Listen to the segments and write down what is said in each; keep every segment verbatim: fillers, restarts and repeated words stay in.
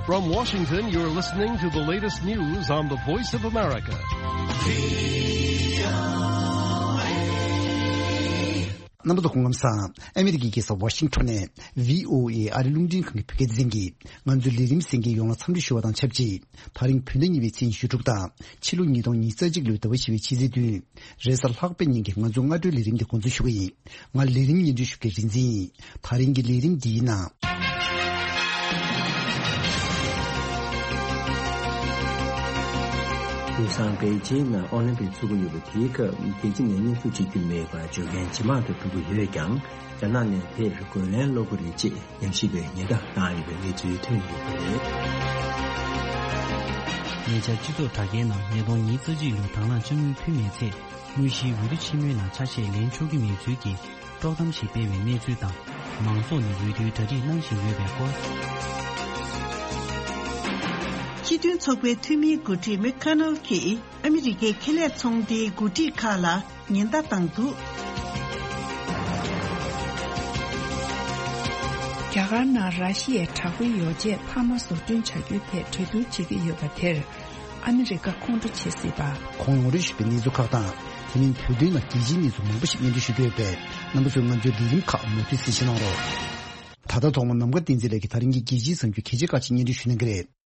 From Washington, you're listening to the latest news on the Voice of America. རྣམ་པ་ཚོ་སྐུ་ཁམས་བཟང་། ཨ་མི་རི་ཀའི་རྒྱལ་ས་ཝ་ཤིང་ཊོན་ནས་བྷི་ཨོ་ཨེ་ཨ་རི་རླུང་འཕྲིན་ཁང་གི་བོད་སྐད་སྡེ་ཚན་གྱིས་ང་ཚོའི་ལས་རིམ་གསན་མཁན་ཡོངས་ལ་འཚམས་འདྲི་ཞུ་བ་དང་ཆབས་ཅིག་དེ་རིང་བོད་ཟླ་གཉིས་པའི་ཚེས་ཉི་ཤུ་དྲུག་དང་ཕྱི་ལོ་ཉིས་སྟོང་ཉི་ཤུ་རྩ་གཅིག་ལོའི་ཟླ་བ་བཞི་པའི་ཕྱི་ཚེས་བདུན། རེས་གཟའ་ལྷག་པའི་ཉིན་གྱི་ང་ཚོའི་སྔ་དྲོའི་ལས་རིམ་འདི་འགོ་འཛུགས་ཞུ་གི་ཡིན། ང་ལས་རིམ་སྙན་སྒྲོན་ཞུ་མཁན་རིག་འཛིན་ཡིན། དེ་རིང་གི་ལས་རིམ་འདིའི་ནང་། དེང་སང་པེ་ཅིན་ནང་ཨོ་ལིམ་པིག་ཚོགས་ཀྱི་ཡོད་པ་དེའི་སྐབས་རྒྱལ་སྤྱི་ནས་གནས་ཚུལ་བྱེད་རྒྱུ་མེད་པར་བརྗོད་མཁན་ཇེ་མང་དུ་འགྲོ་གི་ཡོད་ཀྱང་། རྒྱ་ནག་ནས་དེར་རྒོལ་ལན་སློག་གི་རེད་ཅེས་ཉམས་ཞིབ་པས་ཉེན་བརྡ་བཏང་ཡོད་པའི་གནས་ཚུལ་ཐོན་ཡོད་པ་རེད། ཉེ་ཆར་སྤྱི་ཚོགས་དྲ་རྒྱའི་ནང་ཉིས་སྟོང་ཉི་ཤུ་རྩ་གཅིག་ལོའི་དང་བླངས་དཔྱ་དངུལ་ཕུལ་མེད་ཚེ། དངོས་གཞིའི་འོས་བསྡུ་ཆེན་མོའི་ནང་ཆ་ཤས་ལེན་ཆོག་གི་མེད་ཚུལ་གྱི་དཀྲོག་གཏམ་ཞིག་སྤེལ་བའི་གནས་ཚུལ་དང་། མང་ཚོགས་ནས་འོས་བསྡུའི་གྲ་སྒྲིག་གནང་བཞིན་ཡོད་པའི་སྐོར། སྤྱི་མཐུན་ཚོགས་པའི་འཐུས་མིའི་འགོ་ཁྲིད་མེག་ཁ་ནལ་གྱིས་ཨ་མི་རི་ཀའི་ཁེ་ལས་ཚོང་སྡེའི་འགོ་ཁྲིད་ཁག་ལ་ཉེན་བརྡ་བཏང་འདུག་རྒྱ་གར་ནང་ར་ཤི་ཡའི་དྲག་པོའི་ཡོ་བྱད་འཕར་མ་བཟོ་སྐྲུན་བྱ་རྒྱུའི་ཐད་གྲོས་བསྡུར་བྱེད་ཀྱི་ཡོད་པ་དེར། ཨ་མི་རི་ཀ་ཁོང་ཁྲོ་བྱེད་སྲིད་པ། གོང་འོག་རིགས་ཞུས་པའི་གནས་ཚུལ་ཁག་དང་། དེ་མིན་བོད་དོན་ནང་རྒྱལ་སྤྱིའི་གནས་ཚུལ་མང་པོ་ཞིག་སྙན་སྒྲོན་ཞུ་རྒྱུ་ཡོད་པས། རྣམ་པ་ཚོས་ང་ཚོའི་ལས་རིམ་ཁག་མུ་མཐུད་གསན་བཞེས་གནང་རོགས། ད་ལྟ་ཐོག་མར་ནམ་མཁའ་བསྟན་འཛིན་ལགས་ཀྱིས་དེ་རིང་གི་རྒྱལ་སྤྱིའི་གསར་འགྱུར་གལ་ཆེ་ཁག་ཅིག་སྙན་སྒྲོན་ཞུ་གནང་གི་རེད།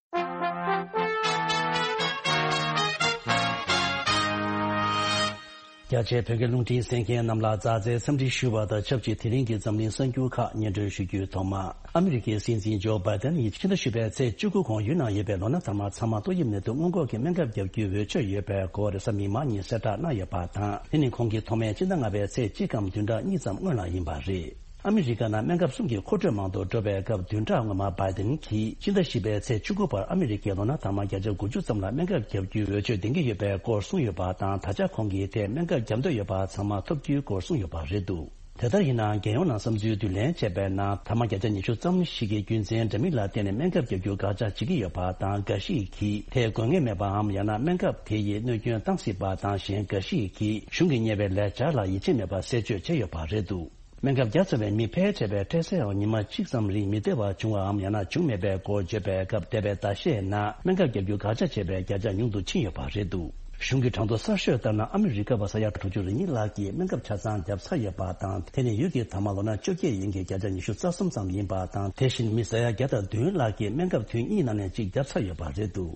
རྒྱ་ཆེའི་བོད་སྐད་རླུང་འཕྲིན་གསན་མཁན་རྣམས་ལ་མཛའ་བརྩེའི་འཚམས་འདྲི་ཞུ་བ་དང་ཆབས་ཅིག་དེ་རིང་གི་འཛམ་གླིང་གསར་འགྱུར་ཁག་སྙན་སྒྲོན་ཞུ་རྒྱུའི་ཐོག་མ། ཨ་མི་རི་ཀའི་སྲིད་འཛིན་ཇོ་བྷའི་ཏན་ཡིས་ཕྱི་ཟླ་བཞི་པའི་ཚེས་བཅུ་དགུ་གོང་ཡུལ་ནང་ཡོད་པའི་ལོ་ན་དར་མ་ཚང་མ་ཏོག་དབྱིབས་ནད་དུག་སྔོན་འགོག་གི་སྨན་ཁབ་བརྒྱབ་རྒྱུའི་འོས་ཆོད་ཡོད་པའི་སྐོར་རེས་གཟའ་མིག་དམར་ཉིན་གསལ་བསྒྲགས་གནང་ཡོད་པ་དང་། དེ་ནི་ཁོང་གིས་ཐོག་མའི་སྤྱི་ཟླ་ལྔ་པའི་ཚེས་གཅིག་གམ་བདུན་ཕྲག་གཉིས་ཙམ་སྔོན་ལ་ཡིན་པ་རེད། ཨ་མི་རི་ཀ་ནང་སྨན་ཁབ་གསུམ་གྱི་མཁོ་སྤྲོད་མང་དུ་འགྲོ་བའི་སྐབས། བདུན་ཕྲག་སྔོན་མ་བྷའི་ཏན་གྱིས་ཕྱི་ཟླ་བཞི་པའི་ཚེས་བཅུ་དགུ་བར་ཨ་མི་རི་ཀའི་ལོ་ན་དར་མ་བརྒྱ་ཆ་དགུ་བཅུ་ཙམ་ལ་སྨན་ཁབ་བརྒྱབ་རྒྱུའི་འོས་ཆོད་ལྡན་གྱི་ཡོད་པའི་སྐོར་གསུངས་ཡོད་པ་དང་། ད་ཆ་ཁོང་གིས་དེས་སྨན་ཁབ་བརྒྱབ་འདོད་ཡོད་པ་ཚང་མ་ཐོབ་རྒྱུའི་སྐོར་གསུངས་ཡོད་པ་རེད་འདུག་དེ་ལྟར་ཡིན་ནའང་། རྒྱལ་ཡོངས་ནང་བསམ་ཚུལ་བསྡུ་ལེན་བྱས་པའི་ནང་། དར་མ་བརྒྱ་ཆ་ཉི་ཤུ་ཙམ་ཞིག་གིས་རྒྱུ་མཚན་འདྲ་མིན་ལ་བརྟེན་ནས་སྨན་ཁབ་བརྒྱབ་རྒྱུ་དགག་བྱ་བྱེད་ཀྱི་ཡོད་པ་དང་། འགའ་ཞིག་གིས་དེས་དགོས་ངེས་མེད་པའམ། ཡང་ན་སྨན་ཁབ་དེ་ཡིས་གནོད་སྐྱོན་བཏང་སྲིད་པ་དང་། གཞན་འགའ་ཞིག་གིས་གཞུང་གིས་གཉེར་བའི་ལས་འཆར་ལ་ཡིད་ཆེས་མེད་པ་གསལ་བརྗོད་བྱས་ཡོད་པ་རེད་འདུག་སྨན་ཁབ་བརྒྱབ་ཚར་བའི་མི་ཕལ་ཆེ་བས་འཕྲལ་སེལ་འོང་ཉི་མ་གཅིག་ཙམ་རིང་མི་བདེ་བ་བྱུང་བའམ། ཡང་ན་བྱུང་མེད་པའི་སྐོར་བརྗོད་པའི་སྐབས། འདས་པའི་ཟླ་ཤས་ནང་སྨན་ཁབ་བརྒྱབ་རྒྱུ་དགག་བྱ་བྱས་པའི་བརྒྱ་ཆ་ཉུང་དུ་ཕྱིན་ཡོད་པ་རེད་འདུག་གཞུང་གི་གྲངས་ཐོ་གསར་ཤོས་ལྟར་ན། ཨ་མི་རི་ཀ་བ་ས་ཡ་དྲུག་ཅུ་རེ་གཉིས་ལྷག་གིས་སྨན་ཁབ་ཆ་ཚང་བརྒྱབ་ཚར་ཡོད་པ་དང་། དེ་ནི་ཡུལ་གྱི་དར་མ་ལོ་ན་བཅོ་བརྒྱད་ཡན་གྱི་བརྒྱ་ཆ་ཉི་ཤུ་རྩ་གསུམ་ཙམ་ཡིན་པ་དང་། དེ་བཞིན་མི་ས་ཡ་བརྒྱ་དང་བདུན་ལྷག་གིས་སྨན་ཁབ་ཐུན་གཉིས་ནང་ནས་གཅིག་བརྒྱབ་ཚར་ཡོད་པ་རེད་འདུག་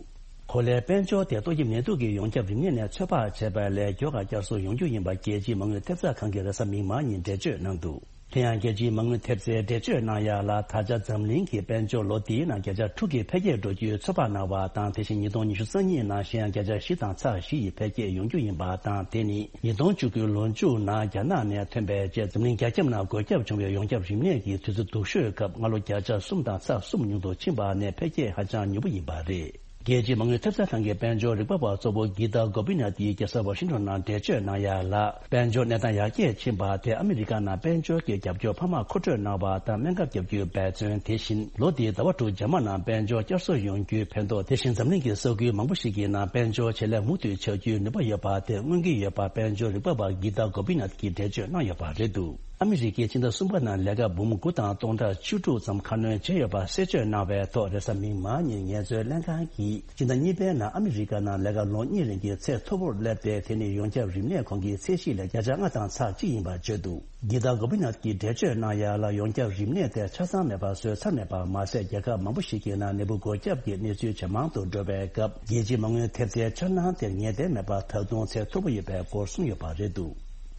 གོ་ལའི་དཔལ་འབྱོར་དེ་ཏོག་དབྱིབས་ནད་དུག་གི་ཡོངས་ཁྱབ་རིམས་ནད་ནས་ཚོད་དཔག་བྱས་པ་ལས་མགྱོགས་པ་བསྐྱར་གསོ་ཡོང་རྒྱུ་ཡིན་པ་རྒྱལ་སྤྱིའི་མ་དངུལ་ཐེབས་རྩ་ཁང་གིས་རེས་གཟའ་མིག་དམར་ཉིན་འགྲེལ་བརྗོད་གནང་འདུག་དེ་ཡང་རྒྱལ་སྤྱིའི་མ་དངུལ་ཐེབས་རྩས་འགྲེལ་བརྗོད་གནང་ཡ་ལ། ད་ཆ་འཛམ་གླིང་གི་དཔལ་འབྱོར་ལོ་འདིའི་ནང་བརྒྱ་ཆ་དྲུག་གི་འཕེལ་རྒྱས་འགྲོ་རྒྱུའི་ཚོད་དཔག་གནང་བ་དང་། དེ་བཞིན་ཉིས་སྟོང་ཉི་ཤུ་རྩ་གཉིས་ནང་གཞན་ཡང་བརྒྱ་ཆ་བཞི་དང་ཚེག་བཞི་ཡི་འཕེལ་རྒྱས་ཡོང་རྒྱུ་ཡིན་པ་དང་། དེ་ནི་ཉིས་སྟོང་བཅུ་དགུའི་ལོ་མཇུག་ནང་རྒྱ་ནག་ནས་ཐོན་པའི་རྗེས་འཛམ་གླིང་རྒྱ་ཁྱབ་ནང་འགོས་ཁྱབ་བྱུང་བའི་ཡོངས་ཁྱབ་རིམས་ནད་ཀྱི་དུས་ཚོད་སྡུག་ཤོས་སྐབས་སྔ་ལོ་བརྒྱ་ཆ་གསུམ་དང་ཚེག་གསུམ་ཉུང་དུ་ཕྱིན་པ་ནས་འཕེལ་རྒྱས་ཧ་ཅང་མྱུར་པོ་ཡིན་པ་རེད། རྒྱལ་སྤྱིའི་མ་དངུལ་ཐེབས་རྩ་ཁང་གི་དཔལ་འབྱོར་རིག་པ་བ་གཙོ་བོ་གྷི་ཏཱ་གོ་པི་ནཱཐ་ཡིས་རྒྱལ་ས་ཝ་ཤིང་ཊོན་ནང་འགྲེལ་བརྗོད་གནང་ཡ་ལ། དཔལ་འབྱོར་གནས་སྟངས་ཡར་རྒྱས་ཕྱིན་པ་དེ་ཨ་མི་རི་ཀ་ནང་དཔལ་འབྱོར་གྱི་རྒྱབ་སྐྱོར་འཕར་མ་མཁོ་སྤྲོད་གནང་བ་དང་སྨན་ཁབ་བརྒྱབ་རྒྱུའི་འབད་བརྩོན། དེ་བཞིན་ལོ་འདིའི་ཟླ་བ་དྲུག་རྗེས་མ་ནང་དཔལ་འབྱོར་བསྐྱར་གསོ་ཡོང་རྒྱུའི་ཕན་ཐོགས། དེ་བཞིན་འཛམ་གླིང་གི་ས་ཁུལ་མང་པོ་ཞིག་གི་ནང་དཔལ་འབྱོར་ཇེ་ལེགས་མུ་མཐུད་ཆགས་རྒྱུའི་ནུས་པ་ཡོད་པ་དེ་མངོན་གྱི་ཡོད་པ་དཔལ་འབྱོར་རིག་པ་བ་གྷི་ཏཱ་གོ་པི་ནཱཐ་ཀྱིས་འགྲེལ་བརྗོད་གནང་ཡོད་པ་རེད་འདུག་ཨ་མི་རི་ཀས་ཕྱི་ཟླ་གསུམ་པ་ནང་ལས་ཀ་འབུམ་དགུ་དང་སྟོང་ཕྲག་བཅུ་དྲུག་ཙམ་ཁ་སྣོན་བྱས་ཡོད་པ་གསལ་བརྗོད་གནང་བའི་ཐོག་རེས་གཟའ་མིག་དམར་ཉིན་ངལ་རྩོལ་ལྷན་ཁང་གིས་ཕྱི་ཟླ་གཉིས་པའི་ནང་ཨ་མི་རི་ཀ་ནང་ལས་ཀ་ལོ་གཉིས་རིང་གི་ཚད་མཐོ་པོར་སླེབས་ཏེ། དེ་ནི་ཡོངས་ཁྱབ་རིམས་ནད་ཁོང་གི་ཚད་གཞི་ལས་བརྒྱ་ཆ་ལྔ་དང་ཚེག་གཅིག་ཡིན་པ་བརྗོད་འདུག་གྷི་ཏཱ་གོ་པི་ནཱཐ་ཀྱིས་འགྲེལ་བརྗོད་གནང་ཡ་ལ། ཡོངས་ཁྱབ་རིམས་ནད་དེ་ཆ་ཚང་མེད་པར་བཟོས་ཚར་མེད་པ་མ་ཟད། རྒྱལ་ཁབ་མང་པོ་ཞིག་གི་ནང་ནད་འབུ་འགོས་ཁྱབ་ཀྱི་གནས་ཚུལ་ཇེ་མང་དུ་འགྲོ་བའི་སྐབས། རྒྱལ་སྤྱིའི་མ་དངུལ་ཐེབས་རྩའི་འཆར་སྣང་དེར་ངེས་གཏན་མེད་པར་ད་དུང་ཚད་མཐོ་པོ་ཡོད་པའི་སྐོར་གསུངས་ཡོད་པ་རེད་འདུག་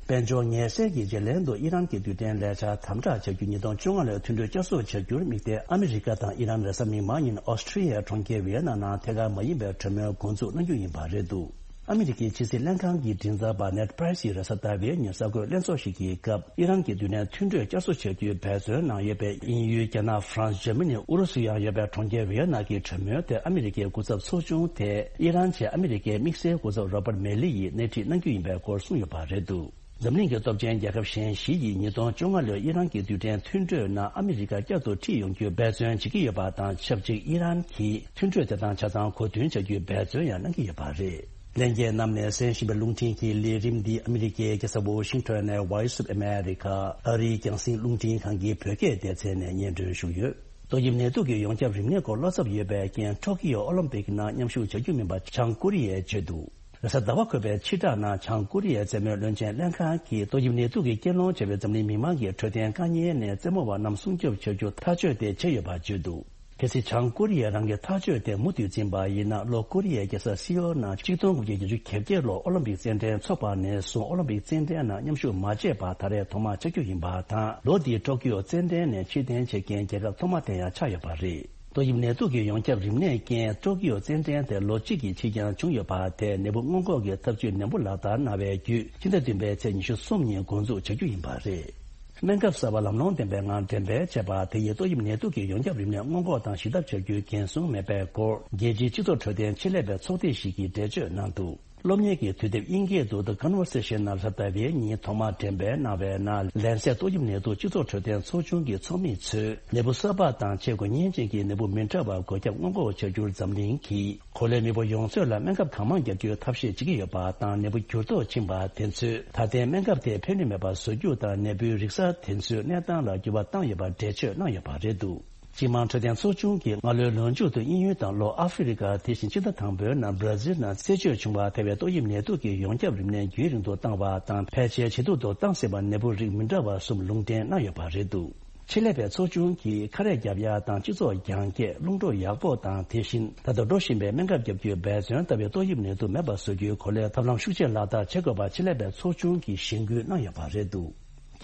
དཔལ་འབྱོར་ངལ་སེལ་གྱི་བརྗེ་ལེན་དུ་ཨི་རན་གྱི་རྡུལ་ཕྲན་ལས་འཆར་དམ་དྲག་བྱ་རྒྱུ། ཉིས་སྟོང་བཅོ་ལྔ་ལོའི་མཐུན་གྲོས་བསྐྱར་གསོ་བྱ་རྒྱུར་དམིགས་ཏེ། ཨ་མི་རི་ཀ་དང་ཨི་རན་རེས་གཟའ་མིག་དམར་ཉིན་ཨོ་སི་ཁྲི་ཡའི་གྲོང་ཁྱེར་ཝི་ཡེ་ན་ནང་ཐད་ཀར་མ་ཡིན་པའི་གྲོས་མོལ་འགོ་འཛུགས་གནང་རྒྱུ་ཡིན་པ་རེད་འདུག་ཨ་མི་རི་ཀའི་ཕྱི་སྲིད་ལྷན་ཁང་གི་མགྲིན་ཚབ་པ་ནེཌ་པྲའི་སིས་རེས་གཟའ་ཟླ་བའི་ཉིན་གསར་འགོད་ལྷན་ཚོགས་ཤིག་གི་སྐབས། ཨི་རན་གྱི་མདུན་ནས་མཐུན་གྲོས་བསྐྱར་གསོ་བྱ་རྒྱུའི་འབད་བརྩོན་གནང་ཡོད་པའི་དབྱིན་ཡུལ། རྒྱ་ནག་ཧྥ་རན་སི། འཇར་མ་ནི། ཨུ་རུ་སུ་ཡང་ཡོད་པའི་གྲོང་ཁྱེར་ཝི་ཡེ་ན་གྱི་གྲོས་མོལ་དེར་ཨ་མི་རི་ཀའི་སྐུ་ཚབ་ཚོགས་ཆུང་དེས་ཨི་རན་ཆེད་ཨ་མི་རི་ཀའི་དམིགས་བསལ་སྐུ་ཚབ་རོ་པར་མེ་ལི་ཡིས་སྣེ་ཁྲིད་གནང་རྒྱུ་ཡིན་པའི་སྐོར་གསུངས་ཡོད་པ་རེད་འདུག་འཛམ་གླིང་གི་སྟོབས་ཆེན་རྒྱལ་ཁབ་གཞན་བཞི་ཡིས་ཉིས་སྟོང་བཅོ་ལྔ་ལོའི་ཨི་རན་གྱི་རྡུལ་ཕྲན་མཐུན་གྲོས་ནང་ཨ་མི་རི་ཀ་བསྐྱར་དུ་ཁྲིད་ཡོང་རྒྱུའི་འབད་བརྩོན་བྱེད་ཀྱི་ཡོད་པ་དང་ཆབས་ཅིག་ཨི་རན་གྱིས་མཐུན་གྲོས་དེ་དང་ཆ་ཚང་གོ་མཐུན་བྱ་རྒྱུའི་འབད་བརྩོན་ཡང་གནང་གི་ཡོད་པ་རེད། ལྷན་རྒྱས་རྣམས་ནས་གསན་བཞིན་པའི་རླུང་འཕྲིན་གྱི་ལས་རིམ་འདི་ཨ་མི་རི་ཀའི་རྒྱལ་ས་ཝོ་ཤིང་ཊོན་ནས་Voice of America ཨ་རིའི་རྒྱང་སྲིང་རླུང་འཕྲིན་ཁང་གི་བོད་སྐད་སྡེ་ཚན་ནས་སྙན་སྒྲོན་ཞུས་ཡོད། ཏོག་དབྱིབས་ནད་དུག་གི་ཡོངས་ཁྱབ་རིམས་ནད་སྐོར་བློ་འཚབ་ཡོད་པའི་རྐྱེན། ཊོ་ཀི་ཡོ་ཨོ་ལིམ་པིག་ནང་མཉམ་ཞུགས་བྱ་རྒྱུ་མིན་པ་བྱང་ཀོ་རི་ཡས་བརྗོད་འདུག་རེས་གཟའ་ཟླ་བ་འཁོད་པའི་ཕྱི་དྲགས་ནང་བྱང་ཀོ་རི་ཡའི་མཚན་སྨོད་བློན་ཆེན་ལྷན་ཁང་གིས་ཏོག་དབྱིབས་ནད་དུག་གི་རྐྱེན་སློང་བྱས་པའི་འཛམ་གླིང་མི་མང་གི་འཕྲོད་བསྟེན་དཀའ་ངལ་ནས་རྩེད་མོ་བ་རྣམས་སྲུང་སྐྱོབ་བྱ་རྒྱུ་ཐག་གཅོད་དེ་བྱས་ཡོད་པ་བརྗོད་འདུག་གལ་སྲིད་བྱང་ཀོ་རི་ཡས་རང་གི་ཐག་གཅོད་དེ་མུ་མཐུད་འཛིན་པ་ཡིན་ན། ལྷོ་ཀོ་རི་ཡའི་རྒྱལ་ས་སི་ཨོལ་ནང་ཆིག་སྟོང་དགུ་བརྒྱ་བརྒྱད་ཅུ་གྱ་བརྒྱད་ལོར་ཨོ་ལིམ་པིག་རྩེད་འགྲན་འཚོགས་པ་ནས་བཟུང་ཨོ་ལིམ་པིག་རྩེད་འགྲན་ནང་མཉམ་ཞུགས་མ་བྱས་པ་ད་རེས་ཐོག་མ་བྱ་རྒྱུ་ཡིན་པ་དང་། ལོ་འདིའི་ཊོ་ཀི་ཡོ་རྩེད་འགྲན་ནས་ཕྱིར་འཐེན་བྱེད་མཁན་རྒྱལ་ཁབ་ཐོག་མ་དེ་ཡང་ཆགས་ཡོད་པ་རེད། ཏོག་དབྱིབས་ནད་དུག་གི་ཡོངས་ཁྱབ་རིམས་ནད་རྐྱེན་ཊོ་ཀི་ཡོ་རྩེད་འགྲན་དེ་ལོ་གཅིག་གི་ཕྱིར་འགྱངས་བྱུང་ཡོད་པ་དེ་ནད་འབུ་སྔོན་འགོག་གི་ཐབས་ཇུས་ནན་པོ་ལག་བསྟར་གནང་བའི་བརྒྱུད། ཕྱི་ཟླ་བདུན་པའི་ཚེས་ཉི་ཤུ་གསུམ་ཉིན་འགོ་འཛུགས་བྱ་རྒྱུ་ཡིན་པ་རེད། སྨན་ཁབ་གསར་པ་ལམ་ལྷོང་ལྡན་པའི་ངང་འགྲེམས་སྤེལ་བྱས་པ་དེ་ཡིས་ཏོག་དབྱིབས་ནད་དུག་གི་ཡོངས་ཁྱབ་རིམས་ནད་སྔོན་འགོག་དང་ཞི་ཐབས་བྱ་རྒྱུའི་འགན་སྲུང་མེད་པའི་སྐོར། རྒྱལ་སྤྱིའི་སྤྱི་ཚོགས་འཕྲོད་བསྟེན་ཆེད་ལས་པའི་ཚོགས་སྡེ་ཞིག་གིས་འགྲེལ་བརྗོད་གནང་འདུག་སློབ་གཉེར་གྱི་དུས་དེབ་དབྱིན་སྐད་དུ་The Conversation ནང་རེས་གཟའ་ཟླ་བའི་ཉིན་ཐོག་མར་འགྲེམས་སྤེལ་གནང་བའི་ནང་། ལན་སེ་ཏོག་དབྱིབས་ནད་དུག་སྤྱི་ཚོགས་འཕྲོད་བསྟེན་ཚོགས་ཆུང་གི་ཚོགས་མི་ཚོས་ནད་འབུ་གསར་པ་དང་ཆེས་འགོས་མཁན་ཅན་གྱི་ནད་འབུ་མི་འདྲ་བ་འགོས་ཁྱབ་སྔོན་འགོག་བྱ་རྒྱུར་འཛམ་གླིང་གིས་གོ་ལའི་མི་འབོར་ཡོངས་རྫོགས་ལ་སྨན་ཁབ་གང་མང་བརྒྱབ་རྒྱུའི་ཐབས་ཤེས་བྱེད་ཀྱི་ཡོད་པ་དང་། ནད་འབུ་འགྱུར་ལྡོག་ཕྱིན་པ་དེ་ཚོས་ད་ལྟའི་སྨན་ཁབ་དེ་ཕན་ནུས་མེད་པ་བཟོ་རྒྱུ་དང་། ནད་འབུའི་རིགས་གསར་དེ་ཚོའི་གནས་སྟངས་ལ་འགྱུར་བ་བཏང་ཡོད་པར་འགྲེལ་བརྗོད་གནང་ཡོད་པ་རེད་འདུག་སྤྱི་དམངས་འཕྲོད་བསྟེན་ཚོགས་ཆུང་གིས་སྔ་ལོའི་ལོ་མཇུག་ཏུ་དབྱིན་ཡུལ་དང་ལྷོ་ཨ་ཧྥེ་རི་ཀ། དེ་བཞིན་ཕྱི་ཟླ་དང་པོའི་ནང་བྷ་ར་ཛིལ་ནང་རྩད་གཅོད་བྱུང་བ་ཐེ་བའི་ཏོག་དབྱིབས་ནད་དུག་གི་ཡོངས་ཁྱབ་རིམས་ནད་རྒྱུན་རིང་དུ་བཏང་བ་དང་། ཕལ་ཆེར་ཇེ་སྡུག་ཏུ་བཏང་སྲིད་པ། ནད་འབུ་རིགས་མི་འདྲ་བ་གསུམ་ལུང་འདྲེན་གནང་ཡོད་པ་རེད་འདུག་ཆེད་ལས་པའི་ཚོགས་ཆུང་གིས་ཁ་རས་རྒྱབ་ཡག་དང་། སྤྱི་ཚོགས་རྒྱང་བཀྱེད། རླུང་འཕྲོ་ཡག་པོ་དང་། དེ་བཞིན་ད་ལྟ་འགྲོ་བཞིན་པའི་སྨན་ཁབ་བརྒྱབ་རྒྱུའི་འབད་བརྩོན་ལྟ་བུའི་ཏོག་དབྱིབས་ནད་དུག་མེད་པ་བཟོ་རྒྱུའི་གོ་ལའི་ཐབས་ལམ་ཤུགས་ཆེ་ལག་བསྟར་བྱེད་དགོས་པ་ཆེད་ལས་པའི་ཚོགས་ཆུང་གིས་གཞེན་སྐུལ་གནང་ཡོད་པ་རེད་འདུག་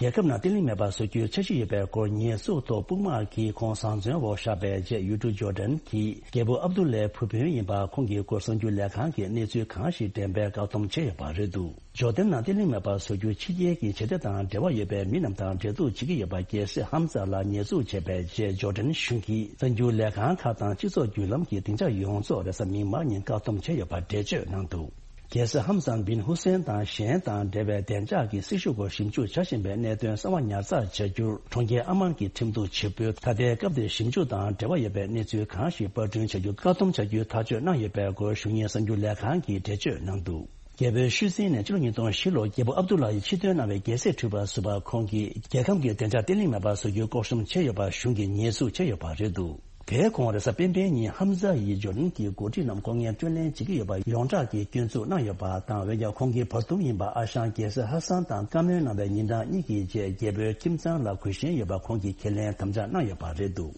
རྒྱལ་ཁབ་ནང་བརྟན་ལྷིང་མེད་པར་བཟོ་རྒྱུའི་འཆར་གཞི་ཡོད་པའི་སྐོར་ཉེས་འཛུགས་ཐོག་དཔུང་དམག་གིས་ཁོང་བཟང་བཙོན་འོག་བཞག་པའི་རྗེས། ཡུལ་གྲུ་ཇོར་ཌན་གྱི་རྒྱལ་པོ་ཨབ་དུ་ལའི་བུ་སྤུན་ཡིན་པ་ཁོང་གི་སྐོར་གསར་འགྱུར་ལས་ཁང་གིས་གནས་ཚུལ་གང་ཞིག་འགྲེམས་སྤེལ་བཀག་སྡོམ་བྱས་ཡོད་པ་རེད་འདུག་ཇོར་ཌན་ནང་བརྟན་ལྷིང་མེད་པར་བཟོ་རྒྱུ་ཕྱི་རྒྱལ་གྱི་བྱེད་གཏེ་དང་འབྲེལ་བ་ཡོད་པའི་མི་རྣམས་དང་འབྲེལ་གཏུག་བྱེད་ཀྱི་ཡོད་པ། རྒྱལ་སྲས་ཧམ་ཛ་ལ་ཉེས་འཛུགས་བྱས་པའི་རྗེས། ཇོར་ཌན་གཞུང་གིས་གསར་འགྱུར་ལས་ཁང་ཁག་དང་སྤྱི་ཚོགས་བརྒྱུད་ལམ་གྱི་སྡིངས་ཆ་ཡོངས་རྫོགས་རེས་གཟའ་མིག་དམར་ཉིན་བཀག་སྡོམ་བྱས་ཡོད་པར་འགྲེལ་བརྗོད་གནང་འདུག་རྒྱལ་སྲས་ཧམ་ཟན་བིན་ཧུ་སེན་དང་གཞན་དང་འབྲེལ་བའི་བདེ་འཇགས་ཀྱི་སྲི་ཞུ་སྐོར་ཞིབ་འཇུག་བྱ་བཞིན་པའི་གནད་དོན་གསང་བ་ཉར་ཚགས་བྱ་རྒྱུར། གྲོང་ཁྱེར་ཨ་མན་གྱི་ཁྲིམས་གཏུག་བྱེད་པོས་ད་ལྟའི་སྐབས་དེར་ཞིབ་འཇུག་དང་འབྲེལ་བ་ཡོད་པའི་གནས་ཚུལ་གང་ཞིག་པར་སྐྲུན་བྱ་རྒྱུ་བཀག་སྡོམ་བྱ་རྒྱུའི་ཐག་གཅོད་གནང་ཡོད་པའི་སྐོར། གཞུང་གཉེར་གསར་འགྱུར་ལས་ཁང་གིས་འགྲེལ་བརྗོད་གནང་འདུག་རྒྱལ་པོའི་ཤུལ་འཛིན་ནས་ཕྱི་ལོ་ཉིས་སྟོང་བཞི་ལོར་རྒྱལ་པོ་ཨབ་དུ་ལ་ཡི་ཕྱིར་ཐོན་གནང་བའི་རྒྱལ་སྲིད་འཁྲུལ་པ་བཟོས་པར་ཁོང་གིས་རྒྱལ་ཁམས་ཀྱི་བདེ་འཇགས་བརྟན་ལྷིང་མེད་པར་བཟོ་རྒྱུའི་སྐོར་གཤོམ་བྱས་ཡོད་པར་གཞུང་གིས་ཉེས་འཛུགས་བྱས་ཡོད་པ་རེད་འདུག་དེའི་གོང་རེས་གཟའ་སྤེན་པའི་ཉིན་ཧམ་ཛ་ཡིས་ཇོར་ཌན་གྱི་འགོ་ཁྲིད་རྣམས་ཁོང་ངན་སྤྲོད་ལེན་བྱེད་ཀྱི་ཡོད་པ་ཡོངས་གྲགས་ཀྱིས་སྐྱོན་འཛུགས་གནང་ཡོད་པ་དང་། འོན་ཀྱང་ཁོང་གི་བར་འདུམ་ཡིན་པ་ཨ་ཞང་རྒྱལ་སྲས་ཧ་སན་དང་བཀའ་མོལ་གནང་བའི་ཉིན་གྲངས་གཉིས་ཀྱི་རྗེས་རྒྱལ་པོའི་ཁྱིམ་ཚང་ལ་གུས་ཞེན་ཡོད་པ་ཁོང་གིས་ཁས་ལེན་དམ་བཅའ་གནང་ཡོད་པ་རེད་འདུག་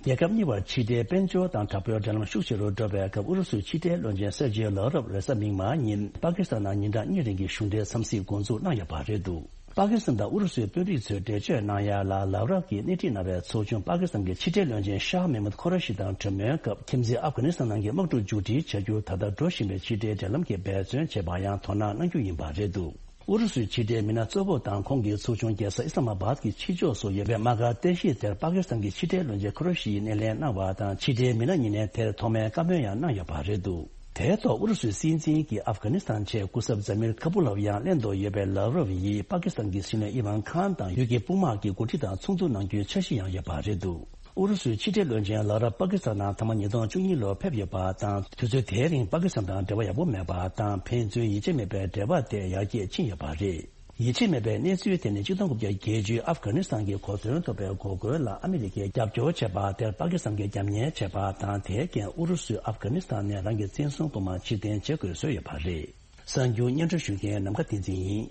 རྒྱལ་ཁབ་གཉིས་བར་ཕྱི་འབྲེལ་དཔལ་འབྱོར་དང་དྲག་པོའི་འབྲེལ་ལམ་ཤུགས་ཆེ་རུ་འགྲོ་བའི་སྐབས། ཨུ་རུ་སུའི་ཕྱི་འབྲེལ་བློན་ཆེན་སེར་ཇི་ལ་རབ་རེས་གཟའ་མིག་དམར་ཉིན་པ་ཀི་སི་ཐན་ནང་ཉིན་གྲངས་གཉིས་རིང་གི་གཞུང་འབྲེལ་འཚམས་གཟིགས་འགོ་འཛུགས་གནང་ཡོད་པ་རེད་འདུག་པ་ཀི་སི་ཐན་དང་ཨུ་རུ་སུའི་དཔོན་རིགས་ཚོས་འགྲེལ་བརྗོད་གནང་ཡ་ལ། ལ་རབ་ཀྱིས་སྣེ་ཁྲིད་གནང་བའི་ཚོགས་ཆུང་པ་ཀི་སི་ཐན་གྱི་ཕྱི་འབྲེལ་བློན་ཆེན་ཤཱ་མེ་མུད་ཁོ་ར་ཤི་དང་གྲོས་མོལ་སྐབས། ཁྱིམ་མཚེས་ཨབ་གྷ་ནི་སི་ཐན་ནང་གི་དམག་འཁྲུག་མཇུག་སྒྲིལ་བྱ་རྒྱུར་ད་ལྟ་འགྲོ་བཞིན་པའི་ཕྱི་འབྲེལ་འབྲེལ་ལམ་གྱི་འབད་བརྩོན་བྱེད་པར་ཡང་དོ་སྣང་གནང་རྒྱུ་ཡིན་པ་རེད་འདུག་ཨུ་རུ་སུའི་ཕྱི་འབྲེལ་མི་སྣ་གཙོ་བོ་དང་ཁོང་གི་ཚོགས་ཆུང་རྒྱལ་ས་ཨི་སི་ལ་མ་བཱད་ཀྱི་ཕྱི་ཕྱོགས་སུ་ཡོད་པའི་དམག་སྒར་རྟེན་གཞི་དེར་པ་ཀི་སི་ཐན་གྱི་ཕྱི་འབྲེལ་བློན་ཆེན་ཁོ་ར་ཤིའི་སྣེ་ལེན་གནང་བ་དང་། ཕྱི་འབྲེལ་མི་སྣ་གཉིས་ནས་དེར་ཐོག་མའི་བཀའ་མོལ་ཡང་གནང་ཡོད་པ་རེད་འདུག་དེའི་ཐོག་ཨུ་རུ་སུའི་སྲིད་འཛིན་གྱི་ཨབ་གྷ་ནི་སི་ཐན་ཆེད་སྐུ་ཚབ་ཛ་མིར་ཁ་པུ་ལོབ་ཡང་ལྷན་དུ་ཡོད་པའི་ལ་རོབ་ཡིས་པ་ཀི་སི་ཐན་གྱི་སྲིད་བློན་ཨི་ཝན་ཁཱན་དང་ཡུལ་གྱི་དཔུང་དམག་གི་འགོ་ཁྲིད་དང་ཚོགས་འདུ་གནང་རྒྱུའི་འཆར་གཞི་ཡང་ཡོད་པ་རེད་འདུག་ཨུ་རུ་སུའི་ཕྱི་འབྲེལ་བློན་ཆེན་ལ་རབ་པ་ཀི་སི་ཐན་ནང་ཐ་མ་ཉིས་སྟོང་བཅུ་གཉིས་ལོར་ཕེབས་ཡོད་པ་དང་། དུས་ཚོད་དེའི་རིང་པ་ཀི་སི་ཐན་དང་འབྲེལ་བ་ཡག་པོ་མེད་པ་དང་། ཕན་ཚུན་ཡིད་ཆེས་མེད་པའི་འབྲེལ་བ་དེ་ཡར་རྒྱས་ཕྱིན་ཡོད་པ་རེད། ཡིད་ཆེས་མེད་པའི་གནས་ཚུལ་དེ་ནི་ཆིག་སྟོང་དགུ་བརྒྱ་བརྒྱད་ཅུའི་ཨབ་གྷ་ནི་སི་ཐན་གྱི་གོ་མཚོན་ཐོབ་པའི་འགོག་རྒོལ་ལ་ཨ་མི་རི་ཀས་རྒྱབ་སྐྱོར་བྱས་པ་དེར་པ་ཀི་སི་ཐན་གྱིས་རྒྱབ་གཉེར་བྱས་པ་དང་། དེའི་རྐྱེན་ཨུ་རུ་སུས་ཨབ་གྷ་ནི་སི་ཐན་ནས་རང་གི་བཙན་བཟུང་དཔུང་དམག་ཕྱིར་འཐེན་བྱེད་དགོས་བཟོས་ཡོད་པ་རེད། གསར་འགྱུར་སྙན་སྒྲོན་ཞུ་མཁན་ནམ་མཁའ་བསྟན་འཛིན་ཡིན།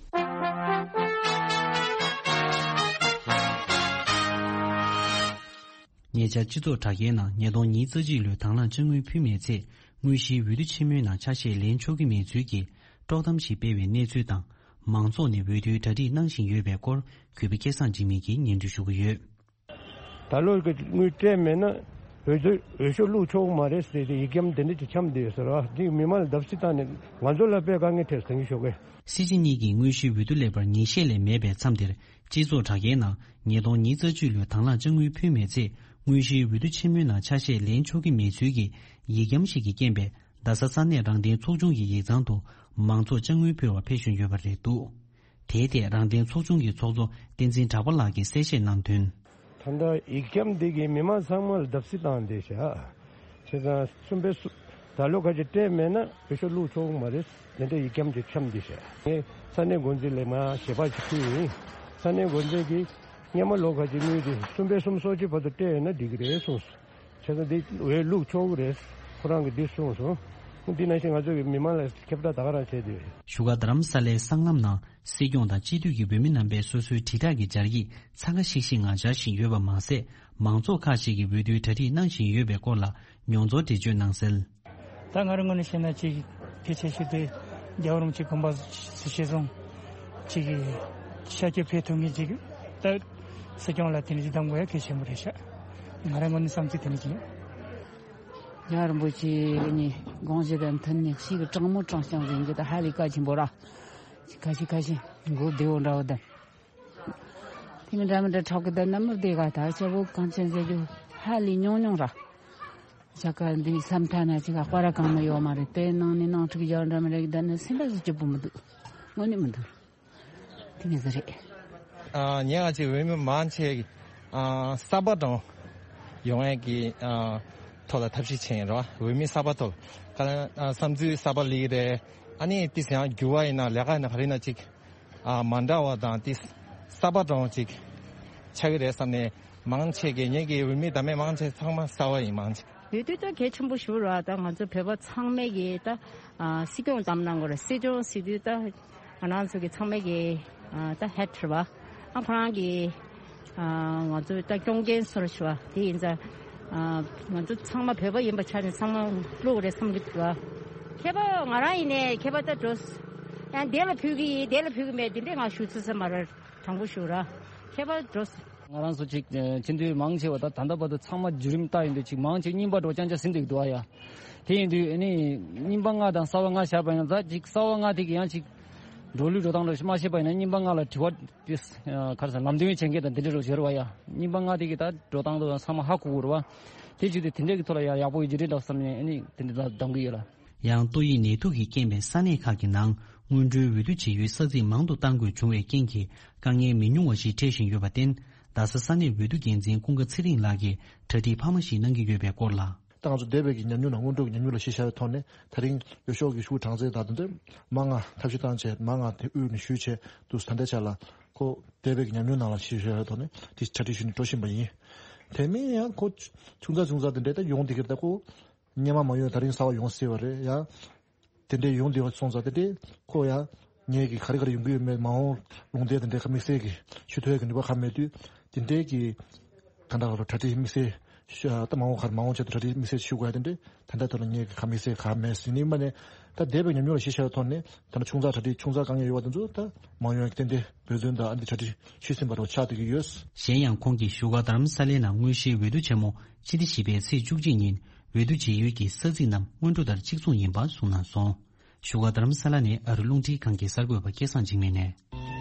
ཉེ་ཆར་སྤྱི་ཚོགས་དྲ་རྒྱའི་ནང་ཉིས་སྟོང་ཉི་ཤུ་རྩ་གཅིག་ལོའི་དང་བླངས་དཔྱ་དངུལ་ཕུལ་མེད་ཚེ། དངོས་གཞིའི་འོས་བསྡུ་ཆེན་མོའི་ནང་ཆ་ཤས་ལེན་ཆོག་གི་མེད་ཚུལ་གྱི་དཀྲོག་གཏམ་ཞིག་སྤེལ་བའི་གནས་ཚུལ་དང་། མང་ཚོགས་ནས་འོས་བསྡུའི་གྲ་སྒྲིག་གནང་བཞིན་ཡོད་པའི་སྐོར། གུས་པ་སྐལ་བཟང་འཇིགས་མེད་ཀྱིས་སྙན་སྒྲོན་ཞུ་གི་ཡོད། ད་ལོ་གི་དངུལ་སྤྲད་མེད་ན་འོས་བསྡུ་འོས་ཤོག་བླུགས་ཆོག་གི་མ་རེད་ཟེར་ཏེ་ཡིག་སྐྱམ་དེ་འདྲ་ཅིག་འཁྱམས་བསྡད་ཡོད་ཟེར་བ་འདི་མི་མང་ལ་བརྡབ་གསིག་བཏང་ནས་ང་ཚོ་ལ་དཔེ་དཀའ་ངལ་འཕྲད་ཟེར་གྱི་ཞོགས་ཀས། སྲིད་སྤྱི་གཉིས་ཀྱི་དངོས་གཞིའི་འོས་བསྡུ་སླེབས་པར་ཉིན་ཤས་ལས་མེད་པའི་མཚམས་དེར། སྤྱི་ཚོགས་དྲ་རྒྱའི་ནང་ཉིས་སྟོང་ཉི་ཤུ་རྩ་གཅིག་ལོའི་དང་བླངས་དཔྱ་དངུལ་ཕུལ་མེད་ཚེ། དངོས་གཞིའི་འོས་བསྡུ་ཆེན་མོའི་ནང་ཆ་ཤས་ལེན་ཆོག་གི་མེད་ཚུལ་གྱི་ཡིག་སྐྱམ་ཞིག་གི་རྐྱེན་པས། རྡ་ས་ས་གནས་རང་བདེན་ཚོགས་ཆུང་གི་ཡིག་ཚང་དུ་མང་ཚོགས་དཔྱ་དངུལ་ཕུལ་བར་ཕེབས་བཞིན་ཡོད་པ་རེད་འདུག་དེའི་ཐད་རང་བདེན་ཚོགས་ཆུང་གི་ཚོགས་གཙོ་བསྟན་འཛིན་གྲགས་པ་ལགས་ཀྱིས་གསལ་བཤད་གནང་དོན། ད་ལྟ་ཡིག་སྐྱམ་འདི་གིས་མི་མང་ཚང་མ་ལ་བརྡབ་གསིག་བཏང་བསྡད་བཞག་བྱས་ཙང་གསུམ་པའི་གསུ་ད་ལོ་ཁ་ཅིག་སྤྲད་མེད་ན་འོས་ཤོག་བླུགས་ཆོག་གི་མ་རེད། དེ་འདྲ་ཡིག་སྐྱམ་ཅིག་འཁྱམས་བསྡད་བཞག་ངས་ས་གནས་འགོ་འཛིན་ལ་མར་ཞལ་པར་ཅིག་ཕུལ་ཡིན། ས་གནས་འགོ་འཛིན་གྱིས་ སྔོན་མ་ལོ་ཁ་ཅིག་དངུལ་དེ་གསུམ་པའི་གསུམ་སོ་གཅིག་བར་དུ་སྤྲད་ཡོད་ན་འགྲིག་གི་རེད་གསུངས་སོང་། བྱས་ཙང་འདི་འོས་བླུག་ཆོག་གི་རེད། ཁོ་རང་གིས་འདི་གསུངས་སོང་། འདི་ནང་བཞིན་ང་ཚོ་གི་མི་མང་ལ་ཁྱབ་བསྒྲགས་ད་ག་རང་བྱས་ཏེ། བཞུགས་སྒར་རྡ་རམ་ས་ལའི་སྲང་ལམ་ནང་སྲིད་སྐྱོང་དང་སྤྱི་འཐུས་ཀྱི་འོས་མི་རྣམ་པས་སོ་སོའི་དྲིལ་བསྒྲགས་ཀྱི་སྦྱར་ཡིག་འཚང་ཁ་ཤིག་ཤིག་ངང་སྦྱར་བཞིན་ཡོད་པ་མ་ཟད། མང་ཚོགས་ཁག་ཅིག་གིས་འོས་བསྡུའི་གྲ་སྒྲིག་གནང་བཞིན་ཡོད་པའི་སྐོར་ལ་མྱོང་ཚོར་འགྲེལ་བརྗོད་གནང་གསལ། ད་ང་རང་ངོས་ནས་བཤད་ན་ཅིག་ཕལ་ཆེར་ཞིག་དེ་རྒྱལ་བ་རིན་པོ་ཆེ་དགོངས་པ་གཞིར་བཟུང་ཅིག་ཤར་བསྐྱོད་ཕེབས་ཐུབ་མཁན་ཅིག་ད་སྲིད་སྐྱོང་ལ་དེ་འདྲ་ཅིག་གདམ་དགོས་ཡ་གལ་ཆེན་པོ་རེད་ཤག་ང་རང་ངོས་ནས་བསམ་ཚུལ་དེ་འདྲ་ཅིག་ཡིན། རྒྱལ་བ་རིན་པོ་ཆེ་གཉིས་དགོངས་གཞི་དང་མཐུན་ནས་ཞིག་དྲང་མོ་དྲང་རྐྱང་ཟེར་རྒྱུ་དེ་ཧ་ལས་གལ་ཆེན་པོ་ར། ཁ་ཤས་ཁ་ཤས་མགོ་བདེ་བོ་འདྲ་བོ་དང་། དེ་མི་འདྲ་མི་འདྲ་ཁྲག་གི་དང་ནམ་མི་བདེ་ག་ད་ཆ་བོ་གང་ཆེན་ཟེར་རྒྱུ་ཧ་ལས་ཉུང་ཉུང་ར། ཆ་ག་འདི་བསམ་ཐ་ན་ཅིག་ག་སྤར་གང་མི་ཡོད་མ་རེད། དེ་ནང་ནས་ནང་འཁྲུག་རྒྱག་འདྲ་མི་འདྲ་གི་ད་ནི་སེམས་པ་ཟིག་སྐྱིད་པོ་མི་འདུག་དངོས་གནས་མི་འདུག་དེ་ནས་ཟིག་རེད། ཨ། ངས་ང་ཚོའི་འོས་མི་མང་ཆེ་གི་ཨ་གསར་པ་འདྲ་ཡོང་ཡས་ཀྱི་ཨ་ཐོག་ལ་ཐབས་ཤེས་བྱས་ཡིན་རོ། འོས་མི་གསར་པ་ཐོག་ག་ཨ་བསམ་ཚུལ་གསར་པ་སླེབས་རེད། ཨ་ནི་ཏིས་ཡང་འགྱུར་བ་ཡིན་ན་ལས་ཀ་ཡིན་ན་ག་རེ་ཡིན་ན་ཅིག་ཨ་མ་འདྲ་བ་དང་ཏིས་གསར་པ་འདྲ་ཅིག་ཆགས་ཀྱི་རེད་བསམ་ནས། མང་ཆེ་གི་ངེད་ཀྱི་འོས་མི་དང་མི་མང་ཆེ་ཚང་མ་གསར་པ་ཡིན། མང་ཆེ། འོས་བསྡུ་ད་གལ་ཆེན་པོ་ཞིག་རེད། ད་ང་ཚོ་བོད་པ་ཚང་མས་ཀྱི་ད་ཨ་སྲིད་སྐྱོང་བདམས་གནང་དགོས་རེད། སྲིད་སྐྱོང་ཟེར་དུས་ད་ང་རང་ཚོ་གི་ཚང་མས་ཀྱི་ཨ་ད་ཧེ་ཊར་བ་ཨ་ཁོ་རང་གི་ཨ་ང་ཚོ་ད་སྐྱོང་མཁན་སོར་ཞུ་བ་དེ་ཡིན་ཙང་། ཨ་ང་ཚོ་ཚང་མ་བོད་པ་ཡིན་པ་ཆ་ནས་ཚང་མ་བླུག་རེད་བསམ་གྱི་འདུག་ཁྱད་པར་ང་རང་ཡིན་ནའི་ཁྱད་པར་ད་འགྲོ། ཡང་དེ་ལ་ཕུལ་གྱི་ཡིན། དེ་ལ་ཕུལ་གྱི་མེད། དེ་འདྲས་ང་ཞུ་ཚུལ་ས་མ་རེད། དྲང་པོ་ཞུ་ར། ཁྱད་པར་འགྲོ། ང་རང་ཚོ་ཅིག་ཨ་སྤྱི་འཐུས་མང་ཆེ་བ་ད་ད་ལྟ་བར་དུ་ཚང་མ་བརྒྱུད་རིམ་ལྟ་ཡིན་དུས་ཅིག་མང་ཆེ་རྙིང་པ་འགྲོ་རྐྱང་རྐྱང་ཟིན་འདུག་འདུག་ཨ་ཡ། དེ་ཡིན་དུས་ཨ་ནི་རྙིང་པ་ལྔ་དང་གསར་པ་ལྔ་བཞག་པ་ཡིན་ན་ད་ཅིག་གསར་པ་ལྔ་དེ་གི་ཡང་ཅིག་འགྲོ་ལུགས་འགྲོ་སྟངས་འདྲ་ཞིག་མ་ཤེས་པ་ཡིན་ན་རྙིང་པ་ལྔ་ལ་དྲི་བ་དེ་ག་རེ་ཟེར་ལམ་སྟོན་བྱེད་མཁན་དང་དེ་འདྲ་རོ་བྱེད་རོ་བ་ཡ། རྙིང་པ་ལྔ་དེ་གི་ད་འགྲོ་སྟངས་དེ་ཚང་མ་ཧ་གོ་གི་རོ་བ། དེ་བྱེད་དུས་དེ་འདྲ་གི་ཐོག་ལ་ཡ་ཡག་པོ་ཡོད་ཀྱི་རེད་འདྲ་བསམ་ནས་ཨ་ནི་དེ་འདྲ་ད་གདམ་གི་ཡོད་ལ། ཡང་ཏོག་དབྱིབས་ནད་དུག་གི་རྐྱེན་པས་ས་གནས་ཁག་གི་ནང་སྔོན་འགྲོའི་འོས་བསྡུ་བྱེད་ཡུལ་ས་ཚིགས་མང་དུ་གཏང་དགོས་བྱུང་བའི་རྐྱེན་གྱིས་དཀའ་ངལ་མི་ཉུང་བ་ཞིག་འཕྲད་བཞིན་ཡོད་པར་བརྟེན། རྡ་ས་ས་གནས་འོས་བསྡུ་འགན་འཛིན་ཀུན་དགའ་ཚེ་རིང་ལགས་ཀྱིས་གྲ་སྒྲིག་འཕར་མ་ཞིག་གནང་གི་ཡོད་པའི་སྐོར་ལ། ད་ང་ཚོ་འདས་པའི་གི་ཉམས་མྱོང་ནང་། སྔོན་འགྲོ་གི་ཉམས་མྱོང་ལ་གཞི་བཞག་པའི་ཐོག་ནས་དེ་རིང་འོས་ཤོག་གི་ཤུགས་གྲངས་ཚད་དང་དེ་ཚོ་མང་ང་ཐབས་ཤེས་བཏང་བྱས་མང་ང་དེ་དབུས་ནས་ཞུས་བྱས་འདུག་ད་ལྟའི་ཆ་ལ་ཁོ་འདས་པའི་གི་ཉམས་མྱོང་ནང་ལ་གཞི་བཞག་པའི་ཐོག་ནས་དེ་གྲ་སྒྲིག་ཞུས་ནས་འགྲོ་བཞིན་པ་ཡིན། དེ་མིན་ཡང་ཁོ་ཆུང་ཙག་ཆུང་ཙག་དེ་འདྲས་ད་ཡོང་བསྡད་ཀྱི་རེད། ད་ཁོ། སྔོན་མ་མ་ཡོང་། ད་རིང་གསར་པ་ཡོང་སྲིད་པ་རེད་ཡ། དེ་འདྲའི་ཡོང་བསྡད་པ་སོང་ཙང་དེ་འདྲའི་ཁོ་ཡ། ངས་ཀྱི་ག་རེ་ག་རེ་ཡོང་གི་ཡོད་མེད། མ་འོངས་ལུང་བསྟན་དེ་འདྲའི་ཁ་དམིགས་བསལ་གྱི་ཞུ་ཐུབ་ཡག་གི་ནུས་པ་གང་མེད་དུས། དེ་འདྲའི་གི་ག་འདྲ་ག་རུ་གྲ་སྒྲིག་དམིགས་བསལ་ཞུ་ཡ། ད་མ་འོངས་ག་རེ་མ་འོངས་ཆེད་དུ་གྲ་སྒྲིག་དམིགས་བསལ་ཞུ་དགོས་ཡ་དེ་འདྲའི་ད་ལྟ་ཐོག་ལ་ངས་ཀྱི་ཁ་དམིགས་བསལ་གང་མེད་ཟིན་ནི་མ་ནས། ད་འདས་པའི་ཉམས་མྱོང་ལ་གཞི་བཞག་པའི་ཐོག་ནས་ད་ནི་ཆུང་ཙག་གྲ་སྒྲིག་ཆུང་ཙག་དཀའ་ངལ་ཡོད་པ་དེ་ཚོ་ད་མ་ཡོང་ཡ་གི་ཏན་ཏན་འབད་བརྩོན་དང་ཨ་འདི་གྲ་སྒྲིག་ཤུལ་ཟིན་པ་རུ་ཆགས་བསྡད་ཀྱི་ཡོད། གཞན་ཡང་ཁོང་གིས་བཞུགས་སྒར་རྡ་རམ་ས་ལའི་ནང་དངོས་གཞིའི་འོས་བསྡུ་ཆེན་མོ་སྤྱི་ཟླ་བཞི་པའི་ཚེས་བཅུ་གཅིག་ཉིན་འོས་བསྡུ་བྱེད་ཡུལ་གྱི་ས་ཚིགས་རྣམས་སྔོན་འགྲོ་ལྟར་གཅིག་མཚུངས་ཡིན་པ་གསུངས་གནང་སོང་། བཞུགས་སྒར་རྡ་རམ་ས་ལ་ནས་ཨ་རི་རླུང་འཕྲིན་ཁང་གི་གསར་འགོད་པ་སྐལ་བཟང་འཇིགས་མེད་ནས།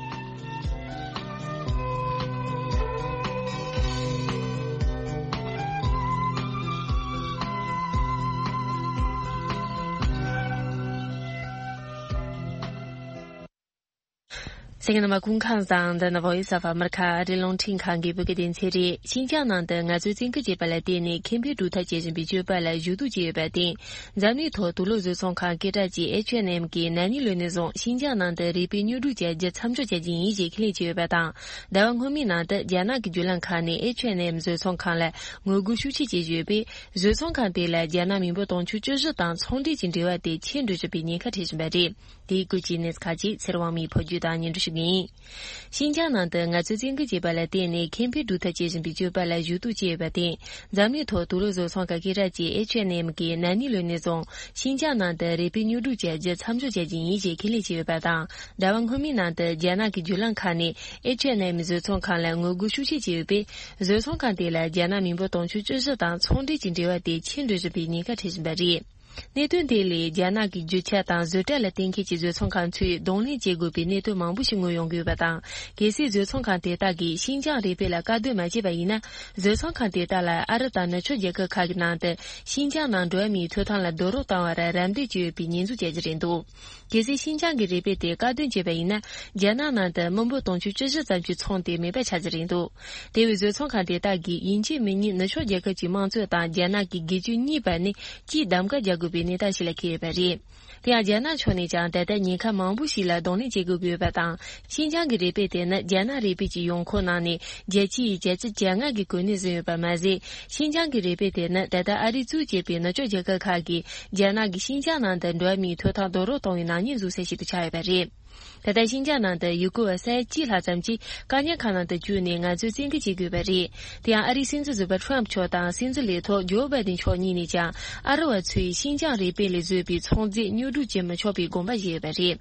གསན་མཁན་རྣམ་པ་སྐུ་ཁམས་བཟང་། འདི་ནི་Voice of America ཨ་རིའི་རླུང་འཕྲིན་ཁང་གི་བོད་སྐད་སྡེ་ཚན་རེད། ཤིན་ཅང་ནང་དུ་ངལ་རྩོལ་བཙན་སྐུལ་བྱས་པ་ལ་བརྟེན་ནས་ཁེ་ཕན་སྒྲུབ་ཐབས་བྱེད་བཞིན་པའི་སྤྱོད་པ་ལ་ཞུ་གཏུག་བྱས་ཡོད་པར་བརྟེན། འཛམ་གླིང་ཐོག་དུག་ལོག་བཟོ་ཚོང་ཁང་སྐད་གྲགས་ཅན་ཨེཆ་ཨེན་ཨེམ་གྱིས་ན་ནིང་ལོ་ནས་བཟུང་ཤིན་ཅང་ནང་དུ་རིགས་པས་དངོས་སྒྲུབ་བྱ་རྒྱུ་མཚམས་འཇོག་བྱ་རྒྱུ་ཡིན་ཞེས་ཁས་ལེན་བྱས་ཡོད་པ་དང་། ཟླ་བ་སྔོན་མའི་ནང་དུ་རྒྱ་ནག་གི་བརྒྱུད་ལམ་ཁག་ནས་ཨེཆ་ཨེན་ཨེམ་བཟོ་ཚོང་ཁང་ལ་ངོ་རྒོལ་ཤུགས་ཆེ་བྱེད་བཞིན་ཡོད་པས། བཟོ་ཚོང་ཁང་དེ་ལ་རྒྱ་ནག་མི་འབོར་དུང་ཕྱུར་བཅུ་བཞི་དང་ཚོང་འབྲེལ་གྱི་འབྲེལ་བ་དེ་ཆད་འགྲོ་བཞིན་པའི་ཉེན་ཁ་འཕྲད་བཞིན་པ་རེད། དེའི་སྐོར་གྱི་གནས་ཚུལ་ཁག་ཅིག་ཚེ་རིང་དབང་མོས་ཕབ་སྒྱུར་དང་སྙན་སྒྲོན་ཞུ་གི་ཡིན། ཤིན་ཅང་ནང་དུ་ངལ་རྩོལ་བཙན་སྐུལ་བྱས་པ་ལ་བརྟེན་ནས་ཁེ་ཕན་སྒྲུབ་ཐབས་བྱེད་བཞིན་པའི་སྤྱོད་པ་ལ་ཞུ་གཏུག་བྱས་ཡོད་པར་བརྟེན། འཛམ་གླིང་ཐོག་དུག་ལོག་བཟོ་ཚོང་ཁང་སྐད་གྲགས་ཅན་ཨེཆ་ཨེན་ཨེམ་གྱིས་ན་ནིང་ལོ་ནས་བཟུང་ཤིན་ཅང་ནང་དུ་རིགས་པས་དངོས་སྒྲུབ་བྱ་རྒྱུ་མཚམས་འཇོག་བྱ་རྒྱུ་ཡིན་ཞེས་ཁས་ལེན་བྱས་ཡོད་པ་དང་། ཟླ་བ་སྔོན་མའི་ནང་དུ་རྒྱ་ནག་གི་བརྒྱུད་ལམ་ཁག་ནས་ཨེཆ་ཨེན་ཨེམ་བཟོ་ཚོང་ཁང་ལ་ངོ་རྒོལ་ཤུགས་ཆེ་བྱས་ཡོད་པས། བཟོ་ཚོང་ཁང་དེ་ལ་རྒྱ་ནག་མི་འབོར་དུང་ཕྱུར་བཅུ་བཞི་དང་ཚོང་འབྲེལ་གྱི་འབྲེལ་བ་དེ་ཆད་འགྲོ་བཞིན་པའི་ཉེན་ཁ་འཕྲད་བཞིན་པ་རེད། གནད་དོན་དེ་ལས་རྒྱ་ནག་གི་རྒྱུ་ཆ་དང་བཟོ་གྲྭ་ལ་བརྟེན་མཁན་གྱི་བཟོ་ཚོང་ཁང་ཚོས་གདོང་ལེན་བྱེད་དགོས་པའི་གནད་དོན་མང་པོ་ཞིག་ངོས་ཡོང་གི་ཡོད་པ་དང་། གལ་སྲིད་བཟོ་ཚོང་ཁང་དེ་དག་གིས་ཤིན་ཅང་རིག་པའི་ལ་བཀག་སྡོམ་མ་བྱས་པ་ཡིན་ན། བཟོ་ཚོང་ཁང་དེ་དག་ལ་ཨ་རི་དང་ནུབ་ཕྱོགས་རྒྱལ་ཁབ་ཁག་གི་ནང་དུ་ཤིན་ཅང་ནང་འགྲོ་བ་མིའི་ཐོབ་ཐང་ལ་རྡོག་རོལ་བཏང་བར་རམ་འདེགས་བྱས་ཡོད་པའི་ཉེས་འཛུགས་བྱ་རྒྱུ་རེད་འདུག་གལ་སྲིད་ཤིན་ཅང་གི་རིག་པའི་དེ་བཀག་སྡོམ་བྱས་པ་ཡིན་ན། རྒྱ་ནག་ནང་དུ་མི་འབོར་དུང་ཕྱུར་བཅུ་བཞི་ཙམ་གྱི་ཚོང་དེ་མེད་པ་ཆགས་རྒྱུ་རེད་འདུག་དེ་བས་བཟོ་ཚོང་ཁང་དེ་དག་གིས་ཡིན་གཅིག་མིན་གཉིས་ནུབ་ཕྱོགས་རྒྱལ་ཁབ་ཀྱི་དམངས་གཙོ་དང་རྒྱ་ནག་གི་སྒེར་གཅོད་གཉིས་བར་ནས་སྤྱིའི་གདམ་ག་རྒྱག་དགོས་པའི་གནས་སྟངས་ཤིག་ལ་འཁེལ་ཡོད་པ་རེད། དེ་ཡང་རྒྱ་ནག་ཕྱོགས་ནས་ཀྱང་ད་ལྟ་ཉེན་ཁ་མང་པོ་ཞིག་ལ་གདོང་ལེན་བྱེད་དགོས་ཀྱི་ཡོད་པ་དང་། ཤིན་ཅང་གི་རུས་སྦལ་དེ་ནི་རྒྱ་ནག་རུས་སྦལ་གྱི་ཡོང་ཁུངས་གནང་ནས་རྒྱལ་སྤྱིའི་བརྒྱ་ཆ་བཅོ་ལྔ་གི་གོ་གནས་བཟུང་ཡོད་པ་མ་ཟད། ཤིན་ཅང་གི་རུས་སྦལ་དེ་ནི་ད་ལྟ་ཨ་རིས་གཙོས་བྱས་པའི་ནུབ་ཕྱོགས་རྒྱལ་ཁབ་ཁག་གིས་རྒྱ་ནག་གི་ཤིན་ཅང་ནང་དུ་འགྲོ་བ་མིའི་ཐོབ་ཐང་རྡོག་རོལ་གཏོང་བའི་ནག་ཉེས་འཛུགས་ས་ཞིག་ཏུ་ཆགས་ཡོད་པ་རེད། ད་ལྟ་ཤིན་ཅང་ནང་དུ་ཡུལ་སྐོར་བ་ས་ཡ་གཅིག་ལྷག་ཙམ་གྱིས་བཀག་ཉར་ཁང་ནང་དུ་བཅུག་ནས་ངལ་རྩོལ་བཙན་ཁྲིད་བྱེད་དགོས་པ་རེད། དེ་ཡང་ཨ་རིའི་སྲིད་འཛིན་ཟུར་པ་ཁྲོམ་མཆོག་དང་སྲིད་འཛིན་ལས་ཐོག་ཇོ་བྷའི་ཏིན་མཆོག་གཉིས་ནས་ཀྱང་ཨ་རི་བ་ཚོས་ཤིན་ཅང་རུས་སྦལ་ལས་བཟོས་པའི་ཚོང་རྫས་ཉོ་སྒྲུབ་བྱེད་མི་ཆོག་པའི་དགོངས་པ་བཞེས་ཡོད་པ་རེད།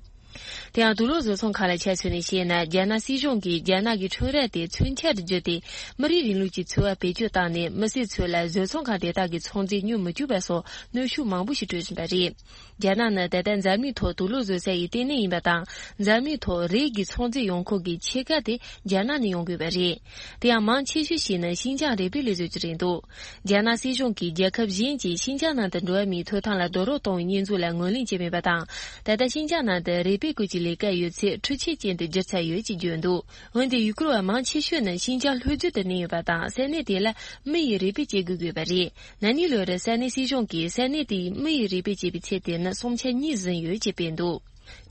དེ་ཡང་དུག་ལོག་བཟོ་ཚོང་ཁང་ལ་ཆ་མཚོན་ནས་བཤད་ན། རྒྱ་ནག་སྲིད་གཞུང་གིས་རྒྱ་ནག་གི་ཁྲོམ་ར་དེ་ཚུན་ཆད་དུ་བརྒྱུད་དེ་མི་རིགས་རིང་ལུགས་ཀྱི་འཚོ་བ་བེད་སྤྱོད་བཏང་ནས། མི་སེར་ཚོ་ལ་བཟོ་ཚོང་ཁང་དེ་དག་གི་ཚོང་རྫས་ཉོ་མི་བཅུག་པ་སོགས་གནོན་ཤུགས་མང་པོ་ཞིག་སྤྲོད་བཞིན་པ་རེད། རྒྱ་ནག་ནི་ད་ལྟ་འཛམ་གླིང་ཐོག་དུག་ལོག་བཟོ་ས་ཡི་ལྟེ་གནས་ཡིན་པ་དང་། འཛམ་གླིང་ཐོག་རིགས་ཀྱི་ཚོང་རྫས་ཡོང་ཁུངས་ཀྱི་ཕྱེད་ཀ་དེ་རྒྱ་ནག་ནས་ཡོང་དགོས་པ་རེད། དེ་ཡང་མང་ཆེ་ཤོས་ཤིག་ནི་ཤིན་ཅང་རུས་སྦལ་ལས་བཟོ་རྒྱུ་རེད་འདུག་རྒྱ་ནག་སྲིད་གཞུང་གིས་རྒྱལ་ཁབ་གཞན་གྱིས་ཤིན་ཅང་ནང་དུ་འགྲོ་བ་མིའི་ཐོབ་ཐང་ལ་རྡོག་རོལ་གཏོང་བའི་ཉེས་འཛུགས་ལ་ངོས་ལེན་བྱས་མེད་པ་དང་། ད་ལྟ་ཤིན་ཅང་ནང་དུ་རུས་སྦལ་བཀོལ་གྱི་ལས་ཀ་ཡོད་ཚད་འཕྲུལ་ཆས་ཅན་དུ་བསྒྱུར་ཚར་ཡོད་ཅེས་བརྗོད་འདུག་འོན་ཏེ་ཡུལ་སྐོར་བ་མང་ཆེ་ཤོས་ནི་ཤིན་ཅང་ལྷོ་རྒྱུད་དུ་གནས་ཡོད་པ་དང་། ས་གནས་དེ་ལ་མི་ཡིས་རུས་སྦལ་བྱེད་དགོས་ཀྱི་ཡོད་པ་རེད། ན་ནིང་ལོར་ས་གནས་སྲིད་གཞུང་གིས་ས་གནས་དེའི་མི་ཡིས་རུས་སྦལ་བྱེད་པའི་ཚད་དེ་ནི་སུམ་ཆ་གཉིས་ཟིན་ཡོད་ཅེས་སྤེལ་འདུག་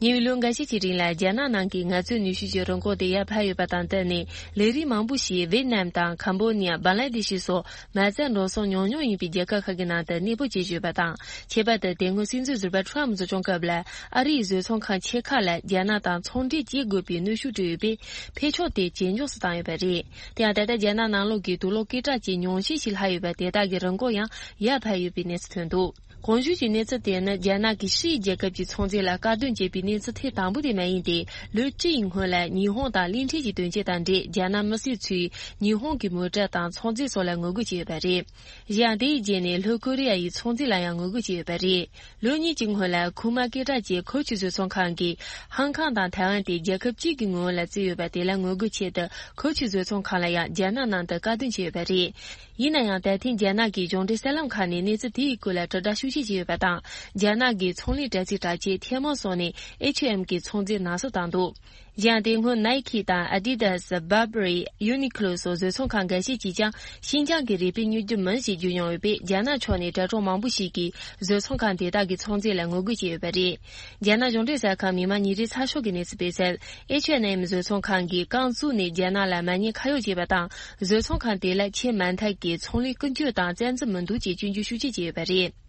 ཉེ་བའི་ལོ་འགའ་ཤས་ཀྱི་རིང་ལ་རྒྱ་ནག་ནང་གི་ངལ་རྩོལ་ནུས་ཤུགས་ཀྱི་རིན་གོང་དེ་ཡར་འཕར་ཡོད་པ་དང་བསྟུན་ནས། ལས་རིགས་མང་པོ་ཞིག་ཝེད་ནམ་དང་ཁམ་བོ་ནི་ཡ། བང་ལ་དེ་ཤི་སོགས་མ་རྩ་འགྲོ་སོང་ཉུང་ཉུང་ཡིན་པའི་རྒྱལ་ཁབ་ཁག་གི་ནང་དུ་གནས་སྤོ་བྱེད་བཞིན་ཡོད་པ་དང་། ཁྱད་པར་དུ་དེ་སྔོན་སྲིད་འཛིན་ཟུར་པ་ཁྲོམ་གཙོ་སྐྱོང་སྐབས་ལ། ཨ་རིའི་བཟོ་ཚོང་ཁང་ཆེ་ཁག་ལ་རྒྱ་ནག་དང་ཚོང་འབྲེལ་བྱེད་དགོས་པའི་གནོན་ཤུགས་སྤྲད་ཡོད་པས། འཕེལ་ཕྱོགས་དེ་ཇེ་མགྱོགས་སུ་བཏང་ཡོད་པ་རེད། དེ་ཡང་ད་ལྟ་རྒྱ་ནག་ནང་ལོགས་ཀྱི་དུག་ལོག་སྐད་གྲགས་ཅན་ཉུང་ཤས་ཤིག་ལྷག་ཡོད་པ་དེ་དག་གི་རིན་གོང་ཡང་ཡར་འཕར་ཡོད་པའི་གནས་ཚུལ་ཐོན་འདུག་གོང་ཞུས་ཀྱི་གནས་ཚུལ་དེ་ནི་རྒྱ་ནག་གིས་ཕྱིའི་རྒྱལ་ཁབ་ཀྱི་ཚོང་རྫས་ལ་དཀའ་སྡུག་འཇལ་བའི་གནས་ཚུལ་ཐེངས་དང་པོ་དེ་མ་ཡིན་ཏེ། ལོ་བཅུ་ཡི་སྔོན་ལ་ཉི་ཧོང་དང་གླིང་ཕྲན་གྱི་དོན་རྐྱེན་དང་འབྲེལ། རྒྱ་ནག་མི་སེར་ཚོས་ཉི་ཧོང་གི་མོ་ཊ་དང་ཚོང་རྫས་སོགས་ལ་ངོ་རྒོལ་བྱས་ཡོད་པ་རེད། གཞན་ཡང་། དེའི་རྗེས་ནས་ལྷོ་ཀོ་རི་ཡ་ཡི་ཚོང་རྫས་ལ་ཡང་ངོ་རྒོལ་བྱས་ཡོད་པ་རེད། ལོ་གཉིས་ཀྱི་སྔོན་ལ་ཁུག་མ་སྐད་གྲགས་ཅན་ཁོ་ཆུ་བཟོ་ཚོང་ཁང་གིས་ཧང་ཀང་དང་ཐའེ་ཝན་དེ་རྒྱལ་ཁབ་གཅིག་གི་ངོས་ལ་བརྩིས་ཡོད་པ་དེ་ལ་ངོ་རྒོལ་ཆེད་དུ། ཁོ་ཆུ་བཟོ་ཚོང་ཁང་ལ་ཡང་རྒྱ་ནག་ནང་དུ་དཀའ་སྡུག་བྱས་ཡོད་པ་རེད། ཡིན་ན་ཡང་། ད་ཐེངས་རྒྱ་ནག་གི་གཞུང་འབྲེལ་གསར་ལམ་ཁག་ནས་གནས་ཚུལ་དེའི་སྐོར་ལ་དྲིལ་བསྒྲགས་ཤུགས་ཆེ་བྱས་ཡོད་པ་དང་། རྒྱ་ནག་གི་ཚོང་ལས་དྲ་ཚིགས་གྲགས་ཅན་ཐེ་མོང་སོགས་ནས་ཨེཆ་ཨེམ་གྱི་ཚོང་རྫས་ནག་བསུབ་བཏང་འདུག་གཞན་ཡང་། དེ་སྔོན་ནའི་ཁི་དང་ཨ་ཌི་དཱ་སི། བར་བྷ་རི། ཡུ་ནི་ཀློ་སོགས་བཟོ་ཚོང་ཁང་འགའ་ཤས་ཀྱིས་ཀྱང་ཤིན་ཅང་གི་རུས་སྦལ་ཉོ་རྒྱུ་མིན་ཞེས་བརྗོད་མྱོང་ཡོད་པས། རྒྱ་ནག་ཕྱོགས་ནས་དྲ་གྲོགས་མང་པོ་ཞིག་གིས་བཟོ་ཚོང་ཁང་དེ་དག་གི་ཚོང་རྫས་ལ་ངོ་རྒོལ་བྱས་ཡོད་པ་རེད། རྒྱ་ནག་གཞུང་འབྲེལ་གསར་ཁང་མི་མང་ཉིན་རེའི་ཚགས་ཤོག་གིས་གནས་ཚུལ་སྤེལ་གསལ། ཨེཆ་ཨེན་ཨེམ་བཟོ་ཚོང་ཁང་གིས་རྐང་བཙུགས་ནས་རྒྱ་ནག་ལ་མ་ཉེས་ཁ་གཡོག་བྱས་པ་དང་། བཟོ་ཚོང་ཁང་དེ་ལ་ཆེས་མ་མཐའ་གི་ཚོང་ལས་ཀུན་སྤྱོད་དང་རྩ་འཛིན་མི་འདུག་ཅེས་སྐྱོན་བརྗོད་ཤུགས་ཆེ་བྱས་ཡོད་པ་རེད།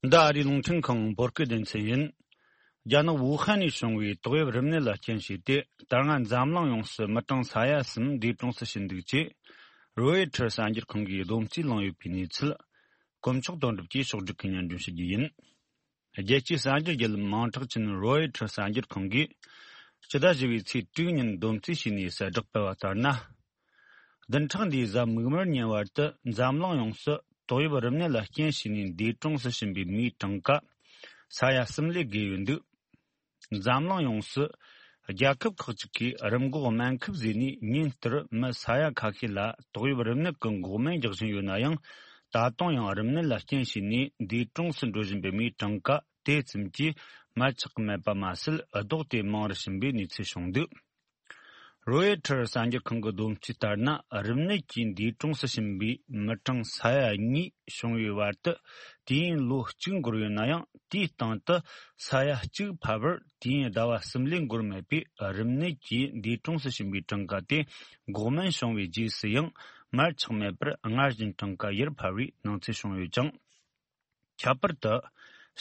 འདི་ཨ་རིའི་རླུང་འཕྲིན་ཁང་བོད་སྐད་སྡེ་ཚན་ཡིན། རྒྱ་ནག་ཝུ་ཧན་ནས་བྱུང་བའི་ཏོག་དབྱིབས་རིམས་ནད་ལ་རྐྱེན་བྱས་ཏེ། ད་སྔ་འཛམ་གླིང་ཡོངས་སུ་མི་གྲངས་ས་ཡ་གསུམ་འདས་གྲོངས་སུ་ཕྱིན་འདུག་ཅེས་རོའི་ཊར་གསར་འགྱུར་ཁང་གིས་བསྡོམས་རྩིས་བླངས་ཡོད་པའི་གནས་ཚུལ། དཀོན་མཆོག་དོན་གྲུབ་ཀྱིས་ཕྱོགས་སྒྲིག་གིས་སྙན་སྒྲོན་ཞུ་རྒྱུ་ཡིན། རྒྱལ་སྤྱིའི་གསར་འགྱུར་བརྒྱུད་ལམ་མིང་གྲགས་ཅན་རོའི་ཊར་གསར་འགྱུར་ཁང་གིས། སྤྱི་ཟླ་བཞི་པའི་ཚེས་དྲུག་ཉིན་བསྡོམས་རྩིས་བྱས་ནས་གསལ་བསྒྲགས་སྤེལ་བ་ལྟར་ན། བདུན་ཕྲག་འདིའི་གཟའ་མིག་དམར་ཉིན་བར་དུ་འཛམ་གླིང་ཡོངས་སུ་ཏོག་དབྱིབས་རིམས་ནད་ལ་རྐྱེན་བྱས་ནས་འདས་གྲོངས་སུ་ཕྱིན་པའི་མིའི་གྲངས་ཀ་ས་ཡ་གསུམ་ལས་བརྒལ་ཡོད་འདུག་འཛམ་གླིང་ཡོངས་སུ་རྒྱལ་ཁབ་ཁག་ཅིག་གིས་རིམས་འགོག་སྨན་ཁབ་བཟོས་ནས་ཉིན་ལྟར་མི་ས་ཡ་ཁ་ཤས་ལ་ཏོག་དབྱིབས་རིམས་ནད་ཀྱི་འགོག་སྨན་རྒྱག་བཞིན་ཡོད་ན་ཡང་། ད་དུང་ཡང་རིམས་ནད་ལ་རྐྱེན་བྱས་ནས་འདས་གྲོངས་སུ་འགྲོ་བཞིན་པའི་མིའི་གྲངས་ཀ་དེ་ཙམ་གྱིས་མར་ཆག་མེད་པ་མ་ཟད། ལྡོག་སྟེ་མང་རུ་ཕྱིན་པའི་གནས་ཚུལ་བྱུང་འདུག་རོའི་ཊར་གསར་འགྱུར་ཁང་གི་བསྡོམས་རྩིས་ལྟར་ན། རིམས་ནད་ཀྱིས་འདས་གྲོངས་སུ་ཕྱིན་པའི་མི་གྲངས་ས་ཡ་གཉིས་བྱུང་བའི་བར་དུ་དུས་ཡུན་ལོ་གཅིག་འགོར་ཡོད་ན་ཡང་། དེའི་སྟེང་དུ་ས་ཡ་གཅིག་ཕལ་པར་དུས་ཡུན་ཟླ་བ་གསུམ་ལས་འགོར་མེད་པས། རིམས་ནད་ཀྱིས་འདས་གྲོངས་སུ་ཕྱིན་པའི་གྲངས་ཀ་དེ་འགོག་སྨན་བྱུང་བའི་རྗེས་སུ་ཡང་མར་ཆག་མེད་པར་སྔར་བཞིན་གྲངས་ཀ་ཡར་འཕར་བའི་སྣང་ཚུལ་བྱུང་ཡོད་ཅིང་། ཁྱད་པར་དུ།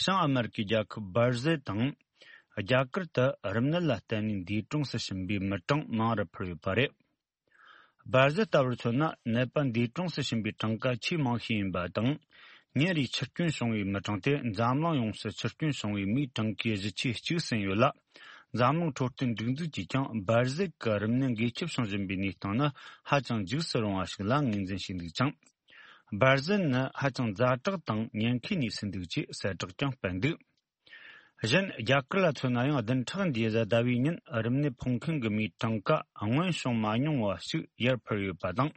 བྱང་ཨ་མེ་རི་ཀའི་རྒྱལ་ཁབ་སྦར་ཟིལ་དང་། རྒྱ་གར་དུ་རིམས་ནད་ལ་བརྟེན་ནས་འདས་གྲོངས་སུ་ཕྱིན་པའི་མི་གྲངས་མང་རུ་འཕར་ཡོད་པ་རེད། སྦར་ཟིལ་ལྟ་བུར་མཚོན་ན། ནད་པ་འདས་གྲོངས་སུ་ཕྱིན་པའི་གྲངས་ཀ་ཆེས་མང་ཤོས་ཡིན་པ་དང་། ཉིན་རེའི་འཆི་སྐྱོན་བྱུང་བའི་མི་གྲངས་དེ་འཛམ་གླིང་ཡོངས་སུ་འཆི་སྐྱོན་བྱུང་བའི་མིའི་གྲངས་ཀའི་བཞི་ཆའི་གཅིག་ཟིན་ཡོད་ལ། འཛམ་གླིང་འཕྲོད་བསྟེན་སྒྲིག་འཛུགས་ཀྱིས་ཀྱང་། སྦར་ཟིལ་གྱི་རིམས་ནད་འགོས་ཁྱབ་བྱུང་བཞིན་པའི་གནས་སྟངས་ནི་ཧ་ཅང་འཇིགས་སུ་རུང་བ་ཞིག་ལ་ངོས་འཛིན་བྱས་འདུག་ཅིང་། སྦར་ཟིལ་ནི་ཧ་ཅང་ཛ་དྲག་དང་ཉེན་ཁའི་གནས་སུ་འདུག་ཅེས་གསལ་བསྒྲགས་ཀྱང་སྤེལ་འདུག་གཞན། རྒྱ་གར་ལ་མཚོན་ན་ཡང་། བདུན་ཕྲག་འདིའི་གཟའ་ཟླ་བའི་ཉིན་རིམས་ནད་ཕོག་མཁན་གྱི་མིའི་གྲངས་ཀ་སྔོན་བྱུང་མ་མྱོང་བ་ཞིག་ཡར་འཕར་ཡོད་པ་དང་།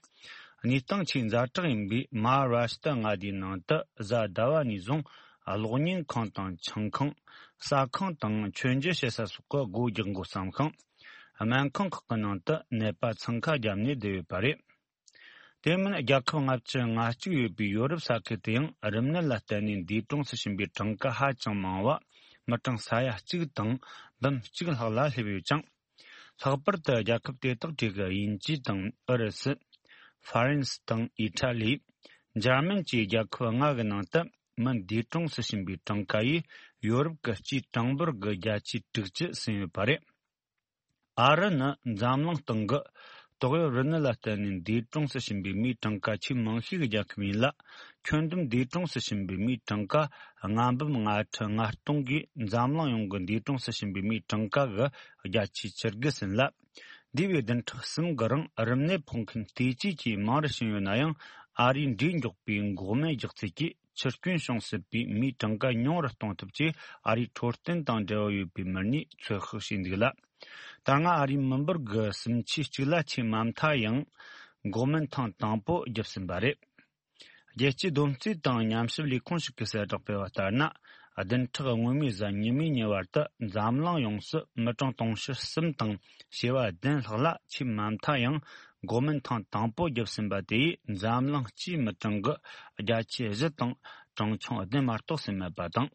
གནས་སྟངས་ཆེས་ཛ་དྲག་ཡིན་པའི་མ་ཧཱ་རཱ་ཤི་ཏྲ་མངའ་སྡེའི་ནང་དུ་གཟའ་ཟླ་བ་ནས་བཟུང་ གློག་བརྙན་ཁང་དང་ཆང་ཁང་། ཟ་ཁང་དང་མཆོད་མཇལ་བྱེད་ས་སོགས་ཀྱི་སྒོ་རྒྱག་འགོ་བརྩམས་ཤིང་། སྨན་ཁང་ཁག་གི་ནང་དུ་ནད་པ་འཚང་ཁ་བརྒྱབ་ནས་བསྡད་ཡོད་པ་རེད། དེ་མིན་རྒྱལ་ཁབ་ལྔ་བཅུ་ང་གཅིག་ཡོད་པའི་ཡོ་རོབ་ས་ཁུལ་དུ་ཡང་རིམས་ནད་ལ་བརྟེན་ནས་འདས་གྲོངས་སུ་ཕྱིན་པའི་གྲངས་ཀ་ཧ་ཅང་མང་བ། མི་གྲངས་ས་ཡ་གཅིག་དང་འབུམ་གཅིག་ལྷག་ལ་སླེབས་ཡོད་ཅིང་། ལྷག་པར་དུ་རྒྱལ་ཁབ་དེ་དག་གྲས་ཀྱི་དབྱིན་ཇི་དང་ཨུ་རུ་སུ། ཧྥ་རན་སི་དང་ཨི་ཊ་ལི། འཇར་མན་བཅས་རྒྱལ་ཁབ་ལྔ་གི་ནང་དུ་མི་འདས་གྲོངས་སུ་ཕྱིན་པའི་གྲངས་ཀ་ཡིས་ཡོ་རོབ་ཀྱི་སྤྱིའི་གྲངས་འབོར་གྱི་བརྒྱ་ཆ་དྲུག་ཅུ་ཟིན་ཡོད་པ་རེད། ཨ་རི་ནི་འཛམ་གླིང་སྟེང་གི་ཏོག་དབྱིབས་རིམས་ནད་ལ་བརྟེན་ནས་འདས་གྲོངས་སུ་ཕྱིན་པའི་མིའི་གྲངས་ཀ་ཆེས་མང་ཤོས་ཀྱི་རྒྱལ་ཁབ་ཡིན་ལ། ཁྱོན་བསྡོམས་འདས་གྲོངས་སུ་ཕྱིན་པའི་མིའི་གྲངས་ཀ་ལྔ་འབུམ་ལྔ་ཁྲི་ལྔ་སྟོང་གིས་འཛམ་གླིང་ཡོངས་ཀྱི་འདས་གྲོངས་སུ་ཕྱིན་པའི་མིའི་གྲངས་ཀ་གི་བརྒྱ་ཆ་བཅུ་དགུ་ཟིན་ལ། འདས་པའི་བདུན་ཕྲག་གསུམ་གྱི་རིང་རིམས་ནད་ཕོག་མཁན་བལྟས་བཅོས་ཀྱིས་མང་རུ་ཕྱིན་ཡོད་ན་ཡང་། ཨ་རིའི་འབྲས་མགྱོགས་པའི་འགོག་སྨན་རྒྱག་རྩལ་གྱིས་འཆི་སྐྱོན་བྱུང་སྲིད་པའི་མིའི་གྲངས་ཀ་ཉུང་རུ་གཏོང་ཐབས་ཆེད་ཨ་རིའི་འཕྲོད་བསྟེན་དང་འབྲེལ་བ་ཡོད་པའི་མི་སྣས་ཚོད་དཔག་བྱས་འདུག་ལ། ད་སྔ་ཨ་རིའི་མི་འབོར་གྱི་སུམ་ཆའི་གཅིག་ལ་ཆེས་མ་མཐའ་ཡང་འགོག་སྨན་ཐེངས་དང་པོ་བརྒྱབ་ཟིན་པ་རེད། རྒྱལ་སྤྱིའི་སྡོམ་རྩིས་དང་ཉམས་ཞིབ་ལས་ཁུངས་ཤིག་གིས་གསལ་བསྒྲགས་སྤེལ་བ་ལྟར་ན། བདུན་ཕྲག་སྔོན་མའི་གཟའ་ཉི་མའི་ཉིན་བར་དུ་འཛམ་གླིང་ཡོངས་སུ་མི་གྲངས་དུང་ཕྱུར་གསུམ་དང་བྱེ་བ་བདུན་ལྷག་ལ་ཆེས་མ་མཐའ་ཡང་འགོག་སྨན་ཐེངས་དང་པོ་བརྒྱབ་ཟིན་པ་དེ་ཡིས་འཛམ་གླིང་སྤྱིའི་མི་གྲངས་ཀྱི་བརྒྱ་ཆ་བཞི་དང་གྲངས་ཆུང་བདུན་མ་གཏོགས་ཟིན་མེད་པ་དང་།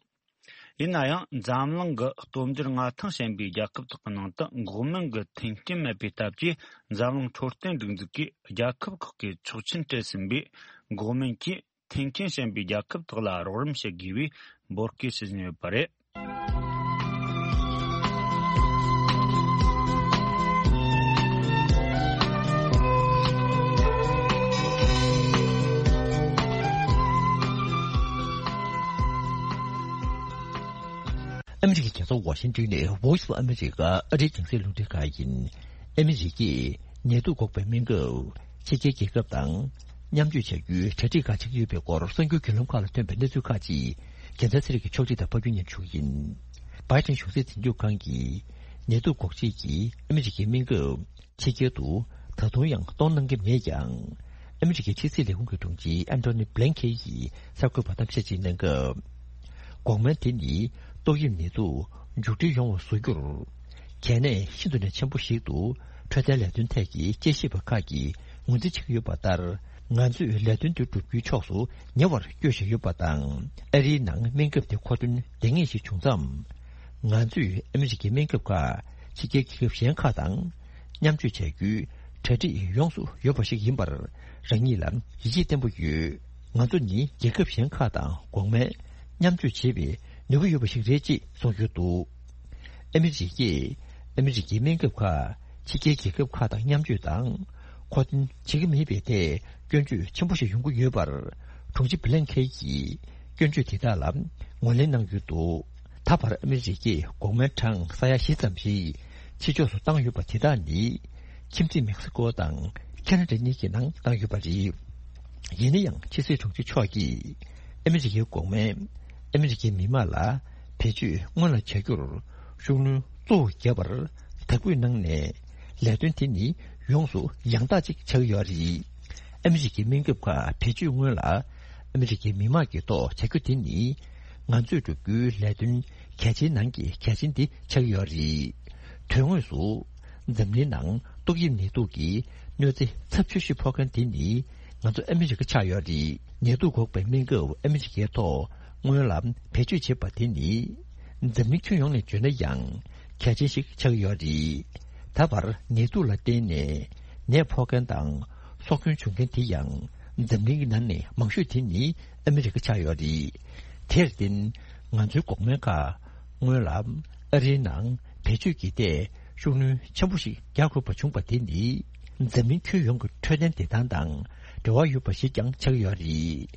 ཡིན་ན་ཡང་འཛམ་གླིང་གི་སྟོབས་འབྱོར་མངའ་ཐང་ཞན་པའི་རྒྱལ་ཁབ་དག་གི་ནང་དུ་འགོག་སྨན་གྱི་མཐུན་རྐྱེན་མེད་པའི་སྟབས་ཀྱིས། འཛམ་གླིང་འཕྲོད་བསྟེན་སྒྲིག་འཛུགས་ཀྱིས་རྒྱལ་ཁབ་ཁག་གི་ཆོག་མཆན་སྤྲད་ཟིན་པའི་འགོག་སྨན་གྱིས་མཐུན་རྐྱེན་ཞན་པའི་རྒྱལ་ཁབ་དག་ལ་རོགས་རམ་བྱེད་དགོས་པའི་འབོད་སྐུལ་ཞུ་བཞིན་ཡོད་པ་རེད། ཨ་མི་རི་ཀའི་རྒྱལ་ས་ཝ་ཤིང་ཏོན་ནས་Voice of America ཨ་རིའི་རྒྱང་སྲིང་རླུང་འཕྲིན་ཁང་ཡིན། ཨ་མི་རི་ཀས་ནད་དུག་འགོག་པའི་སྨན་ཁབ་ཕྱི་རྒྱལ་རྒྱལ་ཁབ་དང་མཉམ་སྤྱོད་བྱ་རྒྱུའི་གྲ་སྒྲིག་ག་བྱེད་ཀྱི་ཡོད་པའི་སྐོར་གསར་འགྱུར་བརྒྱུད་ལམ་ཁག་ལ་ཐོན་པའི་གནས་ཚུལ་ཁག་ཅིག་རྒྱལ་མཚན་ཚེ་རིང་གིས་ཕྱོགས་སྒྲིག་དང་ཕབ་སྒྱུར་སྙན་ཞུ་ཡིན། Biden གཞུང་སྲིད་འཛིན་སྐྱོང་ཁང་གིས་ནད་དུག་འགོག་བྱེད་ཀྱི་ཨ་མི་རི་ཀའི་སྨན་ཁབ་ཕྱི་རྒྱལ་དུ་ད་དུང་ཡང་གཏོང་གནང་གི་མེད་ཀྱང་། ཨ་མི་རི་ཀའི་ཕྱི་སྲིད་ལས་ཁུངས་ཀྱི་དྲུང་ཆེ་Antony Blinken ཡིས་གསར་འགོད་པར་གཏམ་བཤད་ཅིག་གནང་སྐབས། འགོག་སྨན་དེ་ནི་ཏོག་དབྱིབས་ནད་དུག་མཇུག་སྒྲིལ་ཡོང་བ་བཟོ་རྒྱུར་གལ་གནད་ཤིན་ཏུ་ནས་ཆེན་པོ་ཞིག་ཏུ་འཕྲོད་བསྟེན་ལས་དོན་ཐད་ཀྱི་དཔྱད་ཞིབ་པ་ཁག་གིས་ངོས་འཛིན་བྱེད་ཀྱི་ཡོད་པ་ལྟར། ང་ཚོས་ལས་དོན་དེ་བསྒྲུབ་རྒྱུའི་ཕྱོགས་སུ་ཉེ་བར་བསྐྱོད་བཞིན་ཡོད་པ་དང་། ཨ་རིའི་ནང་སྨན་ཁབ་དེ་མཁོ་འདོན་ལྡང་ངེས་ཤིག་བྱུང་མཚམས། ང་ཚོས་ཨ་མི་རི་ཀའི་སྨན་ཁབ་ཁག་ཕྱི་རྒྱལ་རྒྱལ་ཁབ་གཞན་ཁག་དང་མཉམ་སྤྱོད་བྱ་རྒྱུའི་གྲ་སྒྲིག་ཡོངས་སུ་ཡོད་པ་ཞིག་ཡིན་པར་རང་ཉིད་ལ་ཡིད་ཆེས་བརྟན་པོ་ཡོད། ང་ཚོ་ནི་རྒྱལ་ཁབ་གཞན་ཁག་དང་འགོག་སྨན་མཉམ་སྤྱོད་བྱེད་པའི་ནུས་པ་ཡོད་པ་ཞིག་རེད་ཅེས་གསུངས་ཡོད་འདུག་ཨ་མི་རི་ཀས་ཨ་མི་རི་ཀའི་སྨན་ཁབ་ཁག་ཕྱི་རྒྱལ་རྒྱལ་ཁབ་ཁག་དང་མཉམ་སྤྱོད་དང་མཁོ་འདོན་བྱེད་ཀྱི་མེད་པའི་ཐད་སྐྱོན་བརྗོད་ཆེན་པོ་ཞིག་ཡོང་གི་ཡོད་པར། དྲུང་ཆེ་བྷི་ལན་ཁེན་གྱིས་སྐྱོན་བརྗོད་དེ་དག་ལ་ངོས་ལེན་གནང་ཡོད་འདུག་ད་བར་ཨ་མི་རི་ཀས་འགོག་སྨན་གྲངས་ས་ཡ་བཞི་ཙམ་ཞིག་ཕྱི་ཕྱོགས་སུ་བཏང་ཡོད་པ་དེ་དག་ནི་ཁྱིམ་མཚེས་མེག་སི་ཀོ་དང་ཁེ་ན་ཌ་གཉིས་ཀྱི་ནང་བཏང་ཡོད་པ་རེད། ཡིན་ན་ཡང་ཕྱི་སྲིད་དྲུང་ཆེ་མཆོག་གིས་ཨ་མི་རི་ཀའི་འགོག་སྨན་ཨ་མི་རི་ཀའི་མི་དམངས་ལ་བེད་སྤྱོད་སྔོན་ལ་བྱ་རྒྱུར་ཤུགས་སྣོན་གཙོ་བོ་བརྒྱབ་པར་དག་འབུལ་གནང་ནས། ལས་དོན་དེ་ནི་ཡོངས་སུ་ཡང་དག་ཅིག་ཆགས་ཀྱི་ཡོད་རེད། ཨ་མི་རི་ཀའི་སྨན་ཁབ་ཁག་བེད་སྤྱོད་སྔོན་ལ་ཨ་མི་རི་ཀའི་མི་དམངས་ཀྱི་ཐོག་བྱ་རྒྱུ་དེ་ནི་ང་ཚོས་བསྒྲུབ་རྒྱུའི་ལས་དོན་གལ་ཆེན་ནང་གི་གལ་ཆེན་དེ་ཆགས་ཀྱི་ཡོད་རེད། དོན་དངོས་སུ་འཛམ་གླིང་ནང་ཏོག་དབྱིབས་ནད་དུག་གི་གནོད་འཚེ་ཚབས་ཆེ་ཤོས་ཕོག་མཁན་དེ་ནི་ང་ཚོ་ཨ་མི་རི་ཀ་ཆགས་ཡོད་རེད། ནད་དུག་འགོག་པའི་སྨན་ཁབ་ཨ་མི་རི་ཀའི་ཐོག་སྔོན་ལ་བེད་སྤྱོད་བྱེད་པ་དེ་ནི། འཛམ་གླིང་ཁྱོན་ཡོངས་ནས་བརྗོད་ན་ཡང་གལ་ཆེན་ཞིག་ཆགས་ཀྱི་ཡོད་རེད། ད་བར་ནད་དུག་ལ་བརྟེན་ནས་ནད་ཕོག་མཁན་དང་སྲོག་སྐྱོན་བྱུང་མཁན་དེ་ཡང་འཛམ་གླིང་གི་ནང་ནས་མང་ཤོས་དེ་ནི་ཨ་མི་རི་ཀ་ཆགས་ཡོད་རེད། དེར་བརྟེན་ང་ཚོའི་འགོག་སྨན་ཁག་སྔོན་ལ་ཨ་རིའི་ནང་བེད་སྤྱོད་ཀྱི་ཐད་ཤུགས་སྣོན་ཆེན་པོ་ཞིག་རྒྱག་དགོས་པ་བྱུང་བ་དེ་ནི་འཛམ་གླིང་ཁྱོན་ཡོངས་ཀྱི་འཕྲོད་བསྟེན་བདེ་ཐང་དང་འབྲེལ་བ་ཡོད་པ་ཞིག་ཀྱང་ཆགས་ཀྱི་ཡོད་རེད།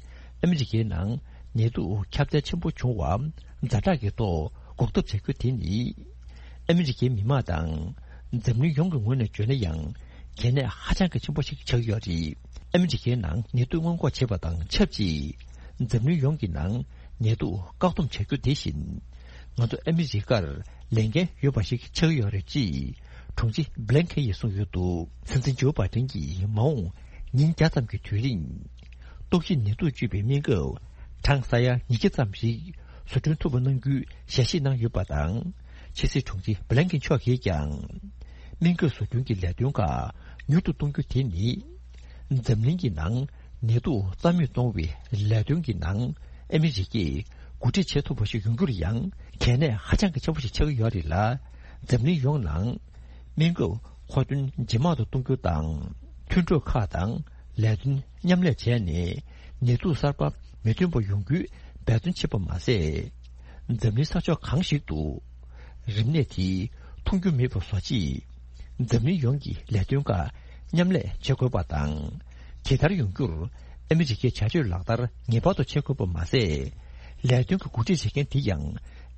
ཨ་མི་རི་ཀའི་ནང་ནད་དུག་ཁྱབ་གདལ་ཆེན་པོ་བྱུང་བ་ཛ་དྲག་གི་ཐོག་འགོག་ཐབས་བྱ་རྒྱུ་དེ་ནི། ཨ་མི་རི་ཀའི་མི་དམངས་དང་འཛམ་གླིང་ཡོངས་ཀྱི་ངོས་ནས་བརྗོད་ན་ཡང་གལ་གནད་ཧ་ཅང་གི་ཆེན་པོ་ཞིག་ཆགས་ཡོད་རེད། ཨ་མི་རི་ཀའི་ནང་ནད་དུག་སྔོན་འགོག་བྱེད་པ་དང་ཆབས་ཅིག་འཛམ་གླིང་ཡོངས་ཀྱི་ནང་ནད་དུག་བཀག་སྡོམ་བྱ་རྒྱུ་དེ་བཞིན། ང་ཚོ་ཨ་མི་རི་ཀར་ལས་འགན་ཡོད་པ་ཞིག་ཆགས་ཡོད་རེད་ཅེས་དྲུང་ཆེ་བྷི་ལན་ཁེན་ཡིས་གསུངས་ཡོད་འདུག་སྲིད་འཛིན་ཇོ་བྷའི་ཏིན་གྱིས་མ་འོངས་ཉིན་བརྒྱ་ཙམ་གྱི་དུས་རིང་ཏོག་དབྱིབས་ནད་དུག་བཅོས་པའི་སྨན་ཁབ་ གྲངས་ས་ཡ་ཉིས་བརྒྱ་ཙམ་ཞིག་བཟོ་སྐྲུན་ཐུབ་པ་གནང་རྒྱུའི་ཞལ་བཞེས་གནང་ཡོད་པ་དང་། ཕྱི་སྲིད་དྲུང་ཆེ་བྷི་ལན་ཀིན་མཆོག་གིས་ཀྱང་། སྨན་ཁབ་བཟོ་སྐྲུན་གྱི་ལས་དོན་ཁག་མྱུར་དུ་གཏོང་རྒྱུ་དེ་ནི། འཛམ་གླིང་གི་ནང་ནད་དུག་རྩ་མེད་གཏོང་བའི་ལས་དོན་གྱི་ནང་ཨ་མི་རི་ཀས་འགོ་ཁྲིད་བྱེད་ཐུབ་པ་ཞིག་ཡོང་རྒྱུར་ཡང་གལ་གནད་ཧ་ཅང་གི་ཆེན་པོ་ཞིག་ཆགས་ཀྱི་ཡོད་རེད་ལ། འཛམ་གླིང་ཡོངས་ནང་སྨན་ཁབ་མཁོ་འདོན་ཇེ་མང་དུ་གཏོང་རྒྱུ་དང་། མཐུན་གྲོས་ཁག་དང་ལས་དོན་མཉམ་ལས་བྱས་ནས་ནད་དུག་གསར་པ་མི་ཐོན་པ་ཡོང་རྒྱུའི་འབད་བརྩོན་བྱེད་པ་མ་ཟད། འཛམ་གླིང་ས་ཕྱོགས་གང་ཞིག་ཏུ་རིམས་ནད་དེ་ཐོན་རྒྱུ་མེད་པ་བཟོ་ཆེད། འཛམ་གླིང་ཡོངས་ཀྱི་ལས་དོན་ཁག་མཉམ་ལས་བྱེད་དགོས་པ་དང་། དེ་ལྟར་ཡོང་རྒྱུར་ཨ་མི་རི་ཀའི་བྱ་སྤྱོད་ལག་བསྟར་ངེས་པར་དུ་བྱེད་དགོས་པ་མ་ཟད། ལས་དོན་གྱི་འགོ་ཁྲིད་བྱེད་མཁན་དེ་ཡང་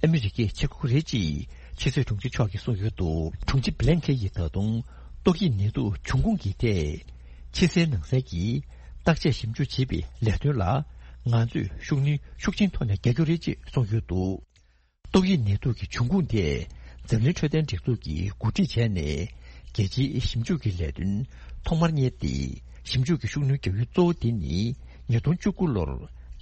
ཨ་མི་རི་ཀས་བྱེད་དགོས་རེད་ཅེས་ཕྱི་སྲིད་དྲུང་ཆེ་མཆོག་གིས་གསུངས་ཡོད་འདུག་དྲུང་ཆེ་བྷི་ལན་ཁེ་ཡིས་ད་དུང་ཏོག་དབྱིབས་ནད་དུག་འབྱུང་ཁུངས་ཀྱི་ཐད་ཕྱི་གསལ་ནང་གསལ་གྱི་བརྟག་དཔྱད་ཞིབ་འཇུག་བྱེད་པའི་ལས་དོན་ལ་ང་ཚོས་ཤུགས་སྣོན་ཤུགས་ཆེན་ཐོག་ནས་རྒྱག་རྒྱུ་རེད་ཅེས་གསུངས་ཡོད་འདུག་ཏོག་དབྱིབས་ནད་དུག་གི་འབྱུང་ཁུངས་དེ་འཛམ་གླིང་འཕྲོད་བསྟེན་སྒྲིག་འཛུགས་ཀྱིས་འགོ་ཁྲིད་བྱས་ནས་རྒྱལ་སྤྱིའི་ཞིབ་འཇུག་གི་ལས་དོན་ཐོག་མར་གཉེར་ཏེ། ཞིབ་འཇུག་གི་ཤུགས་སྣོན་རྒྱག་ཡུལ་གཙོ་བོ་དེ་ནི་ཉིས་སྟོང་བཅུ་དགུ་ལོར་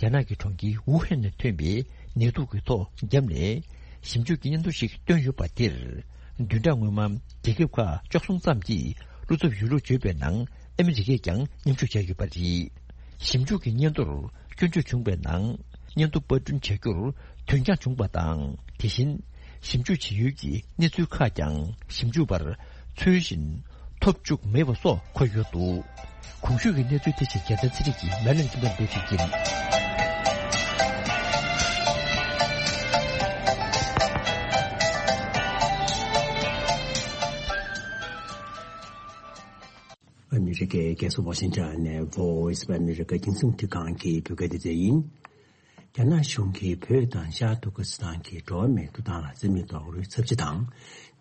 རྒྱ་ནག་གི་གྲོང་ཁྱེར་ཝུ་ཧན་ནས་ཐོན་པའི་ནད་དུག་གི་ཐོག་བརྒྱབ་ནས་ཞིབ་འཇུག་གི་སྙན་ཐོ་ཞིག་བཏོན་ཡོད་པ་དེར། བདུན་ཕྲག་སྔོན་མ་རྒྱལ་ཁབ་ཁག་བཅུ་གསུམ་ཙམ་གྱིས་བློ་འཚབ་ཡོད་ལུགས་བརྗོད་པའི་ནང་ཨ་མི་རི་ཀས་ཀྱང་མཉམ་ཞུགས་བྱས་ཡོད་པ་རེད། ཞིབ་འཇུག་གི་སྙན་ཐོར་སྐྱོན་བརྗོད་བྱུང་བའི་ནང་། སྙན་ཐོ་པར་སྐྲུན་བྱ་རྒྱུར་དོན་རྐྱང་བྱུང་བ་དང་། དེ་བཞིན་ཞིབ་འཇུག་བྱེད་ཡུལ་གྱི་གནས་ཚུལ་ཁག་ཀྱང་ཞིབ་འཇུག་པར་ཚུལ་བཞིན་ཐོབ་བཅུག་མེད་པ་སོགས་འཁོད་ཡོད་འདུག་གོང་ཞུས་ཀྱི་གནས་ཚུལ་དེ་བཞིན་རྒྱལ་མཚན་ཚེ་རིང་གིས་མེ་ལན་གྱི་སྟེང་དུ་ཞིག་ཡིན། ཨ་མི་རི་ཀའི་རྒྱལ་ས་ཝ་ཤིང་ཊོན་ནས་Voice of America རྒྱང་སྲིང་འཕྲིན་ཁང་གི་བོད་སྐད་སྡེ་ཚན་ཡིན། རྒྱ་ནག་གཞུང་གིས་བོད་དང་ཤར་ཏུར་ཀི་སི་ཐན་གྱི་འགྲོ་བ་མིའི་ཐོབ་ཐང་ལ་བརྩི་མེད་རྡོག་རོལ་ཚབས་ཆེ་དང་།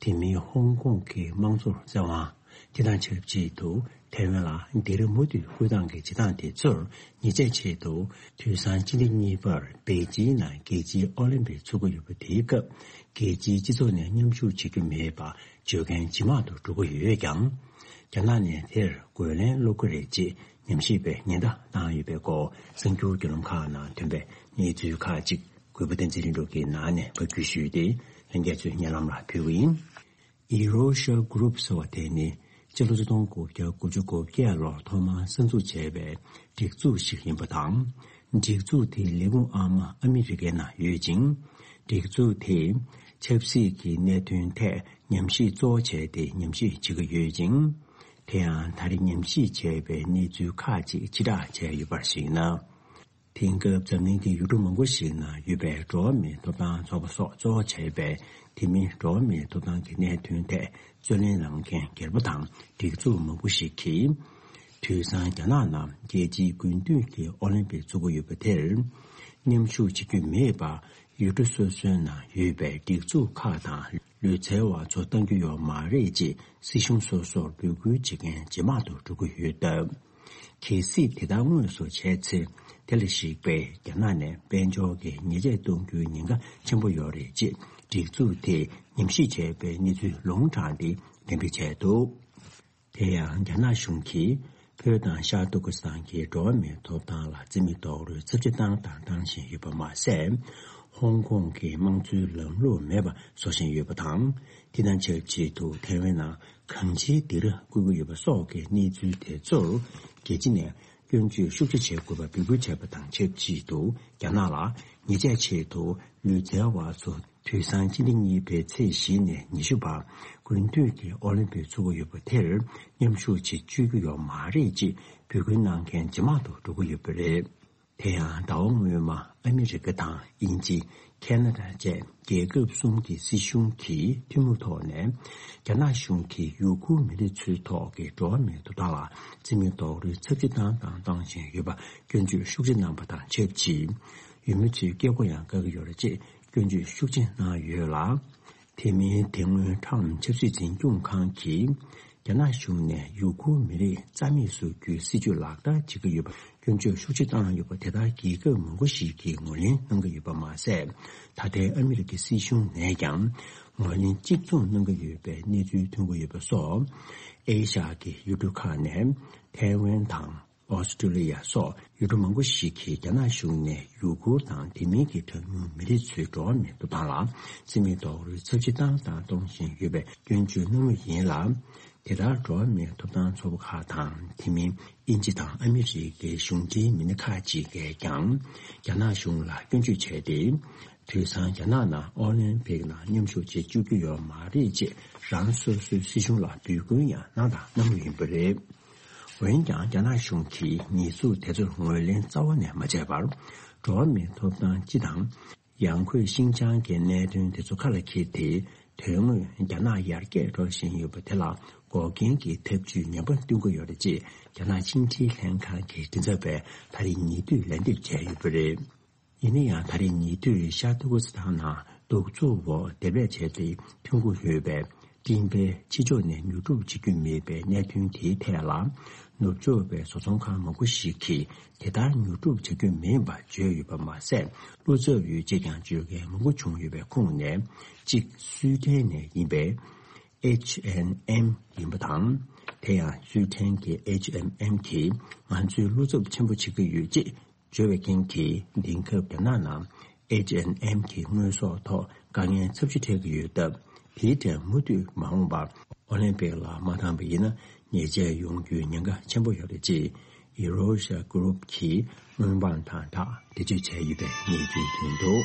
དེ་མིན་ཧོང་ཀོང་གི་དམངས་གཙོར་བཙན་དབང་། དེ་དང་ཆབས་ཅིག་ཏུ་ཐའེ་ཝན་ལ་འདི་རུ་མུ་མཐུད་སྐུལ་སྟངས་ཀྱི་བྱེད་སྟངས་དེ་ཚོར་ཉེས་ཆད་ཆེད་དུ་དུས་སང་སྤྱི་ཟླ་གཉིས་པར་པེ་ཅིན་ནང་རྒྱལ་སྤྱིའི་ཨོ་ལིམ་པིག་ཚོགས་ཀྱི་ཡོད་པ་དེའི་སྐབས་རྒྱལ་སྤྱིའི་སྤྱི་ཚོགས་ནས་མཉམ་ཞུགས་བྱེད་རྒྱུ་མེད་པ་བརྗོད་མཁན་ཇེ་མང་དུ་འགྲོ་གི་ཡོད་ཀྱང་། རྒྱ་ནག་ནས་དེར་རྒོལ་ལན་སློག་གི་རེད་ཅེས་ཉམས་ཞིབ་པས་ཉེན་བརྡ་བཏང་ཡོད་པའི་སྐོར་གསར་འགྱུར་བརྒྱུད་ལམ་ཁག་ནང་ཐོན་པའི་གནས་ཚུལ་ཁག་ཅིག་གུས་པ་བསྟན་འཛིན་ལྷུན་གྲུབ་ཀྱིས་ནང་ནས་ཕབ་བསྒྱུར་ཞུས་ཏེ་ལྷན་རྒྱས་ཚོའི་སྙན་ལམ་ལ་ཕུལ་གྱི་ཡིན། Eurasia Group ཟེར་བ་དེ་ནི་སྤྱི་ལོ་ཆིག་སྟོང་དགུ་བརྒྱ་དགུ་བཅུ་གོ་བརྒྱད་ལོར་ཐོག་མར་གསར་འཛུགས་བྱས་པའི་སྒྲིག་འཛུགས་ཤིག་ཡིན་པ་དང་། སྒྲིག་འཛུགས་དེའི་ལས་ཁུངས་ཨ་མ་ཨ་མི་རི་ཀའི་ནང་ཡོད་ཅིང་། སྒྲིག་འཛུགས་དེས་ཆབ་སྲིད་ཀྱི་གནད་དོན་ཐད་ཉམས་ཞིབ་གཙོ་བོ་བྱས་ཏེ་ཉམས་ཞིབ་བྱེད་ཀྱི་ཡོད་ཅིང་། དེ་ཡང་ད་རེས་ཉམས་ཞིབ་བྱས་པའི་གནས་ཚུལ་ཁག་ཅིག་ཕྱིར་བསྒྲགས་བྱས་ཡོད་པར་གཞིགས་ན། དེང་སྐབས་འཛམ་གླིང་གི་ཡུལ་གྲུ་མང་པོ་ཞིག་ནང་ཡོད་པའི་འགྲོ་བ་མིའི་ཐོབ་ཐང་ཚོགས་པ་སོགས་གཙོ་བོ་བྱས་པའི་དེ་མིན་འགྲོ་བ་མིའི་ཐོབ་ཐང་གི་གནད་དོན་ཐད་རྩོད་ལེན་གནང་མཁན་སྒེར་པ་དང་སྒྲིག་འཛུགས་མང་པོ་ཞིག་གིས། དུས་སང་རྒྱ་ནག་ནང་རྒྱལ་སྤྱིའི་དགུན་དུས་ཀྱི་ཨོ་ལིམ་པིག་ཚོགས་ཀྱི་ཡོད་པ་དེར་མཉམ་ཞུགས་བྱེད་རྒྱུ་མེད་པ། ཡུལ་གྲུ་སོ་སོའི་ནང་ཡོད་པའི་སྒྲིག་འཛུགས་ཁག་དང་ལུས་རྩལ་བ་ཚོ་གཏང་རྒྱུ་ཡོད་མ་རེད་ཅེས་སྲིད་གཞུང་སོ་སོར་འབོད་སྐུལ་བྱེད་མཁན་ཇེ་མང་དུ་འགྲོ་གི་ཡོད་སྟབས། གལ་སྲིད་དེ་ལྟར་དངོས་སུ་བྱས་ཚེ། དེ་ལ་གཞིགས་པའི་རྒྱ་ནག་ནས་དཔལ་འབྱོར་གྱི་ཉེས་ཆད་གཏོང་རྒྱུའི་ཉེན་ཁ་ཆེན་པོ་ཡོད་རེད་ཅེས་སྒྲིག་འཛུགས་དེས་ཉམས་ཞིབ་བྱས་པའི་གནས་ཚུལ་ལུང་དྲངས་ཏེ་གཏན་འབེབས་བྱས་འདུག་དེ་ཡང་རྒྱ་ནག་གཞུང་གིས་བོད་དང་ཤར་ཏུར་ཀི་སི་ཐན་གྱི་འགྲོ་བ་མིའི་ཐོབ་ཐང་ལ་བརྩི་མེད་རྡོག་རོལ་ཚབས་ཆེ་བཏང་དང་བཏང་བཞིན་ཡོད་པ་མ་ཟད། ཧོང་ཀོང་གི་དམངས་གཙོའི་ལམ་ལུགས་མེད་པ་བཟོ་བཞིན་ཡོད་པ་དང་། དེ་དང་ཆབས་ཅིག་ཏུ་ཐའེ་ཝན་ནང་གང་ཅིའི་སྡེ་ར་བསྐོས་ཀྱི་ཡོད་པ་སོགས་ཀྱི་གནས་ཚུལ་དེ་ཚོར་རྒྱལ་སྤྱི་ནས་སྐྱོན་བརྗོད་ཤུགས་ཆེ་བྱེད་དགོས་པ་འབོད་སྐུལ་བྱས་པ་དང་ཆབས་ཅིག་ཏུ་རྒྱ་ནག་ལ་ཉེས་ཆད་ཆེད་དུ་ལུས་རྩལ་བ་ཚོ་དུས་སང་སྤྱི་ཟླ་གཉིས་པའི་ཚེས་བཞི་ནས་ཉི་ཤུ་བར་དགུན་དུས་ཀྱི་ཨོ་ལིམ་པིག་ཚོགས་ཀྱི་ཡོད་པ་དེར་མཉམ་ཞུགས་བྱེད་བཅུག་རྒྱུ་ཡོད་མ་རེད་ཅེས་འབོད་སྐུལ་གནང་མཁན་ཇེ་མང་དུ་འགྲོ་གི་ཡོད་པ་རེད། དེ་ཡང་ཟླ་བ་སྔོན་མ་ཨ་མི་རི་ཀ་དང་དབྱིན་ཇི། ཁེ་ན་ཌ་བཅས་རྒྱལ་ཁབ་གསུམ་གྱི་སྲིད་གཞུང་གིས་ཐུན་མོང་ཐོག་ནས་རྒྱ་ནག་གཞུང་གིས་ཡུ་གུར་མི་རིགས་ཚོའི་ཐོག་གི་འགྲོ་བ་མིའི་ཐོབ་ཐང་ལ་བརྩི་མེད་རྡོག་རོལ་ཚབས་ཆེ་བཏང་དང་བཏང་བཞིན་ཡོད་པ་སྐྱོན་བརྗོད་ཤུགས་ཆེ་གནང་པ་དང་ཆབས་ཅིག་ཡུལ་མི་ཚོའི་སྐད་གོ་ཡང་བཀག་གི་ཡོད་རེད་ཅེས་སྐྱོན་བརྗོད་ཤུགས་ཆེ་གནང་ཡོད་ལ། དེ་མིན་དེ་སྔོན་ཁྲམ་ཆབ་སྲིད་འཛིན་སྐྱོང་ཁང་གིས་རྒྱ་ནག་གཞུང་ནས་ཡུ་གུར་མི་རིགས་རྩ་མེད་བཟོ་རྒྱུའི་སྲིད་ཇུས་ལག་བསྟར་བྱེད་ཀྱི་ཡོད་པ་སྐྱོན་བརྗོད་ཤུགས་ཆེ་བཏང་ཡོད་པ་དེ་ལྟར་རྒྱལ་ཁབ་མང་པོ་ཞིག་གིས་ངོས་ལེན་གནང་གི་ཡོད་པ་མ་ཟད། ད་ལྟའི་ཨ་མི་རི་ཀའི་སྲིད་གཞུང་ནས་ཀྱང་ངོས་ལེན་གཅིག་མཚུངས་གནང་གི་ཡོད་པའི་གནས་ཚུལ་ཐོན་གྱི་ཡོད་པ་སོགས། ཨེ་ཤ་ཡའི་ཡུལ་གྲུ་ཁག་ནས་ཐའེ་ཝན་དང་། ཨོ་སི་ཀྲུ་ལི་ཡ་སོགས་ཡུལ་གྲུ་མང་པོ་ཞིག་གིས་རྒྱ་ནག་གཞུང་ནས་ཡུ་གུར་དང་དེ་མིན་གྱི་གྲངས་ཉུང་མི་རིགས་ཚོའི་འགྲོ་བ་མིའི་ཐོབ་ཐང་ལ་བརྩི་མེད་རྡོག་རོལ་ཚབས་ཆེ་བཏང་དང་གཏོང་བཞིན་ཡོད་པའི་སྐྱོན་བརྗོད་གནང་མུས་ཡིན་ལ། དེ་ལྟར་འགྲོ་བ་མིའི་ཐོབ་ཐང་ཚོགས་པ་ཁག་དང་དེ་མིན་དབྱིན་ཇི་དང་ཨ་མི་རི་ཀའི་གཞུང་འབྲེལ་མི་སྣ་ཁག་ཅིག་གིས་ཀྱང་རྒྱ་ནག་གཞུང་ལ་སྐྱོན་བརྗོད་བྱས་ཏེ། དུས་སང་རྒྱ་ནག་ནང་ཨོ་ལིམ་པིག་ནང་མཉམ་ཞུགས་བྱེད་བཅུག་རྒྱུ་ཡོད་མ་རེད་ཅེས་རང་སོ་སོའི་སྲིད་གཞུང་ལ་འབོད་སྐུལ་ཡང་གནང་དང་གནང་མུས་ཡིན་པ་རེད། འོན་ཀྱང་རྒྱ་ནག་གཞུང་གིས་ཉེས་འཛུགས་དེ་ཚོར་ངོས་ལེན་རྩ་བ་ནས་མ་བྱས་པར། འགྲོ་བ་མིའི་ཐོབ་ཐང་སྤྱི་དང་། ཡང་སྒོས་ཤིན་ཅང་གི་གནད་དོན་དེ་ཚོ་ཁ་ལ་འཁྱེར་ཏེ། དོན་དངོས་རྒྱ་ནག་ཡར་རྒྱས་འགྲོ་བཞིན་ཡོད་པ་དེ་ལ་འགོག་རྐྱེན་གྱི་ཐབས་ཇུས་ངན་པ་སྟོན་གྱི་ཡོད་རེད་ཅེས་རྒྱ་ནག་ཕྱི་འབྲེལ་ལྷན་ཁང་གི་མགྲིན་ཚབ་པས་ད་རེས་ཉེ་དུས་ལན་འདེབས་བྱས་ཡོད་པ་རེད། ཡིན་ན་ཡང་ད་རེས་ཉེ་དུས་ཤར་ཏུར་ཀི་སི་ཐན་ནང་གདུག་རྩུབ་འོག་འདེབས་ལས་བྱས་ཏེ་ཐོན་གྱི་ཡོད་པའི་སྤྲིན་པའི་ཕྱི་ཕྱོགས་ནས་ཉོ་སྒྲུབ་བྱེད་རྒྱུ་མེད་པའི་གནད་དོན་དེའི་ཐད་ལ། ནུབ་ཕྱོགས་པའི་བཟོ་ཚོང་ཁང་མང་པོ་ཞིག་གིས་དེ་ལྟར་ཉོ་སྒྲུབ་བྱ་རྒྱུ་མིན་པ་བརྗོད་ཡོད་པ་མ་ཟད། བློ་འཚབ་ཡོད་ཅེས་ཀྱང་བརྗོད་མཁན་མང་པོ་བྱུང་ཡོད་པའི་ཁོངས་ནས་གཅིག་སུའེ་ཏན་ནས་ཡིན་པའི་ཨེཆ་ཨེན་ཨེམ་ཡིན་པ་དང་། དེ་ཡང་སུའེ་ཏན་གྱི་ཨེཆ་ཨེན་ཨེམ་གྱིས་ང་ཚོའི་བློ་འཚབ་ཆེན་པོ་བྱེད་ཀྱི་ཡོད་ཅེས། བརྗོད་པའི་རྐྱེན་གྱིས་དེང་སྐབས་རྒྱ་ནག་ནང་ཨེཆ་ཨེན་ཨེམ་གྱི་དངོས་ཟོག་ཐོག་དཀའ་ངལ་ཚབས་ཆེ་འཕྲད་ཀྱི་ཡོད་སྟབས། དེའི་གྲས་མུ་མཐུད་མ་འོངས་པར་ཨོ་ལིམ་པིག་ལ་མ་འདང་པ་ཡིན་ན་ཉེས་ཆད་ཡོང་རྒྱུའི་ཉེན་ཁ་ཆེན་པོ་ཡོད་རེད་ཅེས་ཨི་རོ་ཤ་གུ་རུབ་ཀྱིས་སྔོན་དཔང་དང་སྦྲགས་འགྲེལ་བརྗོད་བྱས་ཡོད་པའི་གནས་ཚུལ་ཐོན་འདུག།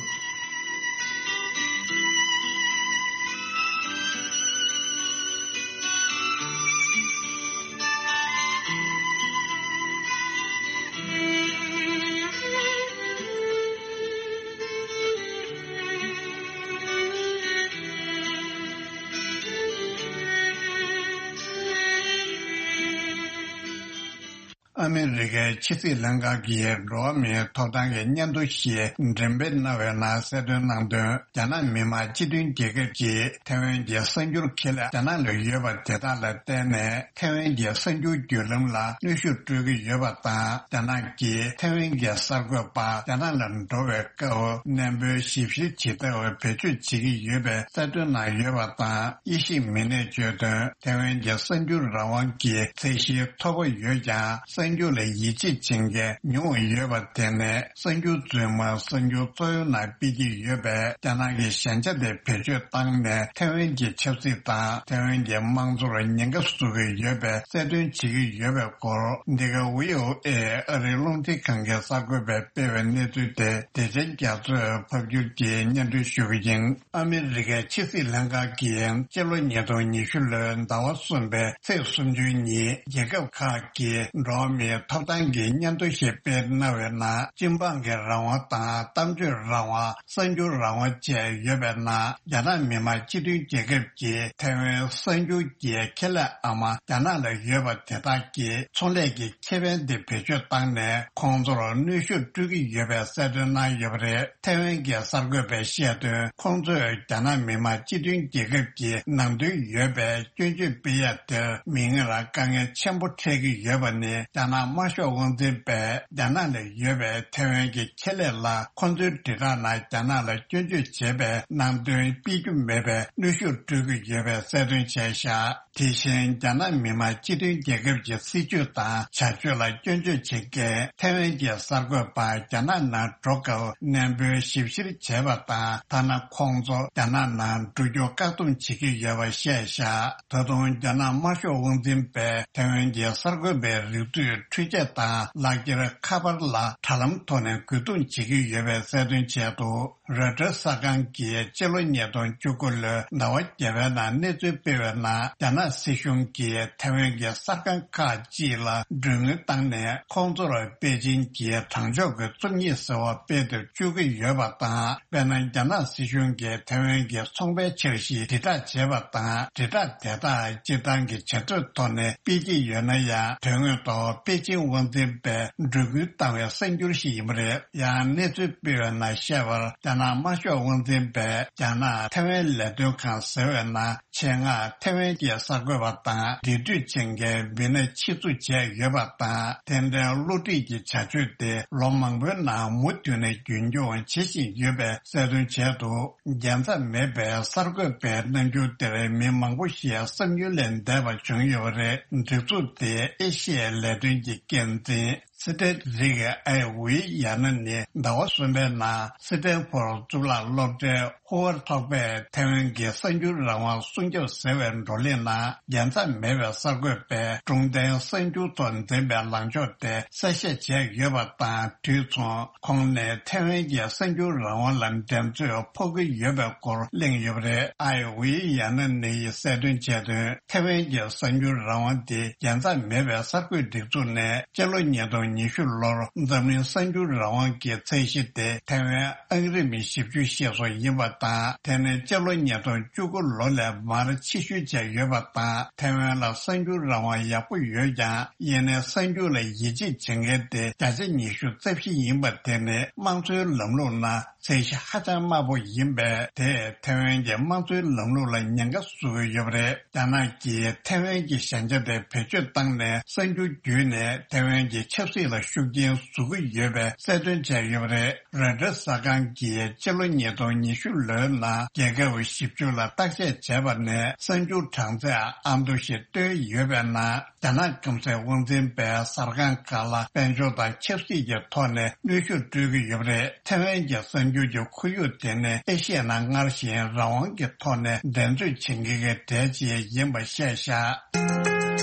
ཨ་མི་རི་ཀའི་ཕྱི་སྲིད་ལྷན་ཁང་གིས་འགྲོ་བ་མིའི་ཐོབ་ཐང་གི་སྙན་ཐོ་ཞིག་འགྲེམས་སྤེལ་གནང་བའི་ནང་གསལ་སྟོན་གནང་དོན། རྒྱ་ནག་མི་དམངས་སྤྱི་མཐུན་རྒྱལ་ཁབ་ཀྱིས་ཐའེ་ཝན་གྱི་གསར་འགྱུར་ཁེ་ལས་རྒྱ་ནག་ལ་ཡོད་པ་དེ་དག་ལ་བརྟེན་ནས་ཐའེ་ཝན་གྱི་གསར་འགྱུར་བརྒྱུད་ལམ་ལ་གནོན་ཤུགས་སྤྲོད་ཀྱི་ཡོད་པ་དང་། རྒྱ་ནག་གིས་ཐའེ་ཝན་གྱི་གསར་འགོད་པ་རྒྱ་ནག་ལ་འགྲོ་བའི་སྐབས་གནས་སྤོའི་ཞིབ་བཤེར་བྱེད་ཐབས་བེད་སྤྱོད་བྱེད་ཀྱི་ཡོད་པའི་གསལ་སྟོན་གནང་ཡོད་པ་དང་། དབྱེ་ཞིབ་མི་སྣས་བརྗོད་དོན། ཐའེ་ཝན་གྱི་གསར་འགྱུར་རང་དབང་གི་ཚད་གཞི་མཐོ་པོ་ཡོད་ཀྱང་། གསར་འགྱུར་ལ་ཡིད་ཆེས་བྱེད་མཁན་ཉུང་བ་ཡོད་པ་དེ་ནས། གསར་འགྱུར་རྫུན་མ་གསར་འགྱུར་རྩ་བའི་ནང་སྤེལ་གྱི་ཡོད་པས། རྒྱ་ནག་གི་ཞན་ཆ་དེ་བེད་སྤྱོད་བཏང་ནས། ཐའེ་ཝན་གྱི་ཆབ་སྲིད་དང་ཐའེ་ཝན་གྱི་དམངས་གཙོར་ཉེན་ཁ་བཟོ་གི་ཡོད་པའི་གསལ་སྟོན་བྱེད་ཀྱི་ཡོད་པའི་སྐོར། འདི་ག་ཝི་ཨོ་ཨེ་ཨ་རིའི་རླུང་འཕྲིན་ཁང་གི་གསར་འགོད་པས་སྤེལ་བའི་གནས་ཚུལ་དེ། བདེ་ཆེན་རྒྱ་མཚོས་ཕབ་སྒྱུར་གྱིས་སྙན་སྒྲོན་ཞུ་གི་ཡིན། ཨ་མི་རི་ཀའི་ཕྱི་སྲིད་ལྷན་ཁང་གིས་སྤྱི་ལོ་ཉིས་སྟོང་ཉི་ཤུ་ལོའི་ཟླ་བ་གསུམ་པའི་ཚེས་སུམ་ཅུ་ཉིན། རྒྱལ་ཁབ་ཁག་གི་འགྲོ་བ་མིའི་ཐོབ་ཐང་གི་སྙན་ཐོ་ཞིག་སྤེལ་གནང་བའི་ནང་། སྤྱི་འབངས་ཀྱི་རང་དབང་དང་། གཏམ་བརྗོད་རང་དབང་། གསར་འགྱུར་རང་དབང་བཅས་ཡོད་པའི་ནང་། རྒྱ་ནག་མི་དམངས་སྤྱི་མཐུན་རྒྱལ་ཁབ་ཀྱིས་ཐའེ་ཝན་གསར་འགྱུར་གྱི་ཁེ་ལས་ཨ་མ་རྒྱ་ནག་ལ་ཡོད་པ་དེ་དག་གིས་ཚོང་ལས་ཀྱི་ཁེ་ཕན་དེ་བེད་སྤྱོད་བཏང་ནས། ཁོང་ཚོར་གནོན་ཤུགས་སྤྲོད་ཀྱི་ཡོད་པའི་གསལ་སྟོན་གནང་ཡོད་པ་རེད། ཐའེ་ཝན་གྱི་གསར་འགོད་པས་བཤད་དོན། ཁོང་ཚོས་རྒྱ་ནག་མི་དམངས་སྤྱི་མཐུན་རྒྱལ་ཁབ་ཀྱི་ནང་དོན་ཡོད་པའི་སྐྱོན་བརྗོད་སྤེལ་ཡ་དེར་མིག་སྔར་དཀའ་ངལ་ཆེན་པོ་འཕྲད་ཀྱི་ཡོད་པ་ནི། རྒྱ་ནག་དམར་ཤོག་དབང་འཛིན་པས་རྒྱ་ནག་ལ་ཡོད་པའི་ཐའེ་ཝན་གྱི་ཁེ་ལས་ལ། ཁོང་ཚོའི་དྲིལ་བསྒྲགས་ནང་རྒྱ་ནག་ལ་སྐྱོན་བརྗོད་བྱེད་པའི་ནང་དོན་སྤེལ་རྒྱུ་མེད་པའི་གནོན་ཤུགས་སྤྲོད་ཀྱི་ཡོད་པའི་གསལ་སྟོན་བྱས་བཞག། དེ་བཞིན་རྒྱ་ནག་མི་དམངས་སྤྱི་མཐུན་རྒྱལ་ཁབ་ཀྱི་སྲིད་བྱུས་དང་བྱ་སྤྱོད་ལ་སྐྱོན་བརྗོད་བྱེད་མཁན་ཐའེ་ཝན་གྱི་གསར་འགོད་པ་རྒྱ་ནག་ནང་འགྲོ་སྐབས་གནས་སྤོའི་ཞིབ་བཤེར་བྱས་པ་དང་། ཐ་ན་ཁོང་ཚོ་རྒྱ་ནག་ནང་འགྲོ་རྒྱུ་བཀག་སྡོམ་བྱེད་ཀྱི་ཡོད་པ་བཤད་བཞག། ད་དུང་རྒྱ་ནག་དམར་ཤོག་དབང་འཛིན་པས་ཐའེ་ཝན་གྱི་གསར་འགོད་པའི་རིགས་རུས་འཕྲུལ་ཆས་དང་ལག་འཁྱེར་ཁ་པར་ལ་དྲ་ལམ་ཐོག་ནས་རྒོལ་རྡུང་བྱེད་ཀྱི་ཡོད་པའི་གསལ་སྟོན་བྱས་འདུག། རོའི་ཊར་གསར་ཁང་གིས་སྤྱི་ལོ་ཉིས་སྟོང་བཅུ་དགུ་ལོའི་ཟླ་བ་བརྒྱད་པའི་ནང་གནས་ཚུལ་སྤེལ་བའི་ནང་། རྒྱ་ནག་སྲིད་གཞུང་གིས་ཐའེ་ཝན་གྱི་གསར་ཁང་ཁག་ཅིག་ལ་མགྲོན་དངུལ་བཏང་ནས། ཁོང་ཚོར་པེ་ཅིན་གྱི་དྲང་ཕྱོགས་ཀྱི་རྩོམ་ཡིག་ཟེར་བ་སྤེལ་ཏེ་བཅུག་གི་ཡོད་པ་དང་། དཔེར་ན། རྒྱ་ནག་སྲིད་གཞུང་གིས་ཐའེ་ཝན་གྱི་ཚོང་པའི་འཆར་གཞི་དྲིལ་བསྒྲགས་བྱས་པ་དང་། དྲིལ་བསྒྲགས་དེ་དག་སྤྱིར་བཏང་གི་བྱ་སྤྱོད་ཐོག་ནས་སྤེལ་གྱི་ཡོད་ན་ཡང་། དོན་དངོས་ཐོག་པེ་ཅིན་དབང་འཛིན་པས་མགྲོན་སྐུལ་བཏང་བའི་གསར་འགྱུར་ཞིག་ཡིན་པ་རེད། ཡང་གནས་ཚུལ་སྤེལ་བའི་ནང་བཤད་པར། རྒྱ་ནག་དམར་ཤོག་དབང་འཛིན་པས་རྒྱ་ནག་ཐའེ་ཝན་ལས་དོན་ཁང་ཟེར་བའི་ནང་ཆེད་མངགས་ཐའེ་ཝན་གྱི་གསར་ གསར་འགོད་པ་དང་འབྲེལ་མཐུད་བྱེད་མཁན་མི་སྣ་ཆེད་འཛུགས་བྱས་ཡོད་པ་དང་། དེ་འདྲའི་བསླུ་བྲིད་ཀྱི་བྱ་སྤྱོད་དེ་ལོ་མང་པོའི་ནང་མུ་མཐུད་ནས་རྒྱུན་འཁྱོངས་བྱེད་བཞིན་ཡོད་པའི་གསལ་སྟོན་བྱས་འདུག་རྒྱལ་མཚམས་མེད་པའི་གསར་འགོད་པའི་རྣམ་འགྱུར་དེར་མི་མང་པོ་ཞིག་བསམ་ཡུལ་ལས་འདས་པ་བྱུང་ཡོད་པ་རེད། སྒྲིག་འཛུགས་དེའི་ཨེ་ཤི་ཡའི་ལས་དོན་གྱི་འགན་འཛིན། སི་ཏྲེད་རིག་ཨའེ་ཝི་ཡ་ན་ནི་ཟླ་བ་གསུམ་པའི་ནང་སི་ཏན་ཕོར་གཙུག་ལག་སློབ་གྲྭའི་ཧུ་ཝར་ཚོགས་པས་ཐའེ་ཝན་གྱི་གསར་འགྱུར་རང་དབང་སྲུང་སྐྱོབ་ཟེར་བའི་བགྲོ་གླེང་ནང་རྒྱལ་མཚམས་མེད་པའི་གསར་འགོད་པས་སྒྲུང་ལྡན་གསར་འགྱུར་ཐོག་འཛིན་པའི་ལངས་ཕྱོགས་དེ་གསལ་བཤད་བྱས་ཡོད་པ་དང་དུས་མཚུངས། ཁོང་ནས་ཐའེ་ཝན་གྱི་གསར་འགྱུར་རང་དབང་ལ་འགྲན་རྩོད་ཕོག་གི་ཡོད་པའི་སྐོར་གླེང་ཡོད་པ་རེད། ཨའེ་ཝི་ཡ་ན་ནི་ཡིས་གསལ་སྟོན་བྱས་དོན། ཐའེ་ཝན་གྱི་གསར་འགྱུར་རང་དབང་དེ་རྒྱལ་མཚམས་མེད་པའི་གསར་འགོད་སྒྲིག་འཛུགས་ནས་སྤྱི་ལོ་ཉིས་སྟོང་ཉི་ཤུ་ལོར་འཛམ་གླིང་གསར་འགྱུར་རང་དབང་གི་ཚད་གཞི་དེ་ཐའེ་ཝན་ཨང་རིམ་བཞི་བཅུ་ཞེས་སུ་ཡིན་པ་དང་། དེ་ནི་སྤྱི་ལོ་ཉིས་སྟོང་བཅུ་དགུ་ལོ་ལས་མར་ཕྱིར་བཤུད་བྱས་ཡོད་པ་དང་། ཐའེ་ཝན་ལ་གསར་འགྱུར་རང་དབང་ཡག་པོ་ཡོད་ཀྱང་། ཡིན་ནའི་གསར་འགྱུར་ལ་ཡིད་ཆེས་བྱེད་མཁན་དེ་བརྒྱ་ཆ་ཉི་ཤུ་རྩ་བཞི་ཡིན་པ་དེ་ནི་དམངས་གཙོའི་ལམ་ལུགས་ནང་ཚད་གཞི་ཧ་ཅང་དམའ་པོ་ཡིན་པས། དེས་ཐའེ་ཝན་གྱི་དམངས་གཙོའི་ལམ་ལུགས་ལ་ཉེན་ཁ་བཟོ་གི་ཡོད་པ་རེད། རྒྱ་ནག་གིས་ཐའེ་ཝན་གྱི་ཞན་ཆ་དེ་བེད་སྤྱོད་བཏང་ནས་གསར་འགྱུར་བརྒྱུད་ནས་ཐའེ་ཝན་གྱི་ཆབ་སྲིད་ལ་ཤུགས་རྐྱེན་བཟོ་གི་ཡོད་པའི་གསལ་སྟོན་བྱས་ཡོད་པ་རེད། རོའི་ཊར་གསར་ཁང་གིས་སྤྱི་ལོ་ཉིས་སྟོང་ཉི་ཤུ་ལོའི་ནང་རྒྱལ་ཁབ་བཞི་བཅུ་ལ་བརྟག་དཔྱད་བྱས་པ་ནས་གསར་འགྱུར་གྲངས་ཚད་ཨ་མདོ་ཞིག་བཏོན་ཡོད་པའི་ནང་། རྒྱ་ནག་སྐམ་སའི་དབང་འཛིན་པས་གསར་ཁང་ཁག་ལ་དཔལ་འབྱོར་དང་ཆབ་སྲིད་ཀྱི་ཐོག་ནས་གནོན་ཤུགས་སྤྲོད་ཀྱི་ཡོད་པ་རེད། ཐའེ་ཝན་གྱི་གསར་འགྱུར་གྱི་ཁོར་ཡུག་དེ་ནི་ཨེ་ཤི་ཡའི་ནང་སྔར་བཞིན་རང་དབང་གི་ཐོག་ནས་འགྲན་རྩོད་བྱེད་མཁན་གྱི་གྲས་ཅིག་ཡིན་པ་བཤད་བཞག་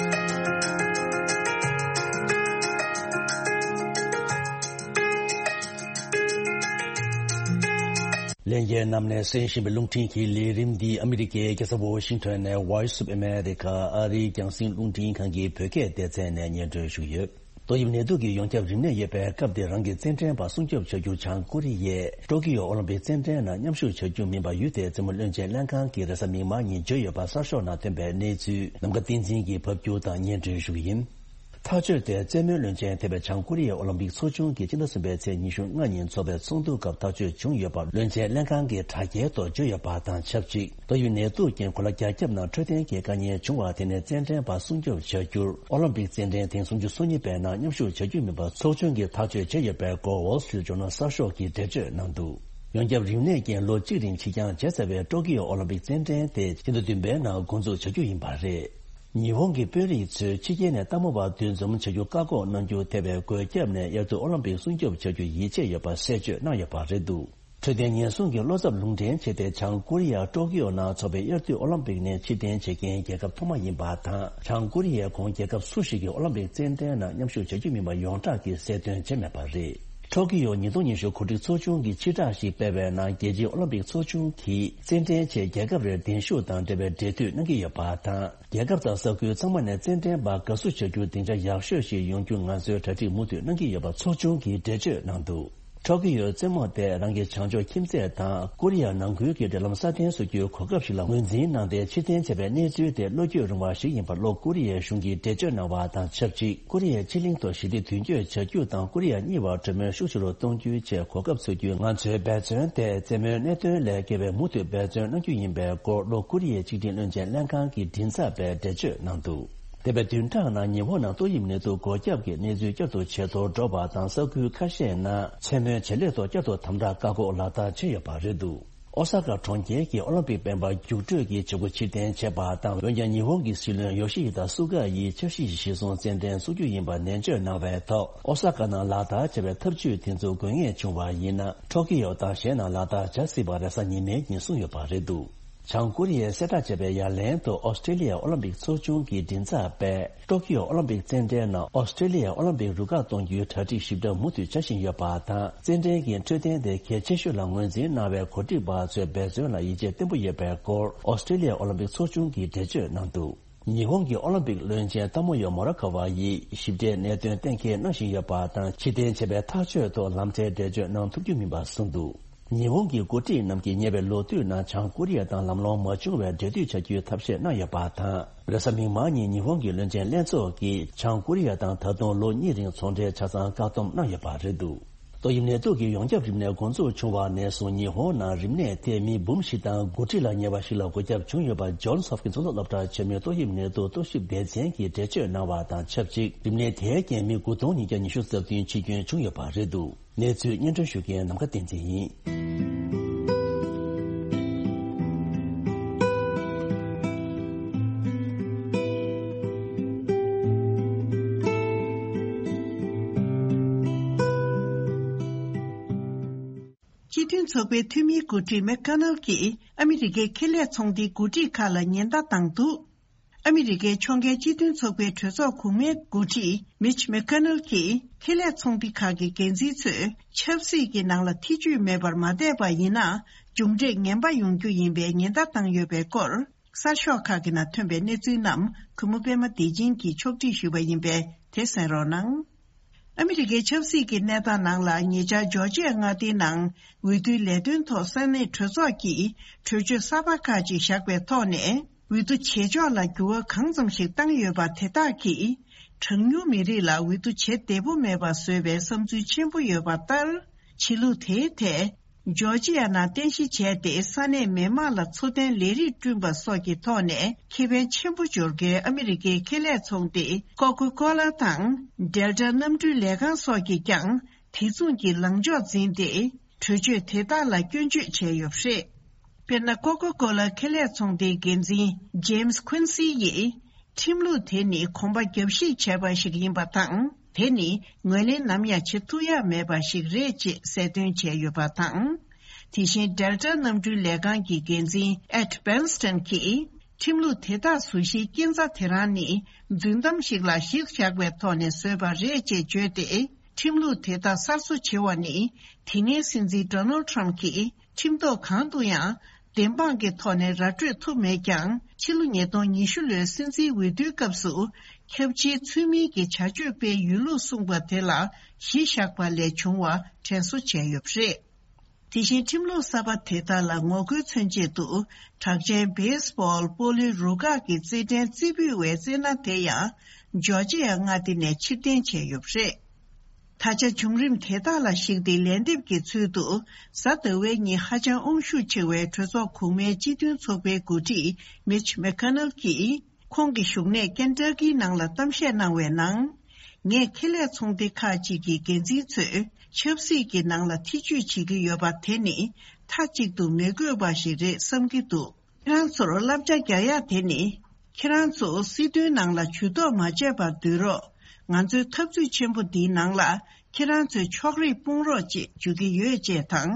ལྷན་རྒྱས་རྣམས་ནས་གསན་བཞིན་པའི་རླུང་འཕྲིན་གྱི་ལས་རིམ་འདི་ཨ་མི་རི་ཀའི་རྒྱལ་ས་ཝ་ཤིང་ཊོན་ནས་Voice of America ཨ་རིའི་རྒྱང་སྲིང་རླུང་འཕྲིན་ཁང་གི་བོད་སྐད་སྡེ་ཚན་ནས་སྙན་སྒྲོན་ཞུས་ཡོད། ཏོག་དབྱིབས་ནད་དུག་གི་ཡོངས་ཁྱབ་རིམས་ནད་ཡོད་པའི་སྐབས་འདིར་རང་གི་རྩེད་འགྲན་པ་སྲུང་སྐྱོབ་བྱ་རྒྱུར་བྱང་ཀོ་རི་ཡས་ཀྲོ་ཀི་ཡོ་ཨོ་ལིམ་པིག་རྩེད་འགྲན་ནང་མཉམ་ཞུགས་བྱ་རྒྱུ་མིན་པ་ཡུལ་དེའི་རྩེད་མོ་བློན་ཆེན་ལྷན་ཁང་གིས་རེས་གཟའ་མིག་དམར་ཉིན་བརྗོད་ཡོད་པ་གསར་ཤོག་ནང་ཐོན་པའི་གནས་ཚུལ་ནམ་མཁའ་བསྟན་འཛིན་གྱིས་ཕབ་སྒྱུར་དང་སྙན་སྒྲོན་ཞུ་གི་ཡིན། ཐག་གཅོད་དེ་རྩེད་མོའི་བློན་ཆེན་ཐེ་བའི་བྱང་ཀོ་རི་ཡའི་ཨོ་ལིམ་པིག་ཚོགས་ཆུང་གིས་སྤྱི་ཟླ་གསུམ་པའི་ཚེས་ཉི་ཤུ་ལྔ་ཉིན་འཚོགས་པའི་ཚོགས་འདུ་སྐབས་ཐག་གཅོད་བྱུང་ཡོད་པ་བློན་ཆེན་ལྷན་ཁང་གི་དྲ་རྒྱའི་ཐོག་བརྗོད་ཡོད་པ་དང་ཆབས་ཅིག་ཏོག་དབྱིབས་ནད་དུག་རྐྱེན་གོ་ལ་རྒྱ་ཁྱབ་ནང་འཕྲོད་བསྟེན་གྱི་དཀའ་ངལ་བྱུང་བ་དེ་ནས་རྩེད་འགྲན་པ་སྲུང་སྐྱོབ་བྱ་རྒྱུར་ཨོ་ལིམ་པིག་རྩེད་འགྲན་ཐེངས་སུམ་ཅུ་སོ་གཉིས་པའི་ནང་མཉམ་ཞུགས་བྱ་རྒྱུ་མིན་པ་ཚོགས་ཆུང་གིས་ཐག་གཅོད་བྱས་ཡོད་པའི་སྐོར་Wall Street Journal གསར་ཤོག་གིས་འགྲེལ་བརྗོད་གནང་འདུག་ཡོངས་ཁྱབ་རིམས་ནད་ཀྱིས་ལོ་གཅིག་རིང་ཕྱིར་འགྱངས་བྱས་ཚར་བའི་ཀྲོ་ཀི་ཡོ་ཨོ་ལིམ་པིག་རྩེད་འགྲན་དེ་ཕྱི་ཟླ་བདུན་པའི་ནང་འགོ་འཛུགས་བྱ་རྒྱུ་ཡིན་པ་རེད། ཉི་ཧོང་གི་དཔོན་རིགས་ཚོས་ཕྱི་རྒྱལ་ནས་ལྟད་མོ་བ་འདུ་འཛོམས་བྱ་རྒྱུ་བཀག་འགོག་གནང་རྒྱུ་ཐེ་བའི་འགོས་ཁྱབ་ནས་དབྱར་དུས་ཨོ་ལིམ་པིག་སྲུང་སྐྱོབ་བྱ་རྒྱུ་ཡིད་ཆེས་ཡོད་པ་གསལ་བརྗོད་གནང་ཡོད་པ་རེད་འདུག་འཕྲོད་བསྟེན་ཉེན་སྲུང་གི་བློ་འཚབ་ལུང་འདྲེན་བྱས་ཏེ་བྱང་ཀོ་རི་ཡ་ཀྲོ་ཀི་ཡོ་ནང་འཚོགས་པའི་དབྱར་དུས་ཨོ་ལིམ་པིག་ནས་ཕྱིར་འཐེན་བྱེད་མཁན་རྒྱལ་ཁབ་ཐོག་མ་ཡིན་པ་དང་། བྱང་ཀོ་རི་ཡས་གོང་རྒྱལ་ཁབ་སུ་ཞིག་གིས་ཨོ་ལིམ་པིག་རྩེད་འགྲན་ནང་མཉམ་ཞུགས་བྱ་རྒྱུ་མིན་པ་ཡོངས་གྲགས་ཀྱིས་གསལ་སྟོན་བྱས་མེད་པ་རེད། ཀྲོ་ཀི་ཡོ་ཉིས་སྟོང་ཉི་ཤུ་གོ་སྒྲིག་ཚོགས་ཆུང་གིས་ཕྱིར་བསྒྲགས་ཤིག་སྤེལ་བའི་ནང་རྒྱལ་སྤྱིའི་ཨོ་ལིམ་པིག་ཚོགས་ཆུང་གིས་རྩེད་འགྲན་ཆེད་རྒྱལ་ཁབ་རེར་གདན་ཞུ་དང་འབྲེལ་བའི་འབྲེལ་མཐུད་གནང་གི་ཡོད་པ་དང་། རྒྱལ་ཁབ་དང་ས་ཁུལ་ཚང་མ་ནས་རྩེད་འགྲན་པ་དགའ་བསུ་བྱ་རྒྱུར་སྡིངས་ཆ་ཡག་ཤོས་ཤིག་ཡོང་རྒྱུ་ང་ཚོས་གྲ་སྒྲིག་མུ་མཐུད་གནང་གི་ཡོད་པ་ཚོགས་ཆུང་གིས་འགྲེལ་བརྗོད་གནང་འདུག་ཀྲོ་ཀི་ཡོའི་རྩེད་མོ་དེ་རང་གི་བྱང་ཕྱོགས་ཁྱིམ་མཚེས་དང་ཀོ་རི་ཡ་ནང་ཁུལ་གྱི་འབྲེལ་ལམ་སྲ་བརྟན་བཟོ་རྒྱུའི་གོ་སྐབས་ཤིག་ལ་ངོས་འཛིན་གནང་སྟེ་ཕྱིར་འཐེན་བྱས་པའི་གནས་ཚུལ་དེ་བློ་འགྱོད་རུང་བ་ཞིག་ཡིན་པ་ལྷོ་ཀོ་རི་ཡའི་གཞུང་གིས་འགྲེལ་བརྗོད་གནང་བ་དང་ཆབས་ཅིག་ཀོ་རི་ཡའི་ཕྱེད་གླིང་ཐོག་ཞི་བདེ་མདུན་སྐྱོད་བྱ་རྒྱུ་དང་ཀོ་རི་ཡ་གཉིས་བར་གྲོས་མོལ་ཤུགས་ཆེ་རུ་གཏོང་རྒྱུའི་ཆེད་གོ་སྐབས་འཚོལ་རྒྱུའི་ང་ཚོའི་འབད་བརྩོན་དེ་རྩེད་མོའི་གནད་དོན་ལས་བརྒལ་བའི་མུ་མཐུད་འབད་བརྩོན་གནང་རྒྱུ་ཡིན་པའི་སྐོར་ལྷོ་ཀོ་རི་ཡའི་ཆིག་སྒྲིལ་བློན་ཆེན་ལྷན་ཁང་གི་མགྲིན་ཚབ་པས་འགྲེལ་བརྗོད་གནང་འདུག་འདས་པའི་བདུན་ཕྲག་ནང་ཉི་ཧོང་ནང་ཏོག་དབྱིབས་ནད་དུག་འགོས་ཁྱབ་ཀྱི་གནས་ཚུལ་བསྐྱར་དུ་ཇེ་མཐོར་འགྲོ་བ་དང་ས་ཁུལ་ཁ་ཤས་ནང་མཚན་མོའི་བྱེད་ལས་ཐོག་བསྐྱར་དུ་དམ་དྲག་བཀག་འགོག་ལག་བསྟར་བྱས་ཡོད་པ་རེད་འདུག་ཨོ་ས་ཀ་གྲོང་ཁྱེར་གྱི་ཨོ་ལིམ་པིག་སྤེན་པ་རྒྱུགས་སྤྲོད་ཀྱི་བྱེད་སྒོ་ཕྱིར་འཐེན་བྱས་པ་དང་། འོན་ཀྱང་ཉི་ཧོང་གི་སྲིད་བློན་ཡོ་ཤི་ཧི་ད་སུ་ག་ཡིས་འཆར་གཞི་གཞིར་བཟུང་རྩེད་འགྲན་འཛུགས་རྒྱུ་ཡིན་པ་ནན་བརྗོད་གནང་བའི་ཐོག་ཨོ་ས་ཀ་ནང་ལག་བསྟར་བྱས་པའི་ཐབས་ཇུས་དེ་ཚོ་དགོས་ངེས་བྱུང་བ་ཡིན་ན། ཊོ་ཀི་ཡོ་དང་གཞན་ནང་ལག་བསྟར་བྱ་སྲིད་པ་རེས་གཟའ་ཉི་མའི་ཉིན་གསུངས་ཡོད་པ་རེད་འདུག་བྱང་ཀོ་རི་ཡས་གསལ་བསྒྲགས་བྱས་པའི་ཡ་ལན་དུ་ཨོ་སི་ཀྲེ་ལི་ཡ་ཨོ་ལིམ་པིག་ཚོགས་ཆུང་གི་མགྲིན་ཚབ་པས། ཏོ་ཀི་ཡོ་ཨོ་ལིམ་པིག་རྩེད་འགྲན་ནང་ཨོ་སི་ཀྲེ་ལི་ཡ་ཨོ་ལིམ་པིག་རུ་ཁག་གཏོང་རྒྱུའི་གྲ་སྒྲིག་ཞིབ་ཕྲ་མུ་མཐུད་བྱ་བཞིན་ཡོད་པ་དང་། རྩེད་འགྲན་གྱི་འཕྲོད་བསྟེན་དེ་གལ་ཆེ་ཤོས་ལ་ངོས་འཛིན་གནང་བའི་གོ་སྒྲིག་པ་ཚོའི་འབད་བརྩོན་ལ་ཡིད་ཆེས་བརྟན་པོ་ཡོད་པའི་སྐོར་ཨོ་སི་ཀྲེ་ལི་ཡ་ཨོ་ལིམ་པིག་ཚོགས་ཆུང་གིས་འགྲེལ་བརྗོད་གནང་འདུག་ཉི་ཧོང་གི་ཨོ་ལིམ་པིག་བློན་ཆེན་ཏ་མོ་ཡོ་མོ་ར་ཁ་བ་ཡིས་ཞིབ་ཕྲའི་གནད་དོན་གཏན་འཁེལ་གནང་བཞིན་ཡོད་པ་དང་། ཕྱིར་འཐེན་བྱས་པའི་ཐག་གཅོད་ཐོག་ལམ་ཁྲལ་འགྲེལ་བརྗོད་གནང་ཐུབ་རྒྱུ་མིན་པ་གསུངས་འདུག་ཉི་ཧོང་གི་འགོ་ཁྲིད་རྣམས་ཀྱིས་ཉེ་བའི་ལོ་དུས་ནང་བྱང་ཀོ་རི་ཡ་དང་ལམ་ལྷོང་མ་བྱུང་བའི་འབྲེལ་མཐུད་བྱ་རྒྱུའི་ཐབས་ཤེས་གནང་ཡོད་པ་དང་། རེས་གཟའ་མིག་དམར་ཉིན་ཉི་ཧོང་གི་བློན་ཆེན་ལྷན་ཚོགས་ཀྱིས་བྱང་ཀོ་རི་ཡ་དང་ད་དུང་ལོ་གཉིས་རིང་ཚོང་འབྲེལ་ཆ་ཚང་བཀག་སྡོམ་གནང་ཡོད་པ་རེད་འདུག་ཏོག་དབྱིབས་ནད་དུག་གི་ཡོངས་ཁྱབ་རིམས་ནད་འགོ་འཛུགས་བྱུང་བ་ནས་བཟུང་ཉི་ཧོང་ནང་རིམས་ནད་དེ་མི་འབུམ་བཞི་དང་དགུ་ཁྲི་ལ་ཉེ་བ་ཞིག་ལ་འགོས་ཁྱབ་བྱུང་ཡོད་པ་ཇོན་སི་ཧོབ་ཀིན་སི་གཙུག་ལག་སློབ་གྲྭ་ཆེན་མོའི་ཏོག་དབྱིབས་ནད་དུག་རྟོག་ཞིབ་སྡེ་ཚན་གྱིས་འགྲེལ་བརྗོད་གནང་བ་དང་ཆབས་ཅིག་རིམས་ནད་དེའི་རྐྱེན་མི་དགུ་སྟོང་ཉིས་བརྒྱ་ཉི་ཤུ་རྩ་བདུན་འཆི་སྐྱོན་བྱུང་ཡོད་པ་རེད་འདུག་གནས་ཚུལ་སྙན་སྒྲོན་ཞུ་མཁན་ནམ་མཁའ་བསྟན་འཛིན་ཡིན། སྤྱི་མཐུན་ཚོགས་པའི་འཐུས་མིའི་འགོ་ཁྲིད་མེག་ཁ་ནལ་གྱིས་ཨ་མི་རི་ཀའི་ཁེ་ལས་ཚོང་སྡེའི་འགོ་ཁྲིད་ཁག་ལ་ཉེན་བརྡ་བཏང་འདུག་ཨ་མི་རི་ཀའི་ཕྱོགས་འགལ་སྤྱི་མཐུན་ཚོགས་པའི་གྲོས་ཚོགས་གོང་མའི་འགོ་ཁྲིད་མིཆ་མེག་ཁ་ནལ་གྱིས་ཁེ་ལས་ཚོང་སྡེ་ཁག་གི་འགན་འཛིན་ཚོས་ཆབ་སྲིད་ཀྱི་ནང་ལ་ཐེ་ཇུས་མེད་པར་མ་བསྡད་པ་ཡིན་ན། མཇུག་འབྲས་ངན་པ་ཡོང་རྒྱུ་ཡིན་པའི་ཉེན་བརྡ་བཏང་ཡོད་པའི་སྐོར། གསར་ཤོག་ཁག་གི་ནང་ཐོན་པའི་གནས་ཚུལ་རྣམས་གུས་མོ་པད་མ་བདེ་ཆེན་གྱིས་ཕྱོགས་སྒྲིག་ཞུས་པ་ཡིན་པས་དེ་གསན་རོགས་གནང་། ཨ་མི་རི་ཀའི་ཆབ་སྲིད་ཀྱི་གནས་སྟངས་ནང་ལ་ཉེ་ཆར་ཇོར་ཇི་ཡ་མངའ་སྡེའི་ནང་འོས་བསྡུའི་ལས་དོན་ཐོག་ས་གནས་གྲོས་ཚོགས་ཀྱིས་གྲོས་ཆོད་གསར་པ་ཁག་ཅིག་བཞག་པའི་ཐོག་ནས་འོས་བསྡུ་བྱེད་ཕྱོགས་ལ་འགྱུར་བ་གང་ཙམ་ཞིག་བཏང་ཡོད་པ་དེ་དག་གིས་གྲངས་ཉུང་མི་རིགས་ལ་འོས་བསྡུ་བྱེད་བདེ་པོ་མེད་པ་བཟོས་པའི་བསམ་ཚུལ་ཆེན་པོ་ཡོད་པ་ལྟར། ཆོས་ལུགས་དེའི་ཐད། ཇོར་ཇི་ཡ་ནང་རྟེན་གཞི་བྱས་ཏེ་ས་གནས་མི་དམངས་ལ་འཚོ་རྟེན་ལས་རིགས་བསྐྲུན་པ་སོགས་ཀྱི་ཐོག་ནས་ཁེ་ཕན་ཆེན་པོ་འབྱོར་མཁན་ཨ་མི་རི་ཀའི་ཁེ་ལས་ཚོང་སྡེ་ཀོ་ཀོ་ཀོ་ལ་དང་ཌེལ་ཊ་གནམ་གྲུའི་ལས་ཁང་སོགས་ཀྱིས་ཀྱང་དེ་མཚུངས་ཀྱི་ལངས་ཕྱོགས་འཛིན་ཏེ་གྲོས་ཆོད་དེ་དག་ལ་སྐྱོན་བརྗོད་བྱས་ཡོད་པ་རེད། དཔེར་ན། ཀོ་ཀོ་ཀོ་ལ་ཁེ་ལས་ཚོང་སྡེའི་འགན་འཛིན་ཇེམ་སི་ཁུན་སི་ཡིས། ཁྲིམས་ལུགས་དེ་ནི་གོམ་པ་རྒྱབ་བཤིག་བྱས་པ་ཞིག་ཡིན་པ་དང་། དེ་ནི་ངོས་ལེན་ནམ་ཡང་བྱེད་ཐུབ་ཡག་མེད་པ་ཞིག་རེད་ཅེས་གསལ་སྟོན་བྱས་ཡོད་པ་དང་། དེ་བཞིན་ཌེལ་ཊ་གནམ་གྲུའི་ལས་ཁང་གི་འགན་འཛིན་ཨེད་བྷེན་སི་ཊོན་གྱིས། ཁྲིམས་ལུགས་དེ་དག་བཟོ་གཞིའི་རྐྱེན་རྩ་དེ་རང་ནི་རྫུན་གཏམ་ཞིག་ལ་གཞི་བཞག་པའི་ཐོག་ནས་བཟོས་པ་རེད་ཅེས་བརྗོད་དེ། ཁྲིམས་ལུགས་དེ་དག་གསར་བཟོ་བྱེད་པ་ནི། དེ་སྔའི་སྲིད་འཛིན་ཌོ་ནལ་ཌི་ཊརམ་ཕི་གྱིས། ཁྲིམས་ཐོག་གང་དུ་ཡང་བདེན་དཔང་གི་ཐོག་ནས་ར་སྤྲོད་ཐུབ་མེད་ཀྱང་། ཕྱི་ལོ་ཉིས་སྟོང་ཉི་ཤུ་ལོའི་སྲིད་འཛིན་འོས་བསྡུའི་སྐབས་སུ་ཁྱབ་ཆེའི་ཚུལ་མིན་གྱི་བྱ་སྤྱོད་སྤེལ་ཡོད་ལུགས་གསུངས་པ་དེ་ལ་གཞི་བཞག་པ་ལས་བྱུང་བ་དྲན་གསོ་བྱས་ཡོད་པ་རེད། དེ་བཞིན་ཁྲིམས་ལུགས་གསར་པ་དེ་དག་ལ་ངོ་རྒོལ་མཚོན་ཆེད་དུ། གྲགས་ཅན་བེ་སི་བྷོལ་སྤོ་ལོའི་རུ་ཁག་གི་རྩེད་འགྲན་རྩེ་ཕུད་པའི་རྩེད་སྣ་དེ་ཡང་ཇོར་ཇི་ཡ་མངའ་སྡེ་ནས་ཕྱིར་འཐེན་བྱས་ཡོད་པ་རེད། ད་ཆ་བྱུང་རིམ་དེ་དག་ལ་གཞིགས་ཏེ་ལན་འདེབས་ཀྱི་ཚུལ་དུ། གཟའ་ཟླ་བའི་ཉིན་ཧ་ཅང་དབང་ཤུགས་ཆེ་བའི་གྲོས་ཚོགས་གོང་མའི་སྤྱི་མཐུན་ཚོགས་པའི་འགོ་ཁྲིད་མིཆ་མེ་ཁ་ནལ་གྱིས། ཁོང་གི་བཞུགས་གནས་ཀེན་ཊ་ཀིའི་ནང་ལ་གཏམ་བཤད་གནང་བའི་ནང་། ངས་ཁེ་ལས་ཚོང་སྡེ་ཁག་ཅིག་གི་འགན་འཛིན་ཚོས་ཆབ་སྲིད་ཀྱི་ནང་ལ་ཐེ་ཇུས་བྱེད་ཀྱི་ཡོད་པ་དེ་ནི་མཐའ་གཅིག་ཏུ་མི་དགོས་པ་ཞིག་རེད་བསམ་གྱི་འདུག་ཁྱེད་རང་ཚོར་བསླབ་བྱ་རྒྱག་ཡག་དེ་ནི། ཁྱེད་རང་ཚོ་སྲིད་དོན་ནང་ལ་ཇུས་གཏོགས་མ་བྱས་པར་སྡོད་རོགས། ང་ཚོའི་འཐབ་རྩོད་ཆེན་པོ་འདིའི་ནང་ལ་ཁྱེད་རང་ཚོས་ཕྱོགས་རིས་སྤུངས་རོགས་ཅེས་བརྗོད་ཀྱི་ཡོད་ཅེས་དང་།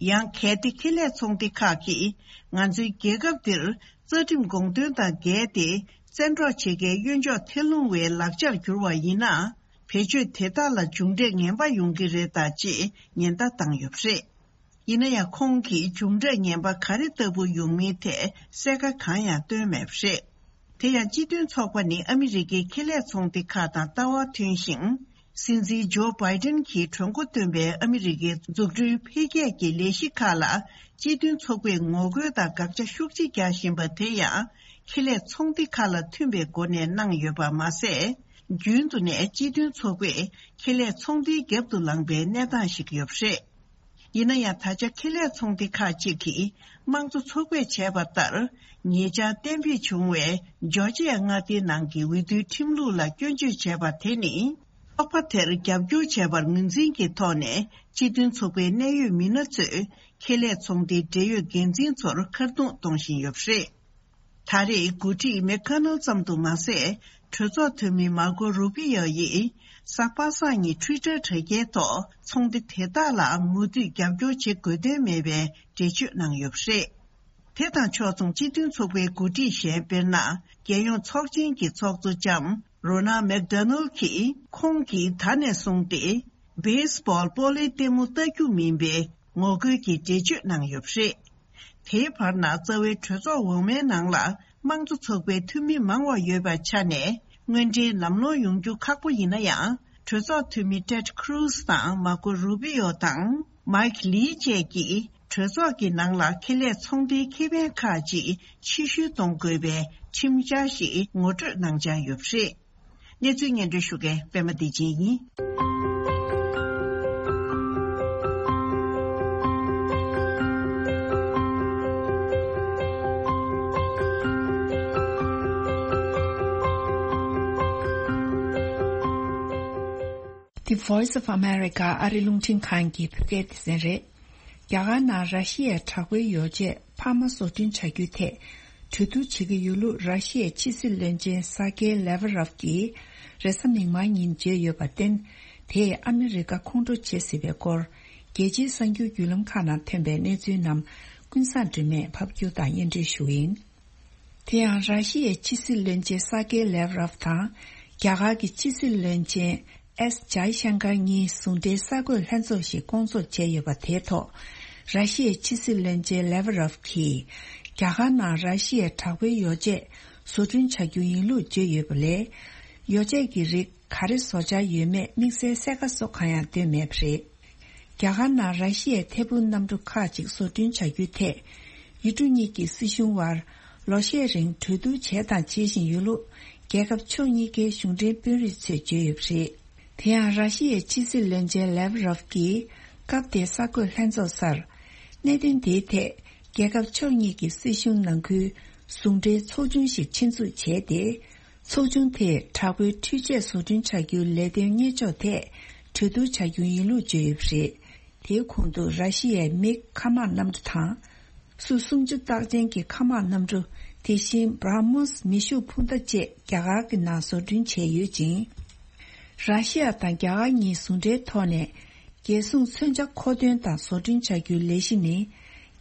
ཡང་གལ་ཏེ་ཁེ་ལས་ཚོང་སྡེ་ཁག་གིས་ང་ཚོའི་རྒྱལ་ཁབ་འདིར་རྩ་ཁྲིམས་དགོངས་དོན་དང་འགལ་ཏེ་བཙན་འཕྲོག་བྱེད་མཁན་གཡོན་ཕྱོགས་ཐལ་རླུང་བའི་ལག་ཆར་གྱུར་བ་ཡིན་ན། བེད་སྤྱོད་དེ་དག་ལ་མཇུག་འབྲས་ངན་པ་ཡོང་གི་རེད་ད་ཅེས་ཉེན་བརྡ་བཏང་ཡོད་པ་རེད། ཡིན་ན་ཡང་ཁོང་གིས་མཇུག་འབྲས་ངན་པ་ག་རེ་ལྟ་བུ་ཡོང་མིན་ཐད་གསལ་ཁ་གང་ཡང་བཏོན་མེད་པ་རེད། དེ་ཡང་སྤྱི་མཐུན་ཚོགས་པ་ནི་ཨ་མི་རི་ཀའི་ཁེ་ལས་ཚོང་སྡེ་ཁག་དང་ལྟ་བ་མཐུན་ཞིང་། སྲིད་འཛིན་ཇོ་བྷའི་ཏིན་གྱིས་གྲོས་འགོ་བཏོན་པའི་ཨ་མི་རི་ཀའི་འཛུགས་སྐྲུན་འཕེལ་རྒྱས་ཀྱི་ལས་གཞི་ཁག་ལ་སྤྱི་མཐུན་ཚོགས་པས་ངོ་རྒོལ་དང་དགག་བྱ་ཤུགས་ཆེ་རྒྱག་བཞིན་པ་དེ་ཡང་ཁེ་ལས་ཚོང་སྡེ་ཁག་ལ་མཐུན་པའི་སྒོ་ནས་གནང་ཡོད་པ་མ་ཟད། རྒྱུན་དུ་ནས་སྤྱི་མཐུན་ཚོགས་པས་ཁེ་ལས་ཚོང་སྡེའི་རྒྱབ་ཏུ་ལངས་པའི་གནས་སྟངས་ཤིག་ཡོད་པ་རེད། ཡིན་ན་ཡང་ད་ཆ་ཁེ་ལས་ཚོང་སྡེ་ཁག་ཅིག་གིས་དམངས་གཙོ་ཚོགས་པས་བྱས་པ་ལྟར། ཉེ་ཆར་གཏན་འབེབས་བྱུང་བའི་ཇོར་ཇི་ཡ་མངའ་སྡེའི་ནང་གི་འོས་བསྡུའི་ཁྲིམས་ལུགས་ལ་སྐྱོན་བརྗོད་བྱས་པ་དེ་ནི། ཚོགས་པ་དེར་རྒྱབ་སྐྱོར་བྱས་པར་ངོས་འཛིན་གྱི་ཐོག་ནས་སྤྱི་མཐུན་ཚོགས་པའི་གནད་ཡོད་མི་སྣ་ཚོས་ཁེ་ལས་ཚོང་སྡེའི་འབྲེལ་ཡོད་འགན་འཛིན་ཚོར་མཁར་རྡུང་གཏོང་བཞིན་ཡོད་པ་རེད། ད་རེས་འགོ་ཁྲིད་མེག་ཁ་ནལ་ཙམ་དུ་མ་ཟད། གྲོས་ཚོགས་འཐུས་མི་མར་ཀོ་རུ་པི་ཡོ་ཡིས་གཟའ་པ་སངས་ཉིན་ཊུའི་ཊར་དྲ་རྒྱའི་ཐོག་ཚོང་སྡེ་དེ་དག་ལ་མུ་མཐུད་རྒྱབ་སྐྱོར་བྱེད་དགོས་དོན་མེད་པའི་འགྲེལ་བརྗོད་གནང་ཡོད་པ་རེད། དེ་དང་ཕྱོགས་མཚུངས་སྤྱི་མཐུན་ཚོགས་པའི་འགོ་ཁྲིད་གཞན་དཔེར་ན། རྒྱལ་ཡོངས་ཚོགས་ཆེན་གྱི་ཚོགས་གཙོ་ལྕམ་རོ་ན་མེག་ཌོ་ནལ་གྱིས་ཁོང་གིས་ད་ནས་བཟུང་སྟེ། བེ་སི་བྷོལ་སྤོ་ལོའི་ལྟད་མོ་ལྟ་རྒྱུ་མིན་པའི་ངོ་རྒོལ་གྱི་འགྲེལ་བརྗོད་གནང་ཡོད་པ་རེད། དེའི་བར་ན་རྩ་བའི་གྲོས་ཚོགས་འོག་མའི་ནང་ལ་དམངས་གཙོ་ཚོགས་པའི་འཐུས་མི་མང་བ་ཡོད་པའི་ཆ་ནས། དངོས་འབྲེལ་ལམ་ལྷོང་ཡོང་རྒྱུ་ཁག་པོ་ཡིན་ན་ཡང་། གྲོས་ཚོགས་འཐུས་མི་ཊེཌ་ཁུ་རུ་སི་དང་མར་ཀོ་རུ་པི་ཡོ་དང་མའིཀ་ལི་བཅས་ཀྱིས་གྲོས་ཚོགས་ཀྱི་ནང་ལ་ཁེ་ལས་ཚོང་སྡེའི་ཁེ་ཕན་ཁག་ཅིག་ཕྱིར་བཤོལ་གཏོང་དགོས་པའི་ཁྲིམས་འཆར་ཞིག་ངོ་སྤྲོད་གནང་འཆར་ཡོད་པ་རེད། གནས་ཚུལ་སྙན་སྒྲོན་ཞུ་མཁན་པད་མ་བདེ་ཆེན་ཡིན། The Voice of America ཨ་རི་རླུང་འཕྲིན་ཁང་གི་བོད་སྐད་སྡེ་ཚན་རེད། རྒྱ་གར་ནང་ར་ཤི་ཡའི་དྲག་པོའི་ཡོ་བྱད་འཕར་མ་བཟོ་སྐྲུན་བྱ་རྒྱུའི་ཐད་གྲོས་བསྡུར་བྱེད་ཀྱི་ཡོད་ལུགས་ར་ཤི་ཡའི་ཕྱི་སྲིད་བློན་ཆེན་སར་ཀེ་ལེ་ཝ་རོབ་ཀྱིས་རེས་གཟའ་མིག་དམར་ཉིན་བརྗོད་ཡོད་པར་བརྟེན། དེས་ཨ་མི་རི་ཀ་ཁོང་ཁྲོ་བྱེད་སྲིད་པའི་སྐོར། རྒྱལ་སྤྱིའི་གསར་འགྱུར་བརྒྱུད་ལམ་ཁག་ནང་ཐོན་པའི་གནས་ཚུལ་རྣམས་ཀུན་བཟང་སྒྲོལ་མས་ཕབ་སྒྱུར་དང་སྙན་སྒྲོན་ཞུ་གི་ཡིན། དེ་ཡང་ར་ཤི་ཡའི་ཕྱི་སྲིད་བློན་ཆེན་སར་ཀེ་ལེ་ཝ་རོབ་དང་། རྒྱ་གར་གྱི་ཕྱི་སྲིད་བློན་ཆེན་ཨེས་ཇའི་ཤང་ཀར་གཉིས་ཟུང་འབྲེལ་གསར་འགོད་ལྷན་ཚོགས་ཤིག་བསྐོང་ཚོགས་བྱས་ཡོད་པ་དེའི་ཐོག་ར་ཤི་ཡའི་ཕྱི་སྲིད་བློན་ཆེན་ལེ་ཝ་རོབ་ཀྱིས། རྒྱ་གར་ནང་ར་ཤི་ཡའི་དྲག་པོའི་ཡོ་བྱད་བཟོ་སྐྲུན་བྱ་རྒྱུ་ཡིན་ལུགས་བརྗོད་ཡོད་པ་ལས། ཡོ་བྱད་ཀྱི་རིགས་ག་རེ་བཟོ་འཆར་ཡོད་མེད་དམིགས་བསལ་གསལ་ཁ་བཟོ་གང་ཡང་བཏོན་མེད་པ་རེད། རྒྱ་གར་ནང་ར་ཤི་ཡའི་ཐད་འཕུར་གནམ་གྲུ་ཁག་ཅིག་བཟོ་སྐྲུན་བྱ་རྒྱུའི་ཐད། ཡུལ་གྲུ་གཉིས་ཀྱི་སྲིད་གཞུང་དབར་ལོ་ཤས་རིང་གྲོས་བསྡུར་བྱས་དང་བྱེད་བཞིན་ཡོད་ལུགས་རྒྱལ་ཁབ་ཕྱོགས་གཉིས་ཀའི་གཞུང་འབྲེལ་དཔོན་རིགས་ཚོས་བརྗོད་ཡོད་པ་རེད། དེ་ཡང་ར་ཤི་ཡའི་ཕྱི་སྲིད་བློན་ཆེན་ལེ་ཝ་རོབ་ཀྱིས་སྐབས་དེའི་གསར་འགོད་ལྷན་ཚོགས་སར། གནད་དོན་དེའི་ཐད་རྒྱལ་ཁབ་ཕྱོགས་གཉིས་ཀྱི་སྲིད་གཞུང་ནང་ཁུལ་ཟུང་འབྲེལ་ཚོགས་ཆུང་ཞིག་ཆེད་འཛུགས་བྱས་ཏེ། ཚོགས་ཆུང་དེས་དྲག་པོའི་འཕྲུལ་ཆས་བཟོ་སྐྲུན་བྱ་རྒྱུའི་ལས་དོན་གཉེར་ཕྱོགས་ཐད་གྲོས་བསྡུར་བྱ་རྒྱུ་ཡིན་ལུགས་བརྗོད་ཡོད་པ་རེད། དེའི་གོང་དུ་ར་ཤི་ཡའི་མིག་མཁའ་དམག་གནམ་གྲུ་དང་། སུ་སུམ་ཅུ་རྟགས་ཅན་གྱི་མཁའ་དམག་གནམ་གྲུ། དེ་བཞིན་བྷ་ར་མོས་མེ་ཤུགས་འཕུར་མདའ་བཅས་རྒྱ་གར་གྱི་ནང་བཟོ་སྐྲུན་བྱས་ཡོད་ཅིང་། ར་ཤི་ཡ་དང་རྒྱ་གར་གཉིས་ཟུང་འབྲེལ་ཐོག་ནས། རྒྱལ་སྲུང་མཚོན་ཆ་མཁོ་འདོན་དང་བཟོ་སྐྲུན་བྱ་རྒྱུའི་ལས་གཞི་ནི།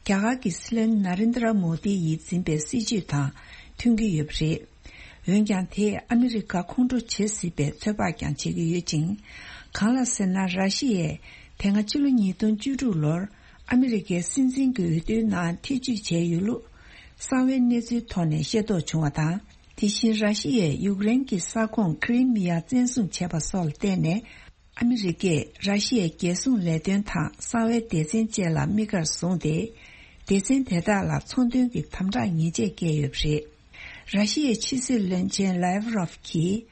རྒྱ་གར་གྱི་སྲིད་བློན་ན་རེན་དྲ་མོ་དི་ཡིས་འཛིན་པའི་སྲིད་བྱུས་དང་མཐུན་གྱི་ཡོད་པ་རེད། འོན་ཀྱང་དེས་ཨ་མི་རི་ཀ་ཁོང་ཁྲོ་བྱེད་སྲིད་པའི་ཚོད་དཔག་ཀྱང་བྱེད་ཀྱི་ཡོད་ཅིང་། གང་ལགས་ཟེར་ན། ར་ཤི་ཡས་དེ་སྔ་ཕྱི་ལོ་ཉིས་སྟོང་བཅུ་དྲུག་ལོར་ཨ་མི་རི་ཀའི་སྲིད་འཛིན་གྱི་འོས་བསྡུའི་ནང་ཐེ་བྱུས་བྱས་ཡོད་ལུགས་གསང་བའི་གནས་ཚུལ་ཐོག་ནས་ཤེས་རྟོགས་བྱུང་བ་དང་། དེ་བཞིན་ར་ཤི་ཡས་ཡུཀ་རེན་གྱི་ས་ཁོངས་ཁི་རི་མི་ཡ་བཙན་བཟུང་བྱས་པ་སོགས་ལ་བརྟེན་ནས། ཨ་མི་རི་ཀས་ར་ཤི་ཡའི་རྒྱལ་སྲུང་ལས་དོན་དང་གསང་བའི་སྡེ་ཚན་བཅས་ལ་དམིགས་ཀར་བཟུང་སྟེ། སྡེ་ཚན་དེ་དག་ལ་ཚོང་དོན་གྱི་དམ་དྲག་ཉེས་ཆད་བཀལ་ཡོད་པ་རེད། ར་ཤི་ཡའི་ཕྱི་སྲིད་བློན་ཆེན་ལེ་ཝ་རོབ་ཀྱིས།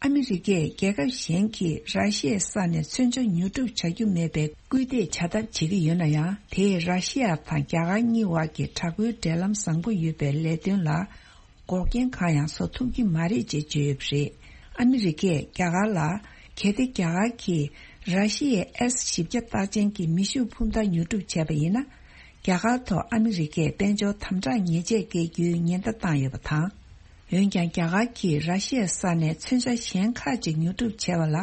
ཨ་མི་རི་ཀས་རྒྱལ་ཁབ་གཞན་གྱིས་ར་ཤི་ཡའི་ས་ནས་མཚོན་ཆ་ཉོ་སྒྲུབ་བྱ་རྒྱུ་མེད་པའི་སྐུལ་འདེད་བྱ་ཐབས་བྱེད་ཀྱི་ཡོད་ན་ཡང་། དེས་ར་ཤི་ཡ་དང་རྒྱ་གར་གཉིས་བར་གྱི་དྲག་པོའི་འབྲེལ་ལམ་བཟང་པོ་ཡོད་པའི་ལས་དོན་ལ། འགོག་རྐྱེན་གང་ཡང་བཟོ་ཐུབ་ཀྱི་མ་རེད་ཅེས་བརྗོད་ཡོད་པ་རེད། ཨ་མི་རི་ཀས་རྒྱ་གར་ལ། གལ་ཏེ་རྒྱ་གར་གྱིས་ར་ཤི་ཡའི་ཨེས་བཞི་བརྒྱ་རྟགས་ཅན་གྱི་མེ་ཤུགས་འཕུར་མདའ་ཉོ་སྒྲུབ་བྱས་པ་ཡིན་ན། རྒྱ་གར་ཐོག་ཨ་མི་རི་ཀས་དཔལ་འབྱོར་དམ་དྲག་ཉེས་ཆད་བཀལ་རྒྱུའི་ཉེན་བརྡ་བཏང་ཡོད་པ་དང་། འོན་ཀྱང་། རྒྱ་གར་གྱིས་ར་ཤི་ཡའི་ས་ནས་མཚོན་ཆ་གཞན་ཁག་ཅིག་ཉོ་སྒྲུབ་བྱས་པ་ལ།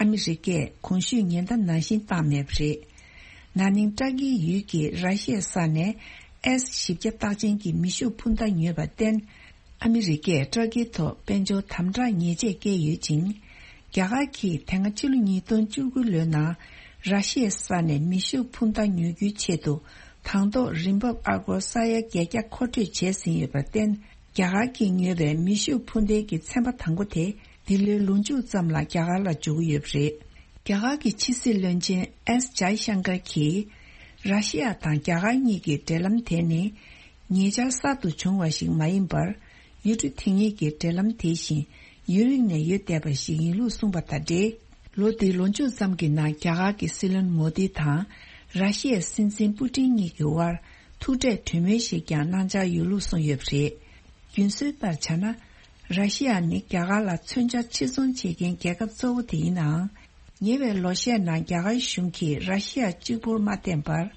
ཨ་མི་རི་ཀས་གོང་ཞུས་ཉེན་བརྡ་ནང་བཞིན་བཏང་མེད་པ་རེད། ན་ནིང་ཏྲ་ཀིའི་ཡུལ་གྱི་ར་ཤི་ཡའི་ས་ནས་ཨེས་བཞི་བརྒྱ་རྟགས་ཅན་གྱི་མེ་ཤུགས་འཕུར་མདའ་ཉོས་པར་བརྟེན། ཨ་མི་རི་ཀས་ཏྲ་ཀི་ཐོག་དཔལ་འབྱོར་དམ་དྲག་ཉེས་ཆད་བཀལ་ཡོད་ཅིང་། རྒྱ་གར་གྱིས་དེ་སྔ་ཕྱི་ལོ་ཉིས་སྟོང་བཅུ་དགུ་ལོའི་ནང་ར་ཤི་ཡའི་ས་ནས་མེ་ཤུགས་འཕུར་མདའ་ཉོ་རྒྱུའི་ཆེད་དུ། དང་ཐོག་རིན་འབབ་ཨ་སྒོར་ས་ཡ་བརྒྱད་བརྒྱ་མཁོ་སྤྲོད་བྱས་ཟིན་ཡོད་པར་བརྟེན། རྒྱ་གར་གྱིས་ཉོས་པའི་མེ་ཤུགས་འཕུར་མདེལ་གྱི་ཚན་པ་དང་པོ་དེ། འདི་ལོའི་ལོ་མཇུག་ཙམ་ལ་རྒྱ་གར་ལ་འབྱོར་གྱི་ཡོད་པ་རེད། རྒྱ་གར་གྱི་ཕྱི་སྲིད་བློན་ཆེན་ཨེས་ཇའི་ཤང་ཀར་གྱིས། ར་ཤི་ཡ་དང་རྒྱ་གར་གཉིས་ཀྱི་འབྲེལ་ལམ་དེ་ནི། ཉེ་ཆར་གསར་དུ་བྱུང་བ་ཞིག་མ་ཡིན་པར། ཡུལ་གྲུ་དེ་གཉིས་ཀྱི་འབྲེལ་ལམ་དེ་བཞིན་ཡུན་རིང་ནས་ཡོད་བསྡད་པ་ཞིག་ཡིན་ལུགས་གསུངས་པ་དང་འབྲེལ། ལོ་འདིའི་ལོ་མཇུག་ཙམ་གྱི་ནང་རྒྱ་གར་གྱི་སྲིད་བློན་མོ་དི་དང་། ར་ཤི་ཡའི་སྲིད་འཛིན་པུ་ཏིན་གཉིས་ཀྱི་དབར་ཐུག་འཕྲད་གྲོས་མོལ་ཞིག་ཀྱང་གནང་འཆར་ཡོད་ལུགས་གསུངས་ཡོད་པ་རེད། རྒྱུན་སྲོལ་ལྟར་བྱས་ན། ར་ཤི་ཡ་ནི་རྒྱ་གར་ལ་མཚོན་ཆ་ཕྱིར་ཚོང་བྱེད་མཁན་རྒྱལ་ཁབ་གཙོ་བོ་དེ་ཡིན་ནའང་། ཉེ་བའི་ལོ་ཤས་ནང་རྒྱ་གར་གཞུང་གིས་ར་ཤི་ཡ་གཅིག་པུར་མ་བརྟེན་པར།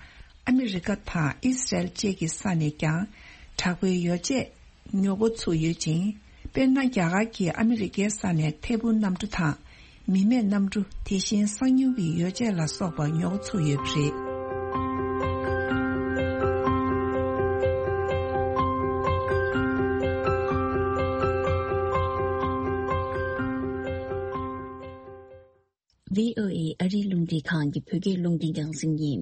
ཨ་མི་རི་ཀ་དང་ཨི་སི་རལ་བཅས་ཀྱི་ས་ནས་ཀྱང་དྲག་པོའི་ཡོ་བྱད་ཉོ་འགོ་ཚུགས་ཡོད་ཅིང་། དཔེར་ན། རྒྱ་གར་གྱིས་ཨ་མི་རི་ཀའི་ས་ནས་ཐད་འཕུར་གནམ་གྲུ་དང་། མི་མེད་གནམ་གྲུ། དེ་བཞིན་གསང་མྱུལ་གྱི་ཡོ་བྱད་ལ་སོགས་པ་ཉོ་འགོ་ཚུགས་ཡོད་པ་རེད། ཝི་ཨོ་ཨེ་ཨ་རིའི་རླུང་འཕྲིན་ཁང་གི་བོད་སྐད་རླུང་འཕྲིན་རྒྱང་སྲིང་ཡིན།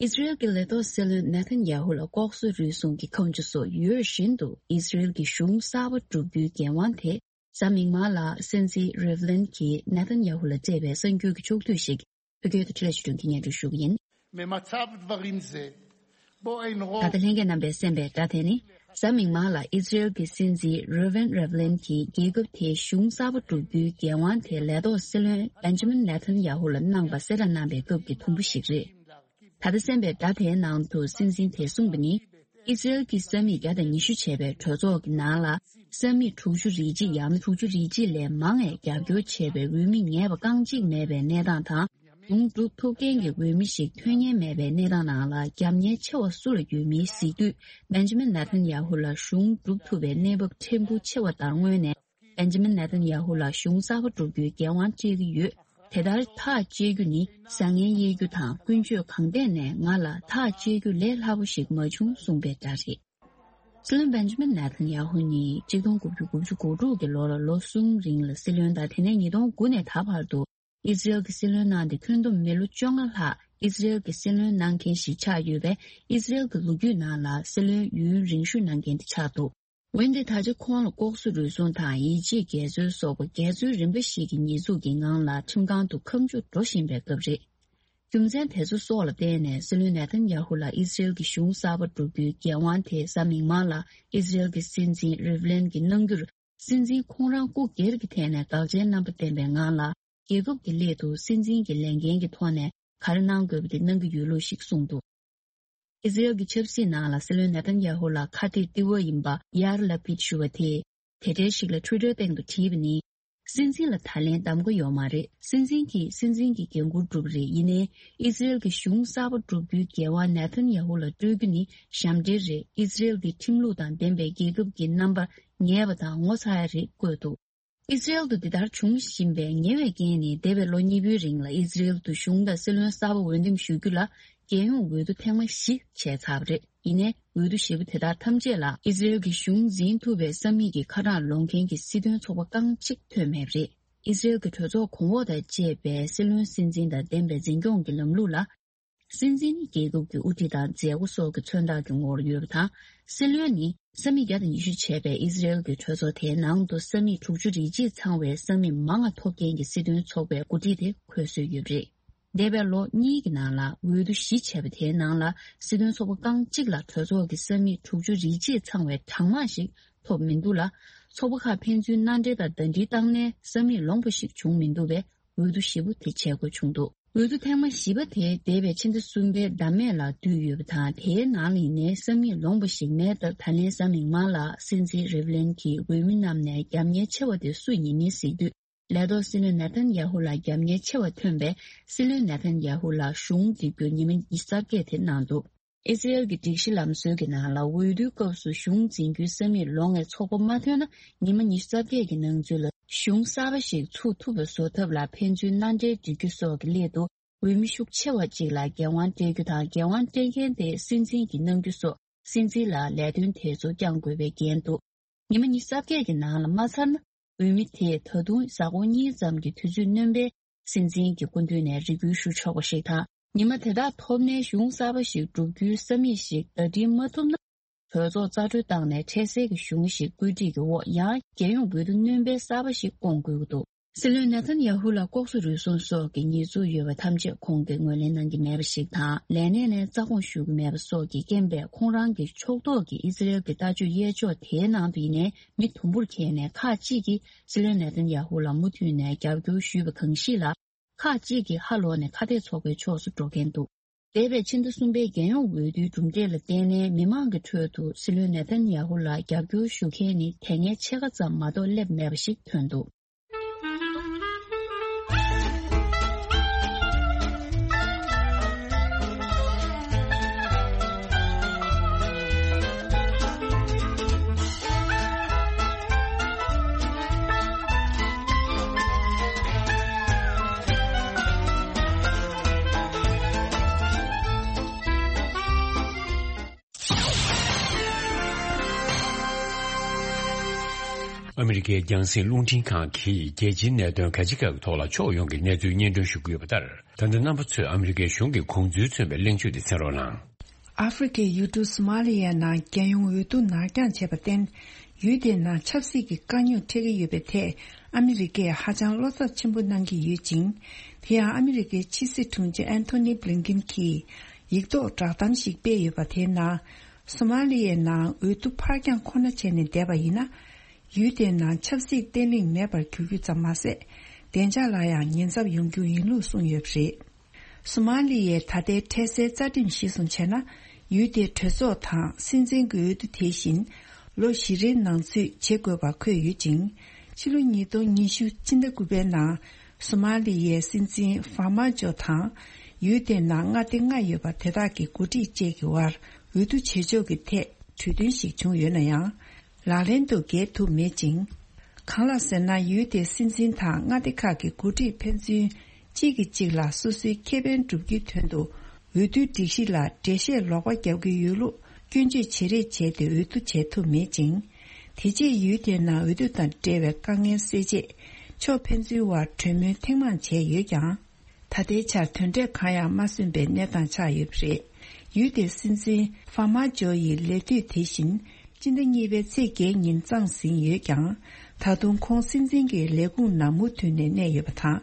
ཨི་ཟི་རེལ་གྱི་ལས་ཐོག་སྲིད་བློན་ནེ་ཐན་ཡ་ཧུ་ལ་ལྐོག་གསོད་རུལ་སུངས་ཀྱི་ཁ་མཆུ་སོགས་ཡོད་བཞིན་དུ། ཨི་ཟི་རེལ་གྱི་གཞུང་གསར་པ་བསྒྲུབ་རྒྱུའི་འགན་དབང་དེ། གཟའ་མིག་དམར་ལ་སྲིད་འཛིན་རེབ་ལན་གྱིས་ནེ་ཐན་ཡ་ཧུ་ལ་སྤྲད་པའི་གསར་འགྱུར་གྱི་ཕྱོགས་བསྡུས་ཤིག་བོད་སྐད་དུ་འཕྲིན་ལས་ཆོས་སྒྲོན་གྱིས་སྙན་སྒྲོན་ཞུ་གི་ཡིན། ממצב דברים זה, שבו אין ད་རོགས། ལྟ་ལྷན་རྒྱས་རྣམ་པས་གསན་པའི་སྒྲ་དེ་ནི། གཟའ་མིག་དམར་ལ་ཨི་ཟི་རེལ་གྱི་སྲིད་འཛིན་རུ་ཝེན་རེབ་ལན་གྱིས་རྒྱལ་ཁབ་དེའི་གཞུང་གསར་པ་བསྒྲུབ་རྒྱུའི་འགན་དབང་དེ་ལས་ཐོག་སྲིད་བློན་བེན་ཇ་མིན་ནེ་ཐན་ཡ་ཧུ་ལ་གནང་བ་གསལ་བསྒྲགས་གནང་བའི་སྐབས་ཀྱི་དུམ་བུ་ཞིག་རེད། ད་ལྟ་གསན་པའི་སྒྲ་དེའི་ནང་དུ་སྲིད་འཛིན་དེས་གསུངས་པ་ནི། ཨི་སི་རེལ་གྱི་ས་མིག་བརྒྱ་དང་ཉི་ཤུ་བྱས་པའི་གྲོས་ཚོགས་ཀྱི་ནང་ལ། ས་མིག་དྲུག་ཅུ་རེ་གཅིག་ཡང་ན་དྲུག་ཅུ་རེ་གཅིག་ལས་མང་བས་རྒྱབ་སྐྱོར་བྱས་པའི་འོས་མི་ངེས་པ་རྐང་གཅིག་མེད་པའི་གནས་སྟངས་དང་། གཞུང་སྒྲུབ་ཐུབ་མཁན་གྱི་འོས་མི་ཞིག་ཐོན་མཁན་མེད་པའི་གནས་སྟངས་ནང་ལ། རྒྱབ་གཉེར་ཆེ་བ་སུ་ལ་ཡོད་མིན་གཟིགས་དུས། བེན་ཇ་མིན་ནེ་ཐན་ཡ་ཧུ་ལ་གཞུང་སྒྲུབ་ཐུབ་པའི་གནས་བབ་ཕྲན་བུ་ཆེ་བ་ལྟར་མངོན་ནས། བེན་ཇ་མིན་ནེ་ཐན་ཡ་ཧུ་ལ་གཞུང་གསར་པ་སྒྲུབ་རྒྱུའི་འགན་དབང་སྤྲད་ཀྱི་ཡོད། དེ་ལྟར་ཐག་བཅད་རྒྱུ་ནི་བཟང་ངན་དབྱེ་རྒྱུ་དང་། ཀུན་སྤྱོད་གང་ཐད་ནས་ང་ལ་ཐག་བཅད་རྒྱུ་ལས་སླ་པོ་ཞིག་མ་བྱུང་གསུངས་པའི་སྒྲ་རེད། སྲིད་བློན་བེན་ཇ་མིན་ནེ་ཐན་ཡ་ཧུ་ནི་ཆིག་སྟོང་དགུ་བརྒྱ་དགུ་བཅུ་གོ་དྲུག་གི་ལོ་ལ་ལོ་གསུམ་རིང་ལ་སྲིད་བློན་དང་། དེ་ནས་ཉིས་སྟོང་དགུ་ནས་ད་བར་དུ་ཨི་སི་རེལ་གྱི་སྲིད་བློན་གནང་སྟེ། ཁྱོན་བསྡོམས་མི་ལོ་བཅོ་ལྔ་ལྷག་ཨི་སི་རེལ་གྱི་སྲིད་བློན་གནང་མཁན་ཞིག་ཆགས་ཡོད་པས། ཨི་སི་རེལ་གྱི་ལོ་རྒྱུས་ནང་ལ་སྲིད་བློན་ཡུན་རིང་ཤོས་གནང་མཁན་དེ་ཆགས་འདུག་འོན་ཏེ་ད་ཆ་ཁོང་ལ་ལྐོག་ཟ་རུལ་སུངས་དང་ཡིད་ཆེས་འགལ་འཛོལ་སོགས་པ་འགལ་འཛོལ་རིམ་པ་ཞིག་གི་ཉེས་འཛུགས་ཀྱི་ངང་ལ་ཁྲིམས་ཁང་དུ་ཁ་མཆུ་འགྲོ་བཞིན་པའི་སྐབས་རེད། རྒྱུ་མཚན་དེ་ཚོ་སོགས་ལ་བརྟེན་ནས་སྲིད་བློན་ནེ་ཐན་ཡ་ཧུ་ལ་ཨི་སི་རེལ་གྱི་གཞུང་གསར་པ་སྒྲུབ་རྒྱུའི་འགན་དབང་དེ་གཟའ་མིག་དམར་ལ་ཨི་སི་རེལ་གྱི་སྲིད་འཛིན་རིབ་ལན་གྱིས་གནང་རྒྱུར། སྲིད་འཛིན་ཁོང་རང་སྐུ་སྒེར་གྱི་ཐད་ནས་དགག་བྱའི་རྣམ་པ་བསྟན་པའི་ངང་ལ། རྒྱལ་ཁབ་ཀྱི་སླད་དུ་སྲིད་འཛིན་གྱི་ལས་འགན་གྱི་ཐོག་ནས་ག་རེ་གནང་དགོས་པ་དེ་གནང་གི་ཡོད་ལུགས་ཤིག་གསུངས་འདུག་ཨི་སི་རེལ་གྱི་ཆབ་སྲིད་ནང་ལ་སྲིད་བློན་ནེ་ཐན་ཡ་ཧུ་ལ་ཁ་གཏད་ཏི་ཝ་ཡིན་པ་ཡར་ལ་པིད་ཞུ་བ་དེས། དེ་འབྲེལ་ཞིག་ལ་ཊུ་ཊར་སྟེང་དུ་བྲིས་པ་ནི། སྲིད་འཛིན་ལ་ད་ལན་གདམ་ག་ཡོད་མ་རེད། སྲིད་འཛིན་གྱིས་སྲིད་འཛིན་གྱི་འགན་འཁུར་སྒྲུབ་རེད། ཡིན་ནའི་ཨི་སི་རེལ་གྱི་གཞུང་གསར་པ་སྒྲུབ་རྒྱུའི་འགན་དབང་ནེ་ཐན་ཡ་ཧུ་ལ་སྤྲོད་རྒྱུ་ནི་ཞབས་འདྲེན་རེད། ཨི་སི་རེལ་འདི་ཁྲིམས་ལུགས་དང་ལྡན་པའི་རྒྱལ་ཁབ་ཀྱི་རྣམ་པ་ངེས་པ་དང་ངོ་ཚ་ཡ་རེད་བཀོད་འདུག་ཨི་སི་རེལ་དུ་འདི་ལྟར་འབྱུང་བཞིན་པའི་ཉེ་བའི་རྐྱེན་ནི། འདས་པའི་ལོ་གཉིས་པོའི་རིང་ལ་ཨི་སི་རེལ་དུ་གཞུང་དང་སྲིད་བློན་གསར་པ་འོས་འདེམས་ཞུ་རྒྱུ་ལ་རྒྱལ་ཡོངས་འོས་བསྡུ་ཐེངས་མ་བཞི་བྱས་ཚར་བ་རེད། ཡིན་ནའི་འོས་བསྡུ་བཞི་པོ་དེ་དག་ཐམས་ཅད་ལ་ཨི་སི་རེལ་གྱི་གཞུང་འཛིན་ཐུབ་པའི་ས་མིག་གི་ཁ་གྲངས་ལོངས་མཁན་གྱི་སྲིད་དོན་ཚོགས་པ་རྐང་གཅིག་ཐོན་མེད་པ་རེད། ཨི་སི་རེལ་གྱི་གྲོས་ཚོགས་གོང་འོག་དང་བཅས་པའི་སྲིད་བློན་སྲིད་འཛིན་དང་ལྡན་པའི་འཛིན་སྐྱོང་གི་ལམ་ལུགས་ལ། སྲིད་འཛིན་ནི་རྒྱལ་ཁབ་ཀྱི་དབུ་ཁྲིད་དང་མཛད་སྒོ་སོགས་ཀྱི་མཚོན་རྟགས་ཀྱི་ངོ་བོར་ཡོད་པ་དང་། སྲིད་བློན་ནི་ས་མིག་བརྒྱ་དང་ཉི་ཤུ་བྱས་པའི་ཨི་སི་རེལ་གྱི་གྲོས་ཚོགས་དེའི་ནང་དུ་ས་མིག་དྲུག་ཅུ་རེ་གཅིག་ཚང་བའི་ས་མིག་མང་ང་ཐོབ་མཁན་གྱི་སྲིད་དོན་ཚོགས་པའི་འགོ་ཁྲིད་དེ་འཁོད་སྲོལ་ཡོད་པ་རེད། འདས་པའི་ལོ་གཉིས་ཀྱི་ནང་ལ་འོས་བསྡུ་བཞི་བྱས་པ་དེའི་ནང་ལ་སྲིད་དོན་ཚོགས་པ་རྐང་གཅིག་ལ་གྲོས་ཚོགས་ཀྱི་ས་མིག་དྲུག་ཅུ་རེ་གཅིག་ཚང་བའི་གྲངས་མང་ཞིག་ཐོབ་མི་འདུག་ལ། ཚོགས་པ་ཁག་ཕན་ཚུན་མནའ་འབྲེལ་དང་ཟླ་སྒྲིལ་བཏང་ནའི་ས་མིག་ལོངས་པ་ཞིག་བྱུང་མི་འདུག་པས། འོས་བསྡུ་བཞི་པོ་དེ་བྱེད་དགོས་བྱུང་འདུག་འོས་བསྡུ་ཐེངས་མ་བཞི་པ་དེ་འདས་པའི་ཕྱི་ཟླ་གསུམ་པའི་ཟླ་སྨད་ལ་བསྡུས་ཡོད་པ་དང་། དེའི་ནང་ལ་ཡིན་ནའི་ས་མིག་ལོངས་པ་ཞིག་མེད་སྟབས། ད་ལན་གཟའ་མིག་དམར་ལ་སྲིད་འཛིན་རིབ་ལན་གྱིས་འོས་མི་རྣམས་ནས་རྒྱབ་གཉེར་ཆེ་བ་དེ་སུ་ཡིན་མིན་གཟིགས་དུས། ལས་ཐོག་སྲིད་བློན་ནེ་ཐན་ཡ་ཧུ་ལ་རྒྱབ་གཉེར་ཆེ་བ་ཐོན་པས། སྲིད་བློན་ནེ་ཐན་ཡ་ཧུ་ལ་གཞུང་འཛིན་རྒྱུར་ཉི་མ་ཉི་ཤུ་རྩ་བརྒྱད་དེ་གནང་འདུག་ཨི་སི་རེལ་གྱི་སྒྲིག་གཞི་ལམ་སྲོལ་གྱི་ནང་ལ། འོས་བསྡུའི་སྐབས་སུ་གཞུང་འཛིན་རྒྱུའི་ས་མིག་ལོངས་པའི་ཚོགས་པ་མ་ཐོན་ན། ཉི་མ་ཉི་ཤུ་རྩ་བརྒྱད་ཀྱི་ནང་ཚུད་ལ་གཞུང་གསར་པ་ཞིག་ཚུགས་ཐུབ་པ་བཟོ་ཐབས་ལ་ཕན་ཚུན་མནའ་འབྲེལ་སྒྲིག་རྒྱུ་སོགས་ཀྱི་སླད་དུ། འོས་མི་ཤུགས་ཆེ་བ་ཅིག་ལ་འགན་དབང་སྤྲད་རྒྱུ་དང་། འགན་དབང་སྤྲད་མཁན་དེ་སྲིད་འཛིན་གྱིས་གནང་རྒྱུ་སོགས། སྲིད་འཛིན་ལ་ལས་དོན་དེ་ཚོ་བསྐྱང་དགོས་པའི་འགན་འདུག་ཉི་མ་ཉི་ཤུ་རྩ་བརྒྱད་ཀྱི་ནང་ལ་མ་ཚར་ན། འོས་མི་དེས་ད་དུང་གཟའ་འཁོར་གཉིས་ཙམ་གྱི་དུས་ཚོད་སྣོན་པས། སྲིད་འཛིན་གྱི་སྐུ་མདུན་ནས་རེ་སྐུལ་ཞུ་ཆོག་པ་ཞིག་དང་། ཉི་མ་དེ་དག་ཐོབ་ནས་གཞུང་གསར་པ་ཞིག་བསྒྲུབ་རྒྱུའི་ས་མིག་ཞིག་ཟླ་སྒྲིལ་མ་ཐུབ་ན། གྲོས་ཚོགས་རྩ་སྤྲོད་བཏང་ནས་འཕྲལ་སེལ་གྱི་གཞུང་ཞིག་བཀོད་སྒྲིག་གི་འོག་ཡང་རྒྱལ་ཡོངས་འོས་བསྡུ་སྣོན་པའི་གསར་པ་ཞིག་སྐོང་དགོས་ཀྱི་འདུག་སྲིད་བློན་ནེ་ཐན་ཡ་ཧུ་ལ་ལྐོག་ཟ་རུལ་སུངས་སོགས་ཀྱི་ཉེས་འཛུགས་ཡོད་པ་ཐམས་ཅད་ཁོང་གིས་ངོས་ལེན་གནང་གི་མེད་པ་ཞིག་དང་། ལས་གནས་ནས་རྩ་དགོངས་ཞུ་གི་མེད་པ་སོགས་ཀྱི་རྐྱེན་པས། ཁོང་རང་གི་ཕྱོགས་གཏོགས་ཀྱི་ཨི་སི་རེལ་གྱི་ལྟ་སྤྱོད་གཡས་ཕྱོགས་དེའི་ནང་དུ་ཡིན་ནའི་མི་དུམ་བུར་འཁེལ་ནས། ཁག་ཅིག་གིས་སྲིད་བློན་ནེ་ཐན་ཡ་ཧུ་ལ་མུ་མཐུད་ནས་རྒྱབ་སྐྱོར་ཞུས་པ་གང་ཞིག་ལ། ཁག་ཅིག་གིས་ཧ་ལོག་ནས་ཁ་གཏད་ཚོགས་པའི་ཕྱོགས་སུ་འགྲོ་མཁན་འདུག་འདས་པའི་ཕྱི་ཟླ་གསུམ་པའི་རྒྱལ་ཡོངས་འོས་བསྡུའི་གྲུབ་འབྲས་ལ་བརྟེན་ནས། མི་མང་གི་ཁྲོད་དུ་སྲིད་བློན་ནེ་ཐན་ཡ་ཧུ་ལ་རྒྱབ་སྐྱོར་ཞུ་མཁན་ནི་དེ་སྔའི་ཕྱེད་ཀ་ཙམ་མ་གཏོགས་སླེབས་མེད་པ་ཞིག་ཐོན་འདུག་ཨ་མི་རི་ཀའི་རྒྱང་སྲིང་རླུང་འཕྲིན་ཁང་གིས་རྒྱལ་སྤྱིའི་གནད་དོན་ག་ཅི་ག་གི་ཐོག་ལ་ཕྱོགས་ཡོངས་ཀྱི་གནས་ཚུལ་སྙན་སྒྲོན་ཞུ་གི་ཡོད་པ་ལྟར། ད་ལྟ་རྣམ་པ་ཚོས་ཨ་མི་རི་ཀའི་གཞུང་གི་དགོངས་ཚུལ་མཚོན་པའི་གླེང་བརྗོད་དེ་གསན་རོགས་གནང་། ཨ་ཧྥེ་རི་ཁའི་ཡུལ་གྲུ་སོ་མ་ལི་ཡའི་ནང་རྒྱལ་ཡོངས་འོས་བསྡུ་ནར་འགྱངས་བྱས་པར་བརྟེན། ཡུལ་དེའི་ནང་ཆབ་སྲིད་ཀྱི་དཀའ་རྙོག་འཕྲད་ཀྱི་ཡོད་པའི་ཐད། ཨ་མི་རི་ཀས་ཧ་ཅང་བློ་འཚབ་ཆེན་པོ་གནང་གི་ཡོད་ཅིང་། དེ་ཡང་ཨ་མི་རི་ཀའི་ཕྱི་སྲིད་དྲུང་ཆེ་ཨན་ཐོ་ནི་བྷི་ལིན་ཀིན་གྱིས་ཡིག་ཐོག་བསྒྲགས་གཏམ་ཞིག་སྤེལ་ཡོད་པ། དེའི་ནང་སོ་མ་ལི་ཡའི་ནང་འོས་བསྡུ་ཕར་འགྱངས་ཁོ་ན་བྱས་ནས་བསྡད་པ་ཡིན་ན། ཡུལ་དེའི་ནང་ཆབ་སྲིད་བརྟན་ལྷིང་མེད་པར་འགྱུར་རྒྱུ་ཙམ་མ་ཟད། བདེ་འཇགས་ལ་ཡང་ཉེན་ཚབས་ཡོང་རྒྱུ་ཡིན་ལུགས་གསུངས་ཡོད་པ་རེད། སོ་མ་ལི་ཡའི་ད་ལྟའི་འཕྲལ་སེལ་རྩ་ཁྲིམས་གཞིར་བཟུང་བྱས་ན། ཡུལ་དེའི་གྲོས་ཚོགས་དང་སྲིད་འཛིན་གྱི་འོས་བསྡུ་དེ་བཞིན་ལོ་བཞི་རེའི་ནང་ཚུད་བྱེད་དགོས་པ་འཁོད་ཡོད་ཅིང་། ཕྱི་ལོ་ཉིས་སྟོང་ཉི་ཤུ་སྤྱི་ཟླ་དགུ་པའི་ནང་སོ་མ་ལི་ཡའི་སྲིད་འཛིན་ཧྥར་མ་ཇོ་དང་ཡུལ་དེའི་ནང་མངའ་སྡེ་ལྔ་ཡོད་པ་དེ་དག་གི་འགོ་ཁྲིད་བཅས་ཀྱི་དབར་འོས་བསྡུ་བྱེད་ཕྱོགས་ཀྱི་ཐད་གྲོས་མཐུན་ཞིག་བྱུང་ཡོད་ན་ཡང་། ལག་ལེན་དུ་འགེལ་ཐུབ་མེད་ཅིང་། གང་ལགས་ཟེར་ན། ཡུལ་དེའི་སྲིད་འཛིན་དང་མངའ་སྡེ་ཁག་གི་འགོ་ཁྲིད་ཕན་ཚུན་གཅིག་གིས་གཅིག་ལ་སོ་སོའི་ཁེ་ཕན་བསྒྲུབ་རྒྱུའི་དོན་དུ། འོས་བསྡུའི་སྒྲིག་གཞི་ལ་འགྲེལ་བཤད་ལོག་པ་བརྒྱབ་ཀྱི་ཡོད་ལུགས་སྐྱོན་བརྗོད་བྱེད་རེས་བྱས་ཏེ་འོས་བསྡུ་བྱེད་ཐུབ་མེད་ཅིང་། དེ་རྗེས་ཡུལ་དེའི་ནང་འོས་བསྡུ་དང་འབྲེལ་བའི་དཀའ་ངལ་སེལ་ཆེད། ཕྱོགས་ཕན་ཚུན་དབར་གྲོས་མོལ་ཐེངས་མང་བྱས་ཡོད་ཀྱང་། ད་ལྟའི་ཆར་དོན་འབྲས་གང་ཡང་མ་སོན་པའི་གནས་སྟངས་ཆགས་ཡོད་པ་རེད། ཡུལ་དེའི་སྲིད་འཛིན་ཧྥར་མ་ཇོ་ཡི་ལས་དུས་དེ་བཞིན་སྤྱི་ཟླ་གཉིས་པའི་ཚེས་བརྒྱད་ཉིན་གཙང་ཟིན་ཡོད་ཀྱང་། ད་དུང་ཁོང་སྲིད་འཛིན་གྱི་ལས་ཁུངས་ནང་མུ་མཐུད་ནས་གནས་ཡོད་པ་དང་།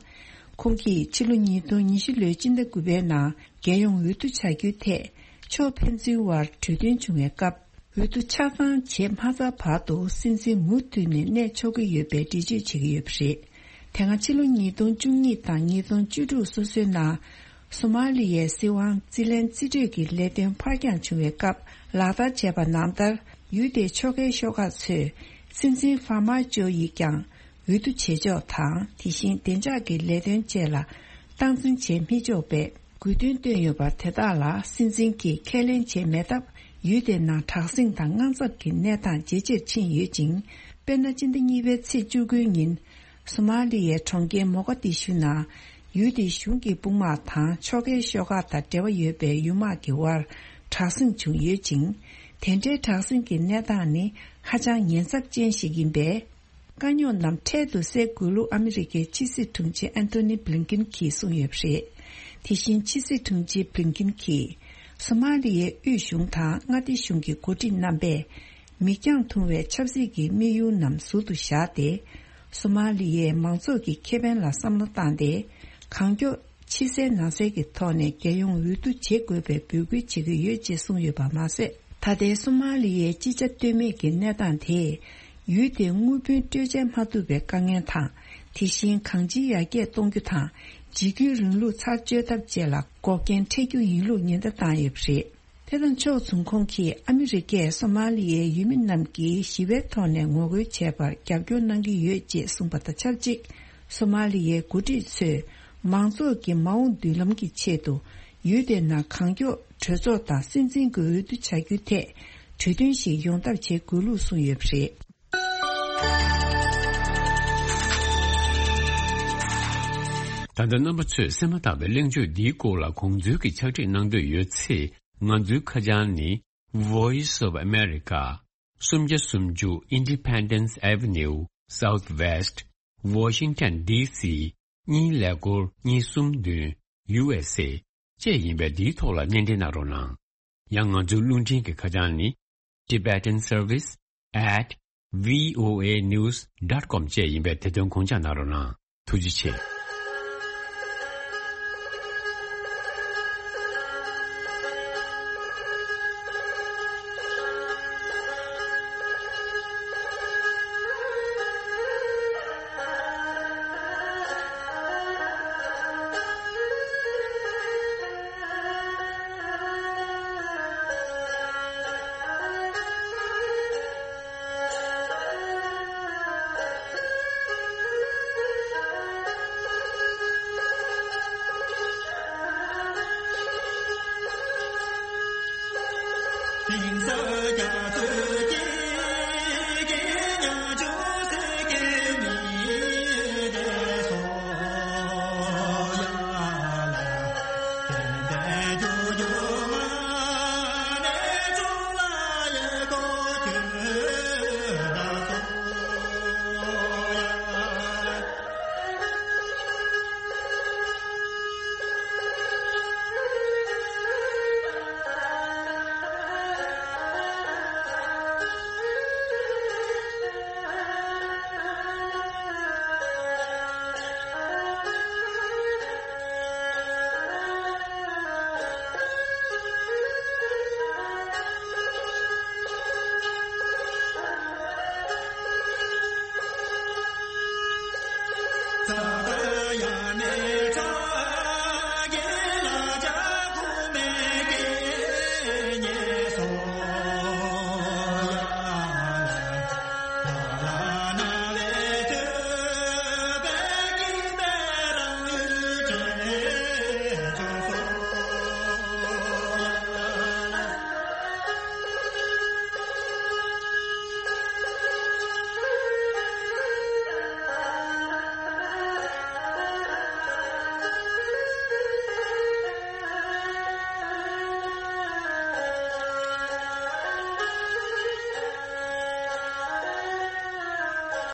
ཁོང་གིས་ཕྱི་ལོ་ཉིས་སྟོང་ཉི་ཤུ་ལོའི་སྤྱི་ཟླ་དགུ་པའི་ནང་རྒྱལ་ཡོངས་འོས་བསྡུ་བྱ་རྒྱུའི་ཐད་ཕྱོགས་ཕན་ཚུན་དབར་གྲོས་མཐུན་བྱུང་བའི་སྐབས། འོས་བསྡུ་ཆ་ཚང་བྱེད་མ་ཚར་བར་དུ་སྲིད་འཛིན་མུ་མཐུད་ནས་གནས་ཆོག་གི་ཡོད་པའི་འགྲེལ་བརྗོད་བྱེད་ཀྱི་ཡོད་པ་རེད། དེ་སྔ་ཕྱི་ལོ་ཉིས་སྟོང་བཅུ་གཉིས་དང་ཉིས་སྟོང་བཅུ་དྲུག་སོ་སོའི་ནང་། སོ་མ་ལི་ཡའི་སྲིད་དབང་རྩིས་ལེན་རྩིས་སྤྲོད་ཀྱི་ལས་དོན་ཕར་འགྱངས་བྱུང་བའི་སྐབས། ལག་བསྟར་བྱས་པ་ནང་ལྟར། ཡུལ་དེའི་ཕྱོགས་འགལ་ཤོག་ཁག་ཚོས་སྲིད་འཛིན་ཧྥར་མ་ཇོ་ཡིས་ཀྱང་། འོས་བསྡུ་བྱེད་ཕྱོགས་དང་། དེ་བཞིན་བདེ་འཇགས་ཀྱི་ལས་དོན་བཅས་ལ་སྟངས་འཛིན་བྱེད་མི་ཆོག་པའི་དགོས་འདུན་བཏོན་ཡོད་པ་དེ་དག་ལ་སྲིད་འཛིན་གྱིས་ཁས་ལེན་བྱས་མེད་སྟབས། ཡུལ་དེའི་ནང་དྲག་ཟིང་དང་དངངས་འཚབ་ཀྱི་གནས་སྟངས་ཇེ་ཆེར་ཕྱིན་ཡོད་ཅིང་། དཔེར་ན། སྤྱི་ཟླ་གཉིས་པའི་ཚེས་བཅུ་དགུའི་ཉིན། སོ་མ་ལི་ཡའི་གྲོང་ཁྱེར་མོ་ག་དི་ཤུ་ནང་། ཡུལ་དེའི་གཞུང་གི་དཔུང་དམག་དང་ཕྱོགས་འགལ་ཤོག་ཁག་དང་འབྲེལ་བ་ཡོད་པའི་ཡུལ་དམག་གི་དབར་དྲག་ཟིང་བྱུང་ཡོད་ཅིང་། དེ་འདྲའི་དྲག་ཟིང་གི་གནས་སྟངས་ནི་ཧ་ཅང་ཉེན་ཚབས་ཅན་ཞིག་ཡིན་པས། དཀའ་རྙོག་རྣམས་འཕྲལ་དུ་སེལ་དགོས་ལུགས་ཨ་མི་རི་ཀའི་ཕྱི་སྲིད་དྲུང་ཆེ་ཨན་ཐོ་ནི་བྷི་ལིན་ཀིན་གྱིས་གསུངས་ཡོད་པ་རེད། དེ་བཞིན་ཕྱི་སྲིད་དྲུང་ཆེ་བྷི་ལིན་ཀིན་གྱིས། སོ་མ་ལི་ཡའི་དབུས་གཞུང་དང་མངའ་སྡེ་གཞུང་གི་འགོ་ཁྲིད་རྣམ་པས། མིག་རྒྱང་ཐུང་བའི་ཆབ་སྲིད་ཀྱི་དམིགས་ཡུལ་རྣམས་ཟུར་དུ་བཞག་སྟེ། སོ་མ་ལི་ཡའི་མང་ཚོགས་ཀྱི་ཁེ་ཕན་ལ་བསམ་བློ་བཏང་སྟེ། གང་མགྱོགས། ཕྱི་གསལ་ནང་གསལ་གྱི་ཐོག་ནས་རྒྱལ་ཡོངས་འོས་བསྡུ་བྱེད་དགོས་པའི་འབོད་སྐུལ་བྱེད་ཀྱི་ཡོད་ཅེས་གསུངས་ཡོད་པ་མ་ཟད། ད་ལྟའི་སོ་མ་ལི་ཡའི་ཅི་བྱ་གཏོལ་མེད་ཀྱི་གནས་སྟངས་དེས། ཡུལ་དེའི་དངུལ་བུན་སྤྲོད་འཇལ་མ་ཐུབ་པའི་དཀའ་ངལ་དང་། དེ་བཞིན་གང་ཅིའི་ཡར་རྒྱས་གཏོང་རྒྱུ་དང་། འཇིགས་སྐུལ་རིང་ལུགས་ཚར་གཅོད་ཐབས་བཅས་ལ་འགོག་རྐྱེན་འཕྲད་རྒྱུ་ཡིན་ལུགས་ཉེན་བརྡ་བཏང་ཡོད་པ་རེད། དེ་དང་ཕྱོགས་མཚུངས། ཁོང་གིས་ཨ་མི་རི་ཀས་སོ་མ་ལི་ཡའི་ཡུལ་མི་རྣམས་ཀྱིས་ཞི་བའི་ཐོག་ནས་ངོ་རྒོལ་བྱས་པར་རྒྱབ་སྐྱོར་གནང་གི་ཡོད་ཅེས་གསུངས་པ་དང་ཆབས་ཅིག་སོ་མ་ལི་ཡའི་འགོ་ཁྲིད་ཚོས་མང་ཚོགས་ཀྱི་མ་འོངས་མདུན་ལམ་གྱི་ཆེད་དུ། ཡུལ་དེའི་ནང་གང་མགྱོགས་གྲོས་ཚོགས་དང་སྲིད་འཛིན་གྱི་འོས་བསྡུ་བྱ་རྒྱུའི་ཐད་གྲོས་མཐུན་ཞིག་ཡོང་ཐབས་བྱེད་དགོས་ལུགས་གསུངས་ཡོད་པ་རེད། ད་ལྟ་རྣམ་པ་ཚོས་གསན་མ་ཐག་པའི་གླེང་བརྗོད་འདིའི་སྐོར་ལ་དགོངས་ཚུལ་གྱི་ཕྱག་བྲིས་གནང་འདོད་ཡོད་ཚེ། ང་ཚོའི་ཁ་བྱང་ནི། Voice of America། སུམ་བརྒྱ་སུམ་ཅུ་Independence Avenue Southwest Washington D C གཉིས་ཀླད་ཀོར་གཉིས་གསུམ་བདུན། U S A བཅས་ཡིན་པས། འདིའི་ཐོག་ལ་སྣེ་འདྲེན་གནང་རོགས་གནང་། ཡང་ང་ཚོའི་རླུང་འཕྲིན་གྱི་ཁ་བྱང་ནི། Tibetan Service at V O A news dot com བཅས་ཡིན་པས། དེ་དོན་དགོངས་འཇགས་གནང་རོགས་གནང་། ཐུགས་རྗེ་ཆེ།